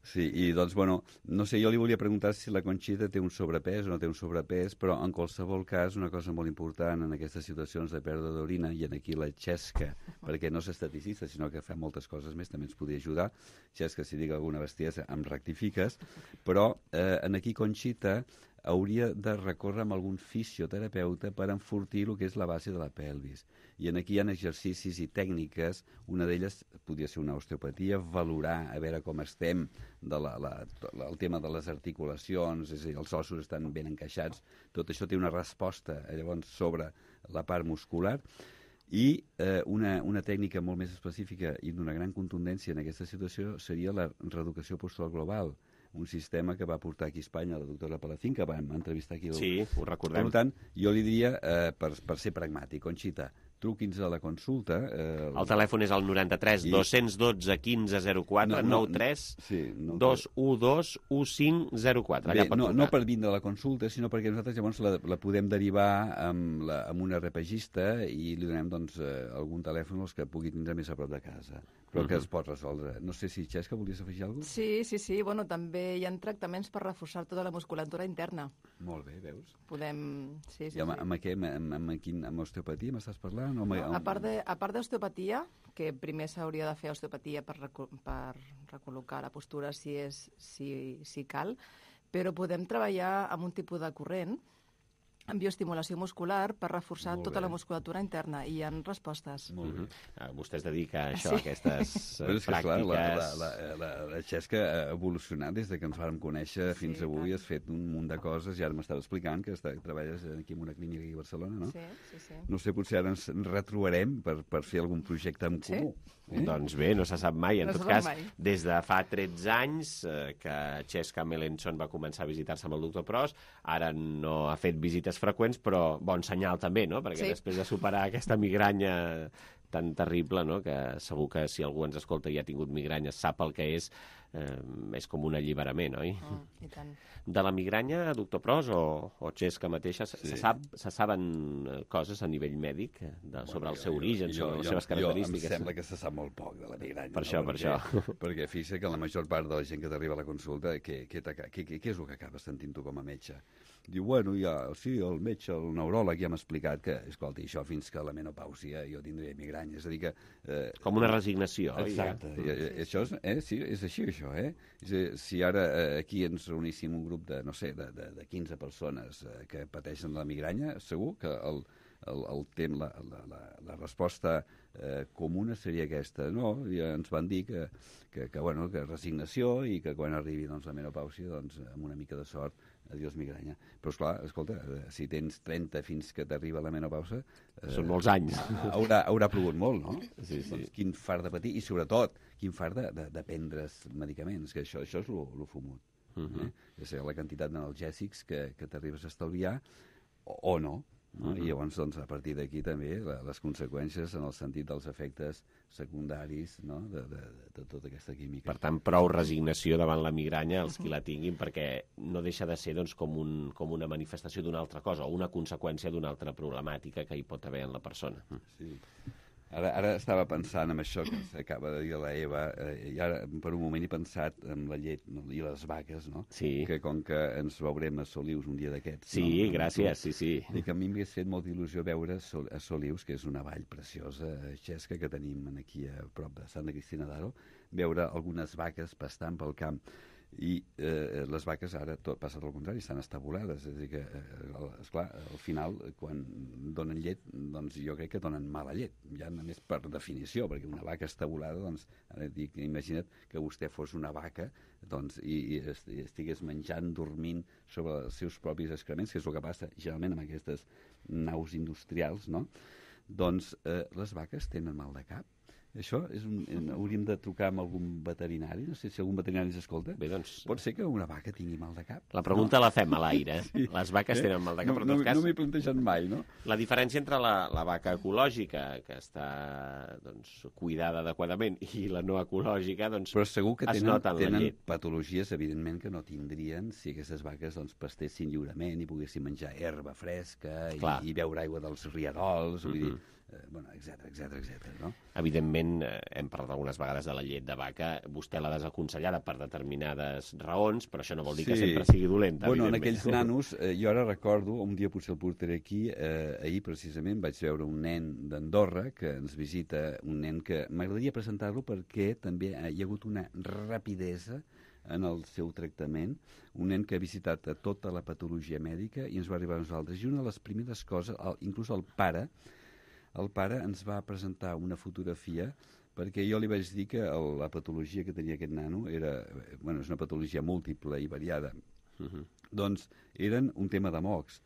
Speaker 11: Sí, i doncs, bueno, no sé, jo li volia preguntar si la Conxita té un sobrepès o no té un sobrepès, però en qualsevol cas una cosa molt important en aquestes situacions de pèrdua d'orina, i en aquí la Xesca, perquè no és estaticista, sinó que fa moltes coses més, també ens podria ajudar. Xesca, si dic alguna bestiesa, em rectifiques, però eh, en aquí Conxita hauria de recórrer amb algun fisioterapeuta per enfortir el que és la base de la pelvis. I en aquí hi ha exercicis i tècniques, una d'elles podria ser una osteopatia, valorar, a veure com estem, de la, la, el tema de les articulacions, és a dir, els ossos estan ben encaixats, tot això té una resposta llavors sobre la part muscular, i eh, una, una tècnica molt més específica i d'una gran contundència en aquesta situació seria la reeducació postural global, un sistema que va portar aquí a Espanya la doctora Palacín, que vam entrevistar aquí. El...
Speaker 2: Sí, ho recordem.
Speaker 11: Per tant, jo li diria, eh, per, per ser pragmàtic, Conxita, truqui'ns a la consulta. Eh,
Speaker 2: el... el telèfon és el noranta-tres dos-cents dotze quinze zero quatre,
Speaker 11: no, no,
Speaker 2: noranta-tres
Speaker 11: sí, no,
Speaker 2: dos u dos u cinc zero quatre.
Speaker 11: Bé, no, no per vindre a la consulta, sinó perquè nosaltres llavors la, la podem derivar amb, la, amb una repagista i li donem doncs, eh, algun telèfon els que pugui tindre més a prop de casa, però uh-huh. que es pot resoldre. No sé si, Xesca, volies afegir alguna cosa?
Speaker 15: Sí, sí, sí. Bueno, també hi ha tractaments per reforçar tota la musculatura interna.
Speaker 11: Molt bé, veus?
Speaker 15: Podem... Sí, sí,
Speaker 11: I amb,
Speaker 15: sí.
Speaker 11: amb, què, amb, amb, quin, amb osteopatia m'estàs parlant? O amb,
Speaker 15: no, a part de, a part d'osteopatia, que primer s'hauria de fer osteopatia per, reco per recol·locar la postura si, és, si, si cal, però podem treballar amb un tipus de corrent, amb bioestimulació muscular per reforçar tota la musculatura interna, i hi ha respostes.
Speaker 2: Molt bé. Uh, vostè es dedica a això, sí. a aquestes uh,
Speaker 11: és que,
Speaker 2: pràctiques...
Speaker 11: Clar, la, la, la, la, la Xesca ha evolucionat des de que ens vam conèixer sí, fins avui, clar. Has fet un munt de coses, i ara m'estava explicant que està, treballes aquí en una clínica aquí a Barcelona, no?
Speaker 15: Sí, sí, sí.
Speaker 11: No sé, potser ara ens retrobarem per, per fer algun projecte en comú.
Speaker 2: Sí? Eh? Doncs bé, no se sap mai. En
Speaker 15: no
Speaker 2: tot cas,
Speaker 15: mai.
Speaker 2: Des de fa tretze anys eh, que Xesca Melenchon va començar a visitar-se amb el doctor Pros, ara no ha fet visites freqüents, però bon senyal també, no? Perquè sí. Després de superar aquesta migranya tan terrible, no? Que segur que si algú ens escolta i ha tingut migranya sap el que és, eh, és com un alliberament, oi?
Speaker 15: Mm, i tant.
Speaker 2: De la migranya, doctor Pros o, o Xesca mateixa, sí. se, sap, se saben coses a nivell mèdic de, bueno, sobre el seu jo, origen, jo, sobre jo, les seves característiques?
Speaker 11: Jo em sembla que se sap molt poc de la migranya.
Speaker 2: Per això,
Speaker 11: no?
Speaker 2: per
Speaker 11: perquè,
Speaker 2: això.
Speaker 11: Perquè fixa que la major part de la gent que t'arriba a la consulta, què, què, què, què, què és el que acabes sentint tu com a metge? diu, bueno, ja, sí, el metge, el neuròleg ja m'ha explicat que, escolta, això fins que la menopàusia jo tindré migranya, és a dir que...
Speaker 2: Eh, Com una resignació.
Speaker 11: Exacte, ja. I, i, això és, eh, sí, és així, això, eh? Si ara eh, aquí ens reuníssim un grup de, no sé, de, de, de quinze persones eh, que pateixen la migranya, segur que el, el, el tem, la, la, la, la resposta eh, comuna seria aquesta. No, ja ens van dir que, que, que, bueno, que resignació i que quan arribi doncs, la menopàusia, doncs, amb una mica de sort, adiós migranya. Però, esclar, escolta, si tens trenta fins que t'arriba la menopausa...
Speaker 2: Eh, Són molts anys.
Speaker 11: Haurà, haurà plogut molt, no?
Speaker 2: Sí, sí.
Speaker 11: Doncs quin fart de patir, i sobretot, quin fart de, de, de prendre's medicaments, que això, això és lo, lo fumut. Uh -huh. eh? És la quantitat d'analgèsics que, que t'arribes a estalviar, o, o no. No? Uh -huh. I llavors, doncs, a partir d'aquí també la, les conseqüències en el sentit dels efectes secundaris, no? de, de, de tota aquesta química.
Speaker 2: Per tant, prou resignació davant la migranya els qui la tinguin, perquè no deixa de ser doncs, com, un, com una manifestació d'una altra cosa o una conseqüència d'una altra problemàtica que hi pot haver en la persona.
Speaker 11: Sí. Ara, ara estava pensant en això que s'acaba de dir la Eva, eh, i ara per un moment he pensat en la llet no? I les vaques, no?
Speaker 2: Sí.
Speaker 11: Que com que ens veurem a Solius un dia d'aquests...
Speaker 2: Sí,
Speaker 11: no?
Speaker 2: gràcies, sí, sí.
Speaker 11: I que a mi m'hagués fet molta il·lusió veure Sol, a Solius, que és una vall preciosa, xesca, que tenim aquí a prop de Santa Cristina d'Aro, veure algunes vaques pastant pel camp. I eh, les vaques ara tot passa al contrari, estan estabulades, és a dir que, eh, esclar, al final quan donen llet, doncs jo crec que donen mala llet, ja només per definició, perquè una vaca estabulada, doncs ara dic, imagina't que vostè fos una vaca doncs, i, i estigués menjant, dormint sobre els seus propis excrements, que és el que passa generalment amb aquestes naus industrials, no? Doncs eh, les vaques tenen mal de cap. Això és un, hauríem de trucar amb algun veterinari, no sé si algun veterinari ens escolta.
Speaker 2: Bé, doncs...
Speaker 11: Pot ser que una vaca tingui mal de cap?
Speaker 2: La pregunta
Speaker 11: no?
Speaker 2: la fem a l'aire. Sí. Les vaques
Speaker 11: eh?
Speaker 2: tenen mal de cap,
Speaker 11: no,
Speaker 2: però en tot
Speaker 11: no,
Speaker 2: cas...
Speaker 11: No m'he plantejat mai, no?
Speaker 2: La diferència entre la, la vaca ecològica, que està doncs, cuidada adequadament, i la no ecològica, doncs
Speaker 11: però segur que
Speaker 2: es
Speaker 11: tenen,
Speaker 2: nota en la
Speaker 11: tenen
Speaker 2: llet.
Speaker 11: patologies, evidentment, que no tindrien si aquestes vaques doncs, pastessin lliurement i poguessin menjar herba fresca i, i beure aigua dels rierols, vull mm-hmm. dir... Eh, bueno, etcètera, etcètera, etcètera, no?
Speaker 2: Evidentment, eh, hem parlat algunes vegades de la llet de vaca, vostè l'ha desaconsellada per determinades raons, però això no vol dir sí. que sempre sigui dolenta,
Speaker 11: bueno, en aquells nanos, eh, jo ara recordo, un dia potser el portaré aquí, eh, ahir precisament vaig veure un nen d'Andorra que ens visita, un nen que m'agradaria presentar-lo perquè també hi ha hagut una rapidesa en el seu tractament, un nen que ha visitat a tota la patologia mèdica i ens va arribar a nosaltres, i una de les primeres coses, el, inclús el pare, el pare ens va presentar una fotografia perquè jo li vaig dir que el, la patologia que tenia aquest nano era, bueno, és una patologia múltiple i variada. Uh-huh. Doncs eren un tema de mocs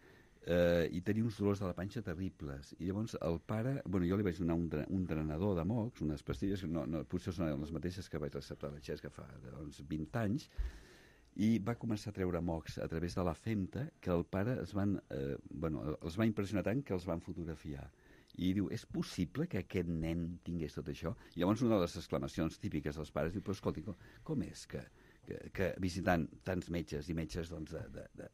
Speaker 11: eh, i tenia uns dolors de la panxa terribles. I llavors el pare, bueno, jo li vaig donar un, un drenador de mocs, unes pastilles, no, no, potser són les mateixes que vaig receptar a la Xesca fa doncs, vint anys, i va començar a treure mocs a través de la femta que el pare es van, eh, bueno, els va impressionar tant que els van fotografiar. I diu, és possible que aquest nen tingués tot això? I llavors una de les exclamacions típiques dels pares diu, però escolti, com, com és que, que, que visitant tants metges i metges, doncs, de, de,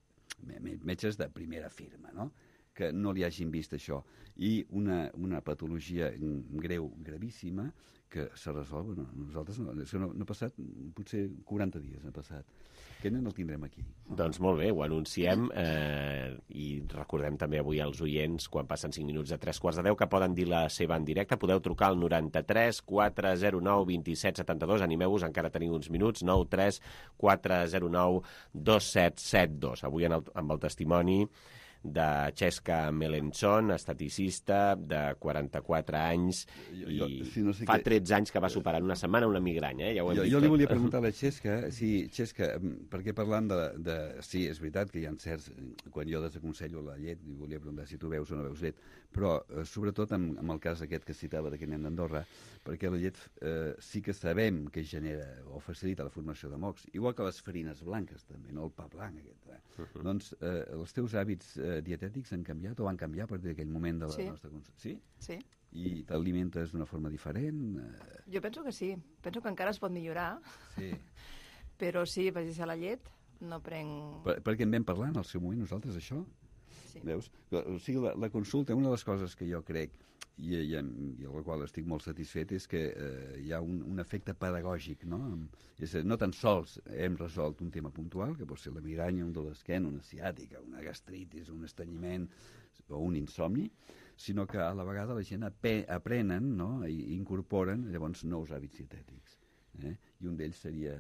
Speaker 11: de, metges de primera firma, no?, que no li hagin vist això, i una, una patologia greu, gravíssima, que se resol, bueno, nosaltres no, no, no ha passat, potser quaranta dies ha passat. Aquest nen el tindrem aquí.
Speaker 2: No? Doncs molt bé, ho anunciem eh, i recordem també avui als oients, quan passen cinc minuts de tres quarts de deu, que poden dir la seva en directe. Podeu trucar al noranta-tres quatre zero nou vint set setanta-dos. Animeu-vos, encara teniu uns minuts. nou tres quatre zero nou dos set set dos. Avui en el, amb el testimoni de Xesca Melenchon, estaticista de quaranta-quatre anys i jo, sí, no sé fa que... tretze anys que va superar en una setmana una migranya, eh? Ja ho hem
Speaker 11: jo,
Speaker 2: dit
Speaker 11: jo li
Speaker 2: tot.
Speaker 11: volia preguntar a la Xesca, sí, Xesca, perquè parlant de, de... Sí, és veritat que hi ha certs... Quan jo desaconsello la llet, li volia preguntar si tu veus o no veus llet, però eh, sobretot amb, amb el cas aquest que citava d'aquest nen d'Andorra, perquè la llet eh, sí que sabem que genera o facilita la formació de mocs, igual que les farines blanques també, no el pa blanc aquest. Eh? Uh -huh. Doncs eh, els teus hàbits eh, dietètics han canviat o van canviar a partir d'aquell moment de la
Speaker 15: sí.
Speaker 11: nostra consulta? Sí?
Speaker 15: Sí.
Speaker 11: I t'alimentes d'una forma diferent? Eh...
Speaker 15: Jo penso que sí. Penso que encara es pot millorar.
Speaker 11: Sí.
Speaker 15: Però sí, vaig deixar la llet, no prenc...
Speaker 11: Per, perquè en vam parlar en el seu moment nosaltres, això?
Speaker 15: Sí.
Speaker 11: Veus? O sigui, la, la consulta, una de les coses que jo crec, i, i, i el qual estic molt satisfet, és que eh, hi ha un, un efecte pedagògic, no? És a dir, no tan sols hem resolt un tema puntual, que pot ser la migranya, un dolor d'esquena, una ciàtica, una gastritis, un estrenyiment o un insomni, sinó que a la vegada la gent aprenen, no? I incorporen llavors nous hàbits dietètics. Eh? I un d'ells seria,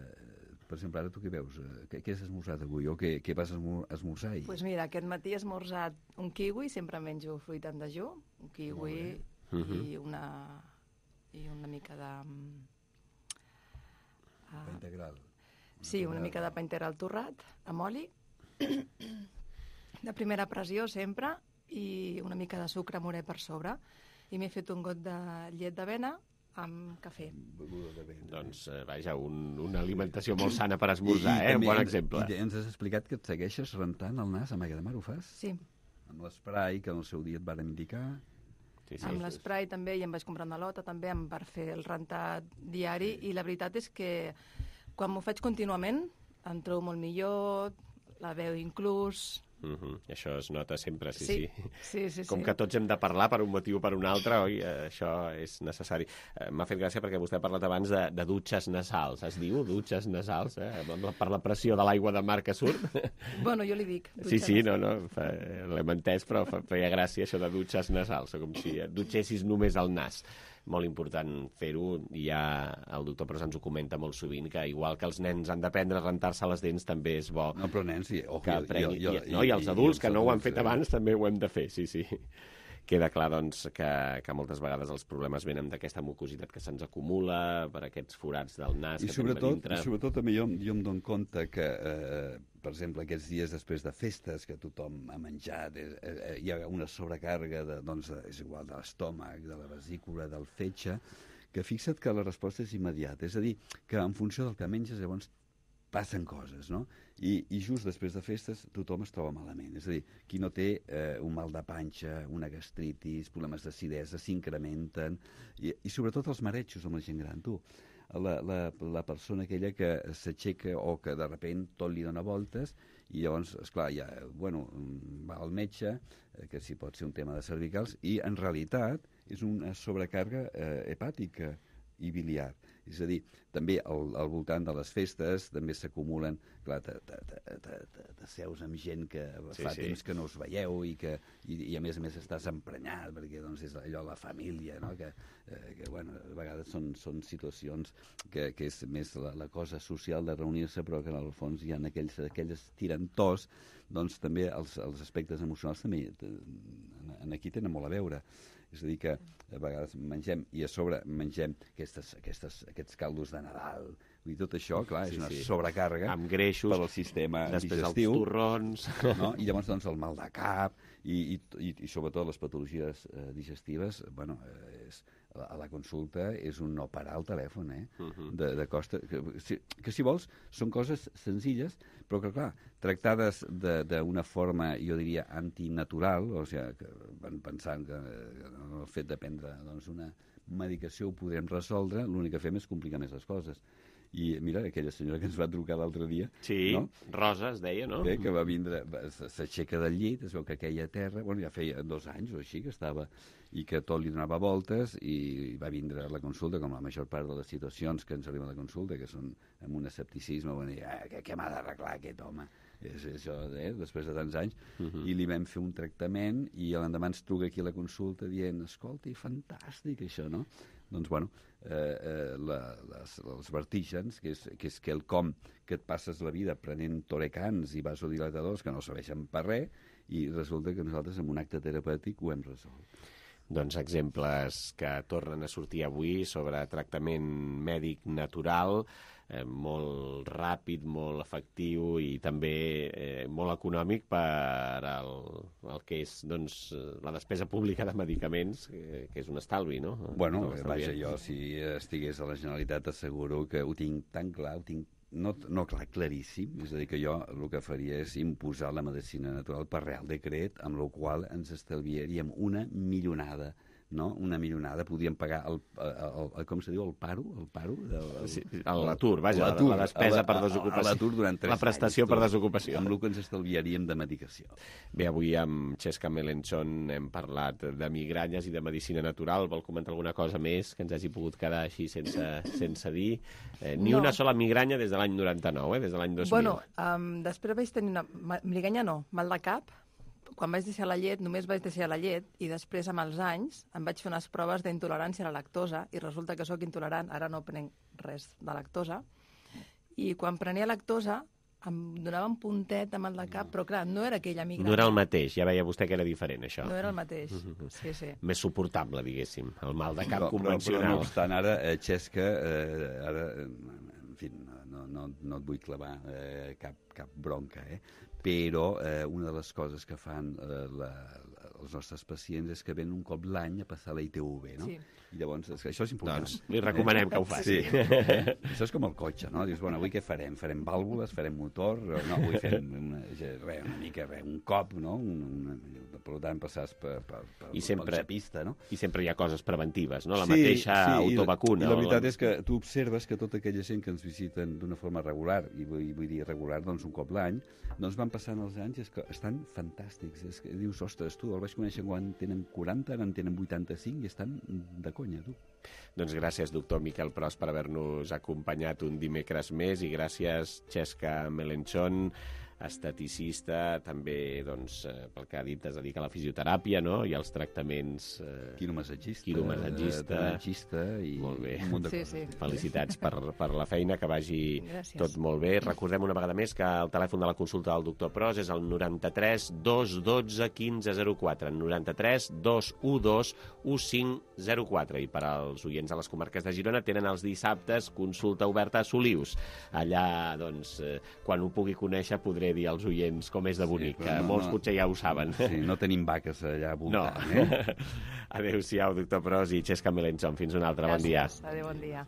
Speaker 11: per exemple, ara tu què veus? Què, què has esmorzat avui? O què, què vas esmorzar ahir?
Speaker 15: Doncs pues mira, aquest matí he esmorzat un kiwi, sempre menjo fruita en dejú, un kiwi i una, i una mica de...
Speaker 11: Uh, pa integral.
Speaker 15: Sí, una mica de pa integral torrat, amb oli, de primera pressió sempre, i una mica de sucre morè per sobre. I m'he fet un got de llet d'avena amb cafè.
Speaker 2: Doncs, eh, vaja, un, una alimentació molt sana per esmorzar, eh? Un bon exemple.
Speaker 11: I ens has explicat que et segueixes rentant el nas amb aigua de mar, ho fas?
Speaker 15: Sí.
Speaker 11: Amb l'esprai que en el seu dia et varen indicar.
Speaker 2: Sí, sí,
Speaker 15: amb l'esprai també, i em vaig comprar una lota també per fer el rentat diari, i la veritat és que quan m'ho faig contínuament em trobo molt millor, la veu inclús...
Speaker 2: Uh -huh. Això es nota sempre, sí,
Speaker 15: sí.
Speaker 2: sí.
Speaker 15: sí, sí
Speaker 2: Com
Speaker 15: sí.
Speaker 2: que tots hem de parlar per un motiu o per un altre, oi? Això és necessari. Eh, M'ha fet gràcia perquè vostè ha parlat abans de, de dutxes nasals. Es diu dutxes nasals, eh? Per la pressió de l'aigua de mar que surt.
Speaker 15: Bueno, jo li dic.
Speaker 2: Sí, sí, no, no, l'hem entès, però feia gràcia això de dutxes nasals, com si dutxessis només el nas. Molt important fer-ho, i ja el doctor Pros ens ho comenta molt sovint, que igual que els nens han d'aprendre a rentar-se les dents, també és bo
Speaker 11: no, però nens, sí, oh,
Speaker 2: que aprenguin.
Speaker 11: jo, jo,
Speaker 2: I, no, I els adults
Speaker 11: i, i
Speaker 2: que no ho han fet
Speaker 11: eh?
Speaker 2: abans també ho hem de fer, sí, sí. Queda clar, doncs, que, que moltes vegades els problemes venen d'aquesta mucositat que se'ns acumula, per aquests forats del nas
Speaker 11: I
Speaker 2: que
Speaker 11: sobretot,
Speaker 2: tenim a dintre.
Speaker 11: I sobretot també jo, jo em dono compte que, eh, per exemple, aquests dies després de festes que tothom ha menjat, eh, eh, hi ha una sobrecàrrega, de, doncs, és igual, de l'estómac, de la vesícula, del fetge, que fixa't que la resposta és immediata. És a dir, que en funció del que menges, llavors passen coses, no? I, i just després de festes tothom es troba malament. És a dir, qui no té eh, un mal de panxa, una gastritis, problemes d'acidesa, s'incrementen, i, i sobretot els marejos amb la gent gran. Tu, la, la, la persona aquella que s'aixeca o que de repent tot li dona voltes, i llavors, esclar, ja, bueno, va al metge, eh, que sí pot ser un tema de cervicals, i en realitat és una sobrecàrrega eh, hepàtica i biliar. És a dir, també al, al voltant de les festes també s'acumulen, clar, t'asseus amb gent que sí, fa sí. temps que no us veieu i que i, i a més a més estàs emprenyat perquè doncs és allò la família, no? que, eh, que bueno, a vegades són, són situacions que, que és més la, la cosa social de reunir-se, però que en el fons hi ha aquells, aquelles tirantors, doncs també els, els aspectes emocionals també en, en aquí tenen molt a veure. És a dir, que a vegades mengem, i a sobre mengem aquestes, aquestes, aquests caldos de Nadal. Vull dir, tot això, clar, és sí, una sí. sobrecàrrega
Speaker 2: amb greixos,
Speaker 11: per al sistema
Speaker 2: després
Speaker 11: digestiu.
Speaker 2: Els torrons.
Speaker 11: No? I llavors, doncs, el mal de cap i, i, i sobretot les patologies eh, digestives, bueno, eh, és, a la consulta és un no parar al telèfon, eh? Uh -huh. de, de costa, que, si, que si vols són coses senzilles, però que clar, tractades d'una forma, jo diria, antinatural, o sigui, que van pensant que, que el fet de prendre doncs, una medicació ho podrem resoldre, l'únic que fem és complicar més les coses. I mira, aquella senyora que ens va trucar l'altre dia...
Speaker 2: Sí,
Speaker 11: no?
Speaker 2: Rosa es deia, no?
Speaker 11: Bé, que va vindre, s'aixeca del llit, es veu que aquella a terra, bueno, ja feia dos anys o així que estava, i que tot li donava voltes, i va vindre a la consulta, com la major part de les situacions que ens arriben a la consulta, que són amb un escepticisme, bueno, i, ah, què, què m'ha d'arreglar aquest home? És això, eh, després de tants anys, uh -huh. i li vam fer un tractament, i l'endemà ens truca aquí a la consulta dient, escolta, fantàstic això, no? Doncs, bueno, eh, eh, la, les, els vertígens, que és, que és quelcom que et passes la vida prenent torecans i vasodilatadors que no serveixen per res, i resulta que nosaltres amb un acte terapèutic ho hem resolt.
Speaker 2: Doncs exemples que tornen a sortir avui sobre tractament mèdic natural, eh, molt ràpid, molt efectiu i també eh, molt econòmic per al, el que és doncs, la despesa pública de medicaments, que, que és un estalvi, no?
Speaker 11: Bueno, no vaja, jo si estigués a la Generalitat asseguro que ho tinc tan clar, ho tinc no, no clar, claríssim, és a dir, que jo el que faria és imposar la medicina natural per real decret, amb la qual ens estalviaríem una milionada no? Una milionada, podien pagar el, el, el, com se diu, el paro? El paro? El,
Speaker 2: sí, l'atur, vaja, la, la despesa per desocupació.
Speaker 11: L'atur durant tres
Speaker 2: la prestació
Speaker 11: anys,
Speaker 2: per desocupació.
Speaker 11: Amb el que ens estalviaríem de medicació.
Speaker 2: Bé, avui amb Xesca Melenchon hem parlat de migranyes i de medicina natural. Vol comentar alguna cosa més que ens hagi pogut quedar així sense, sense dir? Eh, ni no. Una sola migranya des de l'any noranta-nou, eh? Des de l'any dos mil.
Speaker 15: Bueno, um, després vaig tenir una... Migranya no, mal de cap. Quan vaig deixar la llet, només vaig deixar la llet i després, amb els anys, em vaig fer unes proves d'intolerància a la lactosa i resulta que sóc intolerant, ara no prenc res de lactosa. I quan prenia lactosa em donava un puntet amb el de cap, però clar, no era aquella migranya.
Speaker 2: No era el mateix, ja veia vostè que era diferent, això.
Speaker 15: No era el mateix, sí, sí.
Speaker 2: Més suportable, diguéssim, el mal de cap
Speaker 11: però,
Speaker 2: convencional.
Speaker 11: Però, però no obstant, ara, eh, Xesca, eh, ara, en fi, no, no, no et vull clavar eh, cap, cap bronca, eh? Però eh, una de les coses que fan eh, la, els nostres pacients és que venen un cop l'any a passar la I T V, no?
Speaker 15: Sí.
Speaker 11: I llavors, és que això és important.
Speaker 2: Doncs li recomanem que ho faci.
Speaker 11: Sí. Eh? Això és com el cotxe, no? Dius, bueno, avui què farem? Farem vàlvules, farem motor? No, avui fem una, res, una mica, res, un cop, no? Una, una, per tant, passars per, per, per,
Speaker 2: I sempre,
Speaker 11: per pista, no?
Speaker 2: I sempre hi ha coses preventives, no? La
Speaker 11: sí,
Speaker 2: mateixa
Speaker 11: sí,
Speaker 2: autovacuna.
Speaker 11: I la, i la veritat
Speaker 2: o...
Speaker 11: és que tu observes que tota aquella gent que ens visiten d'una forma regular, i vull, vull dir regular, doncs un cop l'any, doncs van passant els anys i és que estan fantàstics. És que dius, ostres, tu el vaig conèixer quan tenen quaranta, ara en tenen vuitanta-cinc i estan de conya, tu.
Speaker 2: Doncs gràcies, doctor Miquel Pros, per haver-nos acompanyat un dimecres més i gràcies, Xesca Melenchon, esteticista, també, doncs, pel que ha dit, es dedica a la fisioteràpia, no?, i als tractaments... Eh...
Speaker 11: Quiromassagista,
Speaker 2: quiromassagista,
Speaker 11: drenatgista i...
Speaker 2: Molt bé.
Speaker 11: Un munt de
Speaker 15: sí,
Speaker 11: coses.
Speaker 15: Sí.
Speaker 2: Felicitats per, per la feina, que vagi
Speaker 15: Gràcies.
Speaker 2: Tot molt bé. Recordem una vegada més que el telèfon de la consulta del doctor Pros és el noranta-tres dos dotze quinze zero quatre, noranta-tres dos u dos u cinc zero quatre, i per als oients de les comarques de Girona tenen els dissabtes consulta oberta a Solius. Allà, doncs, eh, quan ho pugui conèixer podré dir als oients com és de bonic, sí, que no, molts no, potser ja ho saben.
Speaker 11: Sí, no tenim vaques allà voltant,
Speaker 2: no.
Speaker 11: eh?
Speaker 2: Adéu-siau, doctor Pros i Xesca Melenchon. Fins un altre. Bon dia.
Speaker 15: Gràcies. Adéu, bon dia.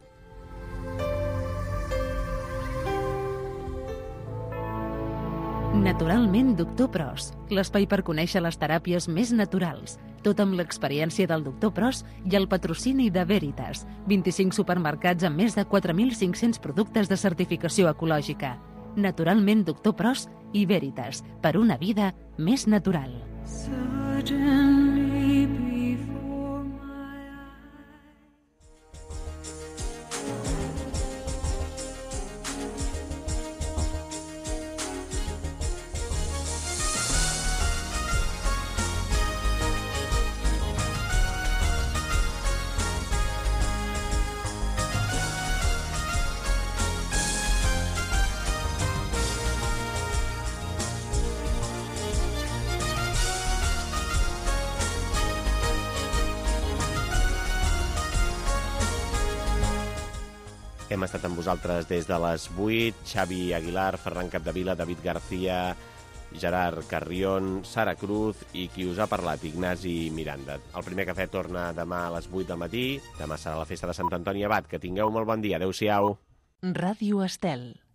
Speaker 1: Naturalment, doctor Pros, l'espai per conèixer les teràpies més naturals. Tot amb l'experiència del doctor Pros i el patrocini de Veritas. vint-i-cinc supermercats amb més de quatre mil cinc-cents productes de certificació ecològica. Naturalment, doctor Pros i Veritas, per una vida més natural. Suddenly before my
Speaker 2: Hem estat amb vosaltres des de les vuit. Xavi Aguilar, Ferran Capdevila, David García, Gerard Carrión, Sara Cruz i qui us ha parlat, Ignasi Miranda. El primer cafè torna demà a les vuit del matí. Demà serà la festa de Sant Antoni Abat. Que tingueu molt bon dia. Adéu-siau.
Speaker 1: Ràdio Estel.